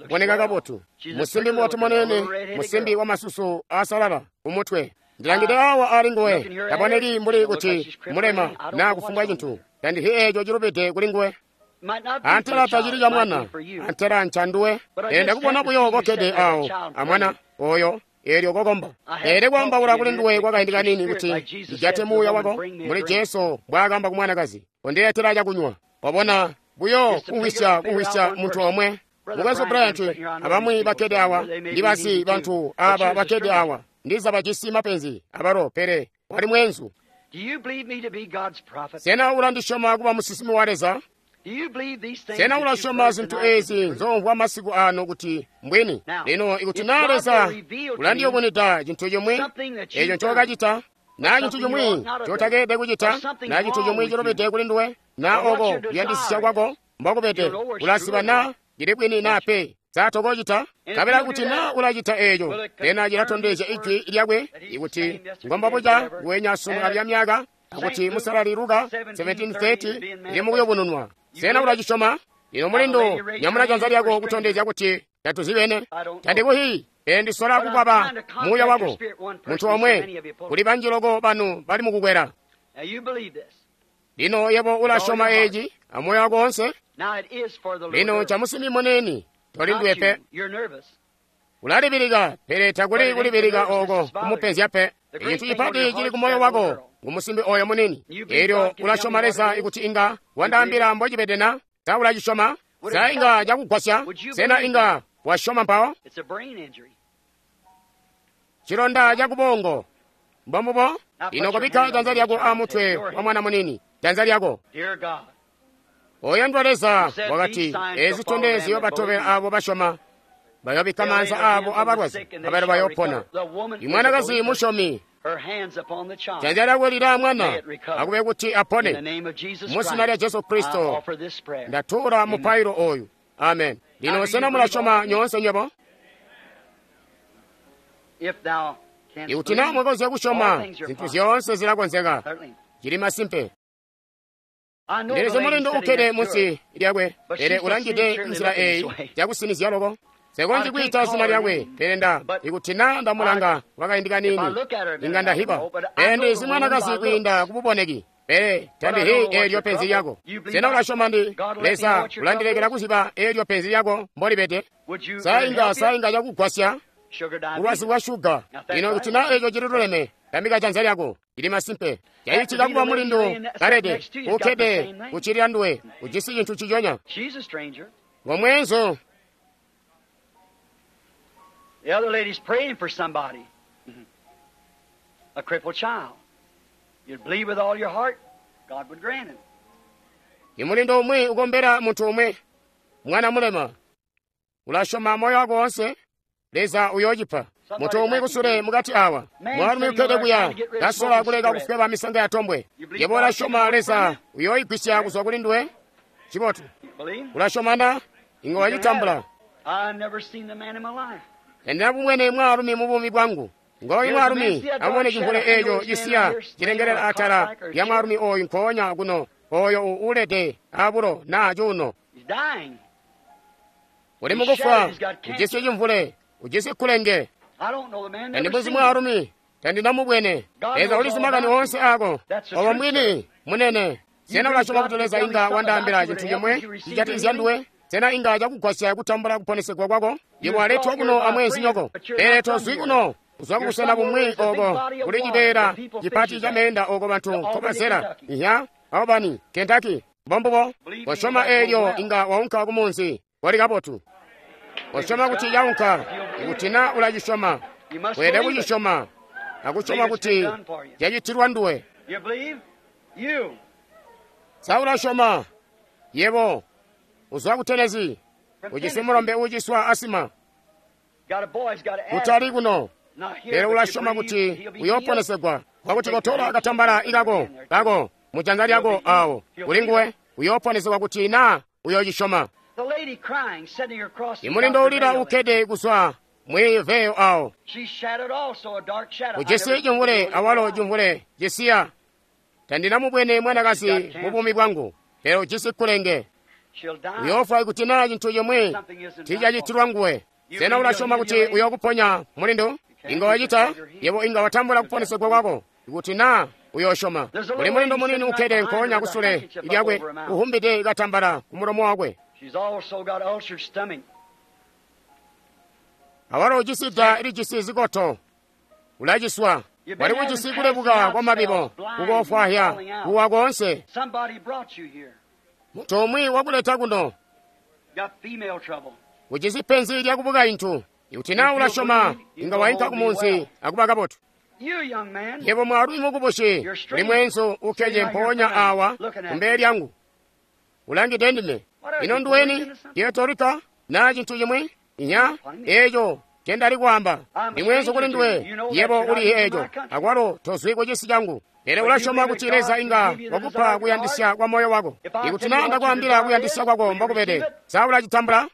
uboneka kabotu. Musimbi mubotu muniini, musimbi wamasusu aasalala kumutwe. Ndilangide awa ali nguwe, taboneki mbuli kuti mulema naa kufumbwa cintu. Tandihi eeco cilubide kuli nguwe. Antela tacili ca mwana, antela ncanduwe. Pele ndakubona buyo kokkede awo amwana oyo, eelyo kokomba. Pele kwaambaula kuli nduwe kwakaindi kaniini kuti ijate muuya wako, mbuli Jesu mbwaakamba ku mwanakazi, kondiletela cakunywa. Wabona buyo kumvwisya kumvwisya muntu omwe. Mukwesu Bryant abamwi bakkede awa, ndibazi bantu aba bakkede awa, ndiza bajisi mapenzi abalo, pele wali mweenzu. Sena ulandisyoma kuba musinsimi wa Leza? Sena ulasyoma zintu eezi nzomvwa masiku ano kuti mbwini? Lino ikuti naa Leza ulandiyubunwida cintu cimwi eeco ncookacita, naa cintu cimwi ncotakeelede kucita, naa cintu cimwi cilubide kuli nduwe, naa oko kuyandisisya kwako mbokubede, ulaziba naa cili bwini naa pe. Sa tokocita? Kabela kuti naa ulacita eeco, pena cilatondezya ijwi lyakwe ikuti ngombabuca nguwenya sunu alya myaka, akuti Musalali Luka seventeen thirty ili mukuyubununwa. Sena ulacisyoma? Lino mulindu, nyamuna janza lyako kutondezya kuti tatuzibene. Tandikuhi, pele ndisola kukwaba muuya wako. Muntu omwe, kuli banji loko banu bali mukukwela. Lino yebo ulasyoma eeci amoyo wako wonse? Lino camusimbi muniini, toli nduwe pe. Ulalibilika, pele takuli kulibilika ooko kumupenzya pe. Ecintu cipati cili kumoyo wako ngumusimbi oyo munini. Eelyo ulasyoma Leza ikuti inga wandaambila mbocibede na? Sa ulacisyoma? Sa inga cakugwasya? Sena inga wasyoma mpawo? Cilonda cakubongo mbombubo. Lino kobikka janza lyako amutwe wa mwana munini, janza lyako. Oyandwa Leza wakati, eezi zitondezyo batobela abo basyoma, bayobikka maanza abo abalwazi, abalo bayopona. Imwanakazi musyomi, janza lyakwe lili amwana, akube kuti apone. Muzina lya Jesu Kristo ndatuula mupailo oyu. Amen. Lino sena mulasyoma nyoonse nywebo? Ikuti naa mwakonzya kusyoma, zintu zyoonse zilakonzeka. Cili masimpe. Ndilizi mulindu ukkede munsi lyakwe, pele ulangide nzila eyi yakusinizya loko. Nsekonzyi kwiita zina lyakwe, pele nda ikuti naa ndamulanga kwakaindi kaniini, inga ndahiba. Pele ndizi mwanakazi kwiinda kububoneki, pele tandihi eelyo penzi lyako. Sena ulasyoma ndi Leza ulandilekela kuziba eelyo penzi lyako mbolibede? Sa inga sa inga cakugwasya bulwazi bwa shuga. Lino kuti naa eeco cililuleme, tambika janza lyako. Ili masimpe. Cacitika kuba mulindu kalede ukkede kucilila nduwe, ujisi cintu ciconya. Ngomweenzu. The other lady's praying for somebody, a crippled child. You'd believe with all your heart, God would grant it. Imulindo umwi ukombela muntu umwe, mwana mulema. Ulasyoma moyo wako wonse, Leza uyoocipa. Muntu umwi kusule mukati awa, mwaalumi ukkede kuya, kasola kuleka kufweba misanga ya tombwe. Yebo ulasyoma Leza uyoigwisya kuzwa kuli nduwe? Cibotu. Ulasyoma na? Inga wacitambula. Tandinabumwene mwaalumi mu buumi bwangu. Ngooyu mwaalumi, amubone cimvule eeco cisiya cilengelela atala lya mwaalumi oyu nkoonya kuno, oyo uulede abulo naa cuuno. Uli mukufwa, ujisi cimvule, ujisi kulenge. Tandimbuzi mwaalumi, tandinamubwene. Leza ulizi makani oonse ako. Obo mbwini, munene. Sena ulasyoma kuti Leza inga wandaambila cintu cimwe cijatikizya nduwe? Sena inga cakugwasya kutambula kuponesegwa kwako? Yebo waletwa kuno amweenzinyoko, pele tozwi kuno. Uzwa kubusena bumwi oko kuli cibeela cipati ca meenda oko bantu nkobazela. Iya, Albany, Kentucky. Mbombubo. Kosyoma eelyo inga waunka kumunzi. Wali kabotu. Kosyoma kuti yaunka. Ikuti na ulacisyoma, weelede kucisyoma akusyoma kuti cacitilwa nduwe. Sa ulasyoma? Yebo uzwa ku Tennessee, ujisi mulombe uuciswa asima. Kutali kuno, pele ulasyoma kuti uyooponesegwa. Kwakuti kotola katambala ikako kako mujanza lyako awo kuli nguwe, uyooponesegwa kuti na uyoocisyoma. Imulindo ulila ukkede kuzwa mwiiveyo awo. Ujisi cimvule awalo cimvule cisiya. Tandinamubwene mwanakazi mu buumi bwangu, pele ujisi kulenge. Uyoofwa ikuti naa cintu cimwi tiicacitilwa nguwe. Sena ulasyoma kuti uyookuponya mulindu? Inga wacita, yebo inga watambula kuponesegwa kwako ikuti naa uyoosyoma. Kuli mulindu munini ukkede nkoonya kusule lyakwe, uhumbide katambala kumulomo wakwe. Awalo ujisi da lijisi zikoto, ulaciswa. Wali kujisi kulebuka kwa mabibo, kukoofwahya, kuwa koonse. Muntu umwi wakuleta kuno, ujisi penzi lya kubukaintu. Ikuti naa ulasyoma, inga wainka kumunzi akuba kabotu. Yebo mwaalumi mukubusi, uli mweenzu ukkede mpoonya awa kumbele lyangu, ulangide ndime. Ino nduweni? Puerto Rico naa cintu cimwi? Inya, eeco ncendali kwaamba. Ndi mweenzu kuli nduwe, yebo uli eeco, akwalo tozwi ku cisi cangu. Pele ulasyoma kuti Leza inga wakupa kuyandisya kwa moyo wako. Ikuti naa ndakwaambila kuyandisya kwako mbokubede, sa ulacitambula?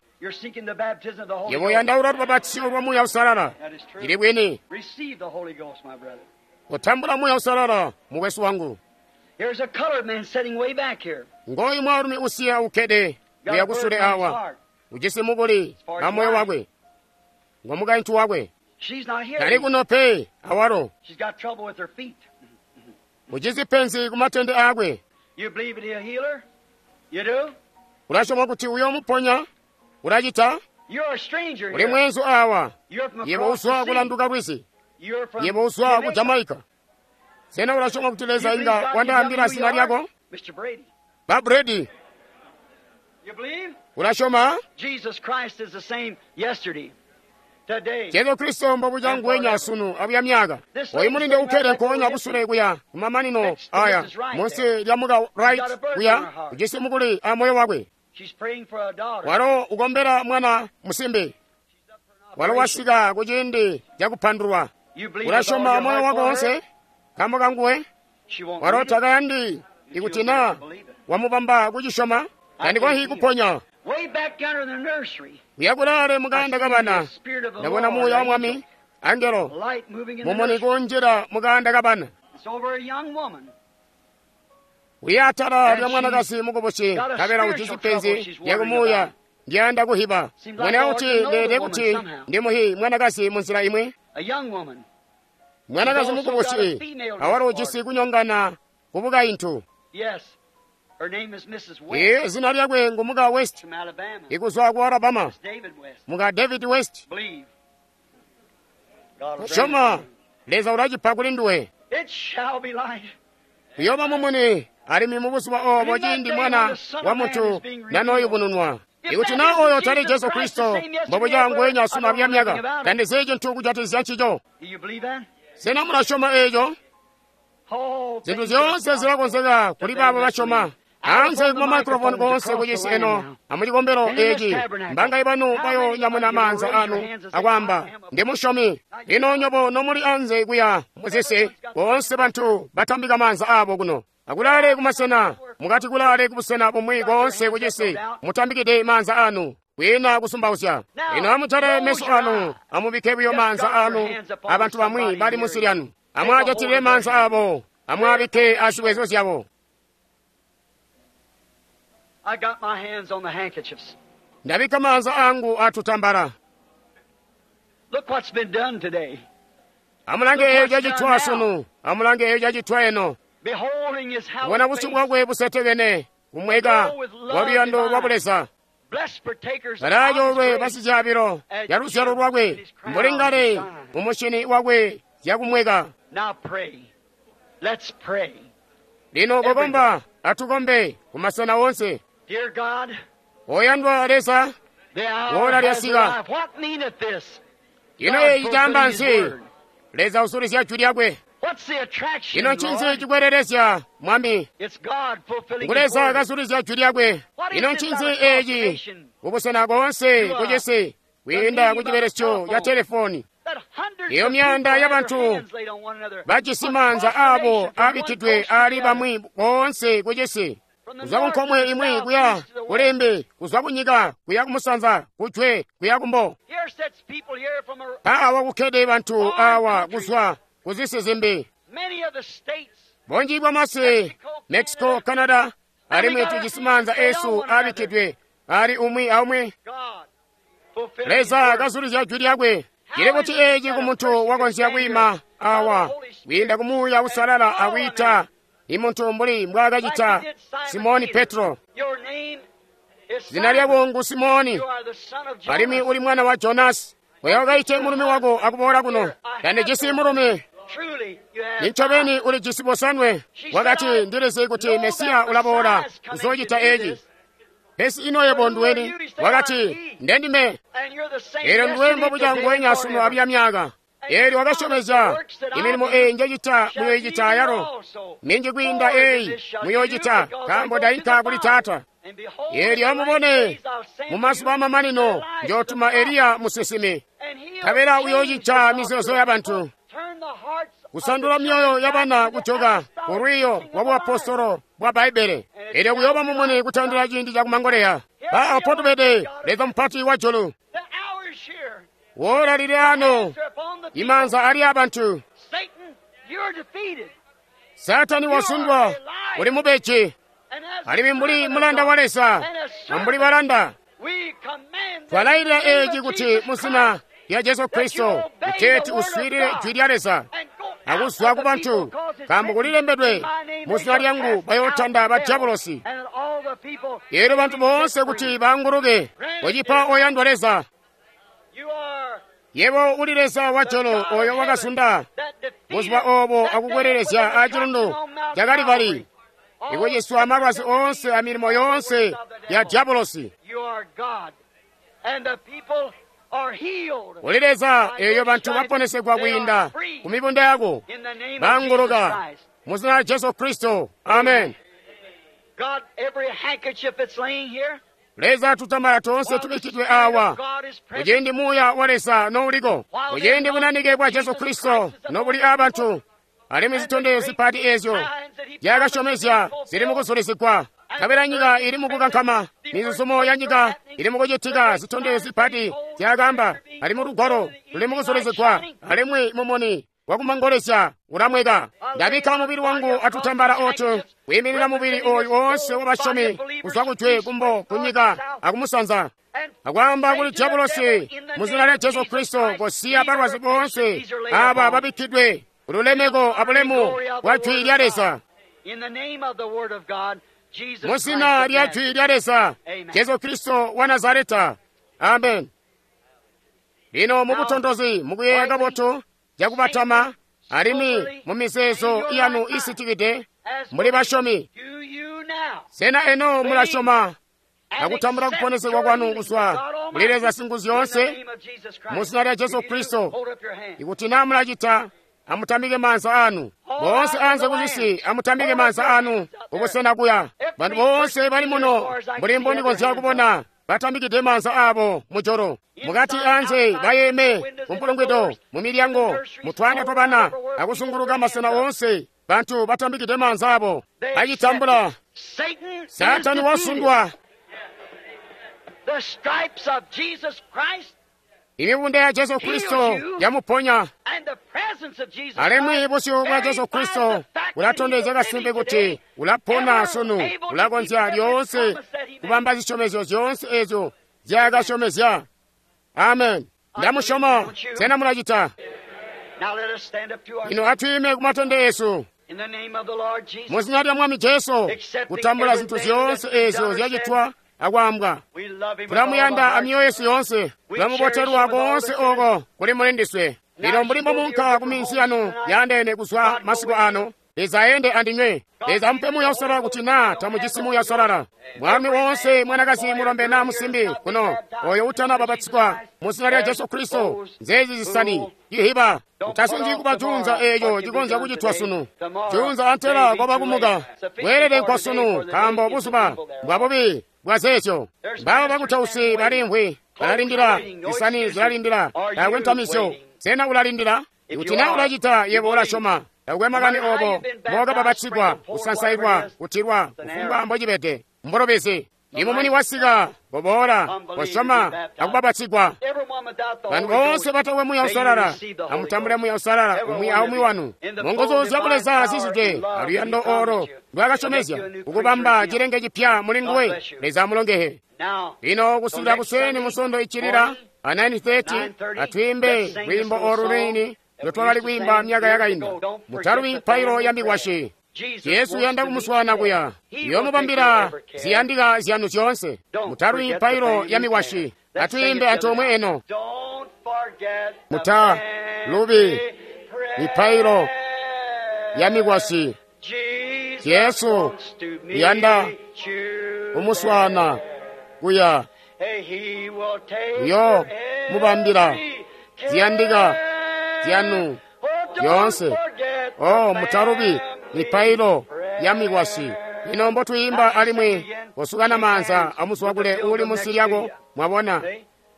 Yebo uyandaula lubapatizyo lwa Muuya Uusalala. Cili bwini. Kutambula Muuya Uusalala, mukwesu wangu. Ngooyu mwaalumi usiya ukkede uya kusule awa, ujisi mukuli a moyo wakwe, ngo mukaintu wakwe. Tali kuno pe awalo. Ujisi penzi kumatende aakwe. Ulasyoma kuti uyoomuponya? Ulacita? Uli mweenzu awa. Yebo uzwa kulanduka lwizi. Yebo uzwa ku Jamaica. Sena ulasyoma kuti Leza inga wandaambila zina lyako? Ba Brady. Ulasyoma? Jesu Kristo mbobuca nguwenya sunu abuya myaka. Oyu mulinde ukkede nkoonya kusule kuya kumamanino aya munsi lya muka Wright kuya ujisi mukuli a moyo wakwe. Walo ukombela mwana musimbi. Walo wasika kuciindi cakupandulwa. Ulasyoma moyo wako wonse nkaambo kanguwe? Walo takayandi ikuti naa wamubamba kucisyoma. Tandikonzyi kuponya. Kuya kulaale mukaanda kabana, ndabona Muuya wa Mwami, angelo mumuni kunjila mukaanda kabana. Uya atala lya mwanakazi mukubusi, nkabela ujisi penzi lyakumuuya ndiyanda kuhiba. Mwene kuti ndeelede kuti ndimuhi mwanakazi munzila imwi. Mwanakazi mukubusi awalo ujisi kunyongana kubukaintu. Iye zina lyakwe ngu muka West, ikuzwa ku Alabama, muka David West. Kusyoma Leza ulacipa kuli nduwe. Kuyooba mumuni alimwi mubuzuba obo ciindi Mwana wa Muntu nanooyubununwa. Ikuti naa oyo tali Jesu Kristo mbobuca nguwenya sunu abuya myaka, tandizi cintu kujatikizya ncico. Sena mulasyoma eeco? Zintu zyoonse zilakonzeka kuli baabo basyoma. Anze kuma microphone koonse kucisi eno amucikombelo eci, mbangayi banu bayonyamuna maanza anu akwaamba ndi musyomi. Lino nyobo nomuli anze kuya muzisi, boonse bantu batambika maanza abo kuno. Akulaale kumasena, mukati kulaale kubusena bumwi koonse kucisi, mutambikide maanza anu. Kwiina kusumbauzya. Lino amujale meso anu, amubikke buyo maanza anu abantu bamwi bali munsi lyanu. Amwaajatilile maanza abo, amwaabikke azibwezo zyabo. I got my hands on the handkerchiefs. Ndabikka maanza angu atutambala. Look what's been done today. Amulange eyo cacitwa sunu, amulange eyo cacitwa eno. Beholding his Kubona hallowed busyu face, bwakwe busetekene, kumweka wa luyando lwa buleza. blessed partakers of Balayoolwe God's grace, basicaabilo ya luzyalo lwakwe, mbuli ngale mu mushini wakwe zyakumweka. Now pray. Let's pray. Lino kokomba, atukombe kumasena wonse. Dear God, Oyandwa Leza, the hour Ora has lyasika. arrived. What meaneth this? ino God eyi caamba fulfilling his nsi, word. Leza usulizya jwi lyakwe. What's the attraction, Ino ncinzi Lord? cikwelelezya, Mwami? It's God fulfilling Ngu his Leza word. kasulizya jwi lyakwe. What is Ino this ncinzi other eeci confirmation? kubusena koonse kucisi kwiinda kucibelesyo ca telefoni. That hundreds Iyo of myanda people have y'abantu their hands laid on one another. bajisi A maanza abo proclamation from one abikkidwe coast to ali the other. bamwi koonse kucisi. From the Kuzwa ku north to nkomwe the imwi south, kuya east to the west. kulembe, kuzwa ku nyika kuya kumusanza, kujwe kuya kumbo. Here sits people here from a, Awa kukkede bantu awa kuzwa kuzisi zimbi. many of the states. Bunji bwa masi, Mexico, Canada, alimwi tujisi maanza esu abikkidwe ali umwi aumwi. God fulfilling his Leza word. kasulizya jwi lyakwe. Cili kuti eeci ku muntu wakonzya kwiima awa kwiinda ku Muuya Usalala akwiita imuntu mbuli mbwaakacita Like he did Simon Simoni Peter. Petro. Your name is Zina Simon. lyako ngu Simoni, You are the son of alimwi Jonas. uli mwana wa Jonasi. Oyo wakaite mulumi wako akuboola kuno. Tandijisi mulumi, Truly, you have nincobeni ulijisi bosanwe. Wakati ndilizi kuti Mesiya ulaboola kuzoocita eeci. Pesi ino yebo nduweni? Wakati ndendime. And you're the same Eelyo nduwe yesterday, mbobuca today, and nguwenya sunu forever. abuya myaka. Eelyo wakasyomezya imilimo eyi njecita muyoyicita ayalo. Minji kwiinda eyi muyoyicita nkaambo ndayinka kuli Taata. Eelyo amubone mumazuba amamanino njootuma Eliya musinsimi. Nkabela uyoocita mizeezo y'abantu, kusandula myoyo y'abana kujoka ku lwiiyo lwa buapostolo bwa Bbaibbele. Eelyo kuyooba mumuni kutandila ciindi cakumangoleya. Ba apotubede Leza mupati wa julu. Woola lili ano, imaanza ali abantu. Satani wasundwa, uli mubeji, alimwi mbuli mulanda wa Leza, ambuli balanda. Twalayilira eeci kuti muzina lya Jesu Kristo kuteeti uswiilile jwi lya Leza akuzwa ku bantu, nkaambo kulilembedwe muzina lyangu bayootanda ba diabolosi. Eelyo bantu boonse kuti baanguluke, kocipa oyandwa Leza. Yebo uli Leza wa julu oyo wakasunda buzuba obo akukwelelezya acilundu ca Kalivali, ikuciswa malwazi oonse amilimo yoonse ya diabolosi. You are God, and the people are healed. Uli Leza eeyo bantu baponesegwa kwiinda ku mibunda yako, In the name of Jesus baanguluka Christ. mu zina lya Jesu Kristo. Amen. God, every handkerchief that's laying here, Leza tutambala toonse while the tubikkidwe Spirit awa of God is present, kuciindi Muuya wa Leza nouliko, kuciindi bunanike bwa Jesu Kristo nobuli abantu, alimwi zitondezyo zipati eezyo zyakasyomezya zili mukuzulisigwa. Nkabela nyika ili mukukankama, mizuzumo ya nyika ili mukucitika. Zitondezyo zipati zyakaamba ali mu lugwalo luli mukuzulisigwa, alimwi mumuni wakumangolezya ulamweka. Ndabikka mubili wangu atutambala otu kwiiminina mubili oyu woonse wabasyomi kuzwa kujwe, kumbo, kunyika akumusanza. and Akwaamba kuli diabolosi muzina lya Jesu Kristo kosiya balwazi boonse aba babikkidwe kululemeko abulemu bwa jwi lya Leza. in the name of the Word of God, Jesus Mu Christ zina of lya Nazareth. jwi lya Leza, Amen. Jesu Kristo wa Nazareta. Amen. Lino mubutontozi mukuyeeya kabotu cakubatama alimwi mu mizeezo yanu isitikide As muli basyomi. do you now Sena eno mulasyoma and akutambula accept kuponesegwa your kwanu healing kuzwa from God kuli Leza Almighty Singuzyoonse in the name of Jesus Christ. mu zina lya Jesu If you do, Kristo. hold up your hand. Ikuti naa mulacita, amutambike maanza anu. Boonse anze kuzisi, amutambike maanza anu kubusena kuya. Bantu boonse bali muno, mbuli mbondikonzya kubona, batambikide maanza abo mujolo. Mukati anze bayeme kumpulungwido, mu milyango, mu twana twabana, akusunguluka masena oonse, bantu batambikide maanza abo. They Achitambula, accept it. Satan is Satani defeated. wasundwa. The stripes of Jesus Christ Imibunda ya Jesu Kristo yamuponya. and the presence of Jesus Alimwi Christ busyu bwa Jesu Kristo bulatondezya kasimpe kuti ulapona sunu, ulakonzya lyoonse kubamba zisyomezyo zyoonse eezyo zyakasyomezya. Amen. Ndamusyoma. Sena mulacita? Now let us stand up to our Ino atwiime kumatende eesu in the name of the Lord Jesus. mu zina lya Mwami Jesu, kutambula zinthu zyoonse eezyo zyacitwa akwambwa. We love him with all our Tulamuyanda heart. amyoyo yesu yoonse, tulamubotelwa koonse oko kuli mulindiswe. Lino mbuli mbomunka ku minzi yanu yaandeene kuzwa masiku ano, Leza ayende andinywe. Leza amupe Muuya Uusalala kuti naa tamujisi Muuya Uusalala. Mwami woonse mwanakazi mulombe naa musimbi kuno oyo utana babatizwa mu zina lya Jesu Kristo, nzeezi zisani cihiba utasungi kuba junza eeco cikonzya kucitwa sunu. Junza antela kwaba kumuka bweelede nkwa sunu, nkaambo buzuba mbwa bubi bwa zeezyo. Mbabo bakutausi balimvwi balalindila, zisani zilalindila, taakwe ntamisyo. Sena ulalindila? Ikuti naa ulacita, yebo ulasyoma. Taakwe makani obo mbokababatsigwa, kusansailwa, kutilwa, kufumbwa mbocibede, mbulubezi. Imumuni wasika, koboola, kosyoma, akubabatsigwa. Everyone without the Bantu Holy boonse Ghost, batakwe Muuya may you Uusalala, receive the Holy amutambule Ghost. Muuya Uusalala umwi aumwi wanu. Munguzu zya Buleza zizide aluyando olo lwakasyomezya kukubamba cilenge cipya muli nguwe. Leza amulongehe. Now, Lino kusikila kuseni musondo ichilira a nine thirty atwiimbe lwiimbo olu lwini lwetwakali kwiimba myaka yakainda. Mutalubi mipailo ya mikwasyi. Jesus Yesu wants uyanda to meet kumuswana you kuya there. He yomubambila will take your every care. ziyandika zyanu zyoonse. Don't Mutalubi forget the mipailo family ya mikwasyi. prayer. Let's sing Atwiimbe it antoomwe together. eno. Don't forget the Mutalubi family prayer. mipailo ya mikwasyi. Jesus Yesu wants to meet uyanda you kumuswana there. kuya Hey, he will take Uyo your mubambila every care. ziyandika zyanu Oh, don't yoonse. forget the Oh, mutalubi family mipailo prayer. ya mikwasyi. Ino mbotwiimba alimwi kosukana maanza amuswakule uli munsi lyako. Mwabona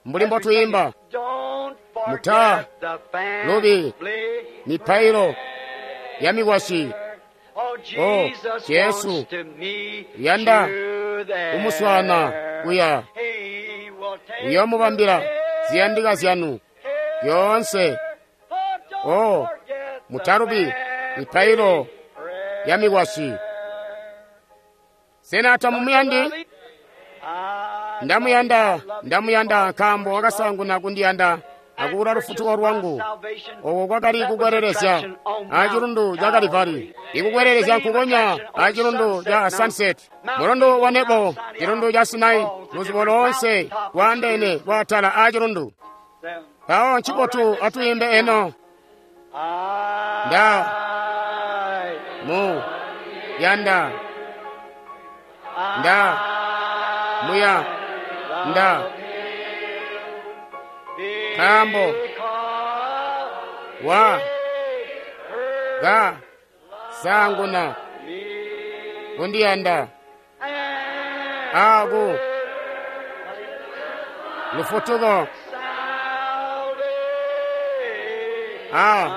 mbuli mbotwiimba Don't Muta forget the lubi family mipailo ya mikwasyi. Oh, Jesus Jesu wants to meet uyanda you there. kumuswana kuya He will take uyomubambila your ziyandika zyanu every yoonse. care. Oh, don't Oh, forget the mutalubi family mipailo prayer. ya mikwasyi. Sena tamumuyandi? I Ndamuyanda, ndamuyanda nkaambo wakasanguna kundiyanda akuula lufutuko lwangu. Oko kwakali kukwerelezya a cilundu ca Kalivari, ikukwerelezya nkukonya a cilundu ca Sunset, mulundu wa Nebo, cilundu ca Sinai, luzubo loonse lwaandeene lwaatala a cilundu. Mpawo ncibotu atwiimbe eno. Nda mu yanda nda muya nda nkaambo wa ga sanguna kundiyanda aku lufutuko a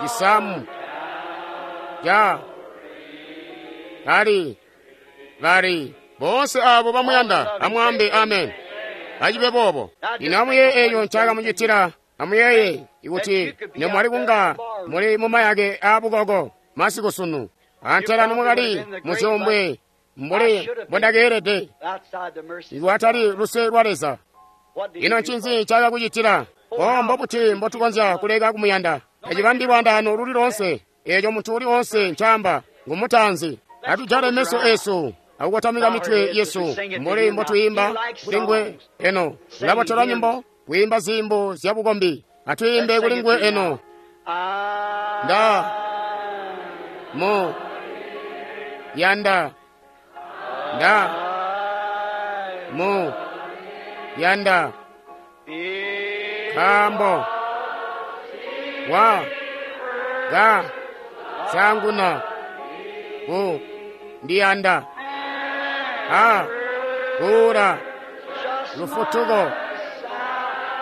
cisamu ca kali bali boonse abo bamuyanda amwambe amen. Acibe boobo. Lino amuyeeye eco ncakamucitila. Amuyeeye ikuti nemwali kunga muli mumayake aabukoko masiku sunu, antela nomwakali muzyombwe mbuli mbondakeelede, Outside the mercy. ikwatali luse lwa Leza. What did Ino he do ncinzi for you? ncakakucitila? O mbobuti mbotukonzya kuleka kumuyanda? Tacibambi lwandaano luli loonse eeco muntu uli onse ncaamba ngumutanzi. Atujale meso esu akukotamika mitwe yesu mbuli mbotwiimba kuli ngwe eno. Ulabotelwa nyimbo kwiimba zimbo zya bukombi. Atwiimbe kuli ngwe eno. I Nda mu yanda nda mu yanda nkaambo wa ga sanguna ku ndiyanda a kuula lufutuko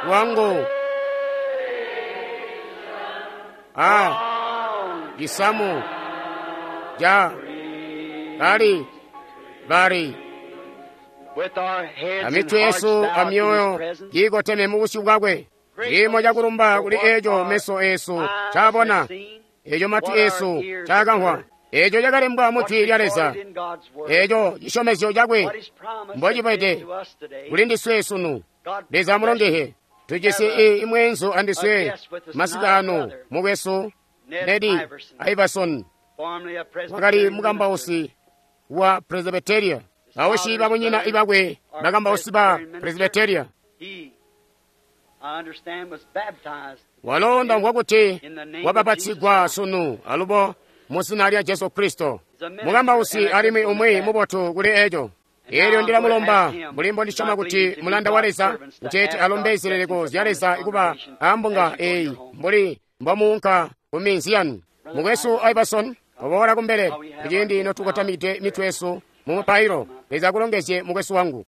lwangu a cisamu ca kali bali. Amitwe yesu amyoyo kiikoteme mubusyu bwakwe. Ciimo cakulumba kuli eco meso eesu caabona, eco matwi eesu caakamvwa, eco cakalembwa mu Jwi lya Leza, eco cisyomezyo cakwe mbocibede kuli ndiswe sunu. Leza amulongehe. Tujisi i mweenzu andiswe masiku ano, mukwesu Ned Iverson, wakali mukambausi wa Presbyteria. Bausyi babunyina ibakwe bakambausi ba Presbyteria. Walo ndamvwa kuti wabapatsigwa sunu alubo mu zina lya Jesu Kristo. Mukambausi alimwi umwi mubotu kuli eco. Elyo ndilamulomba mbuli mbondisyoma kuti mulanda wa Leza kuteeti alombe zileleko zya Leza kuba ambunga eyi mbuli mbomuunka ku minzi yanu. Mukwesu Iverson, oboola kumbele kuciindi notukotamide mitwe yesu mu mupailo. Leza akulongezye mukwesu wangu.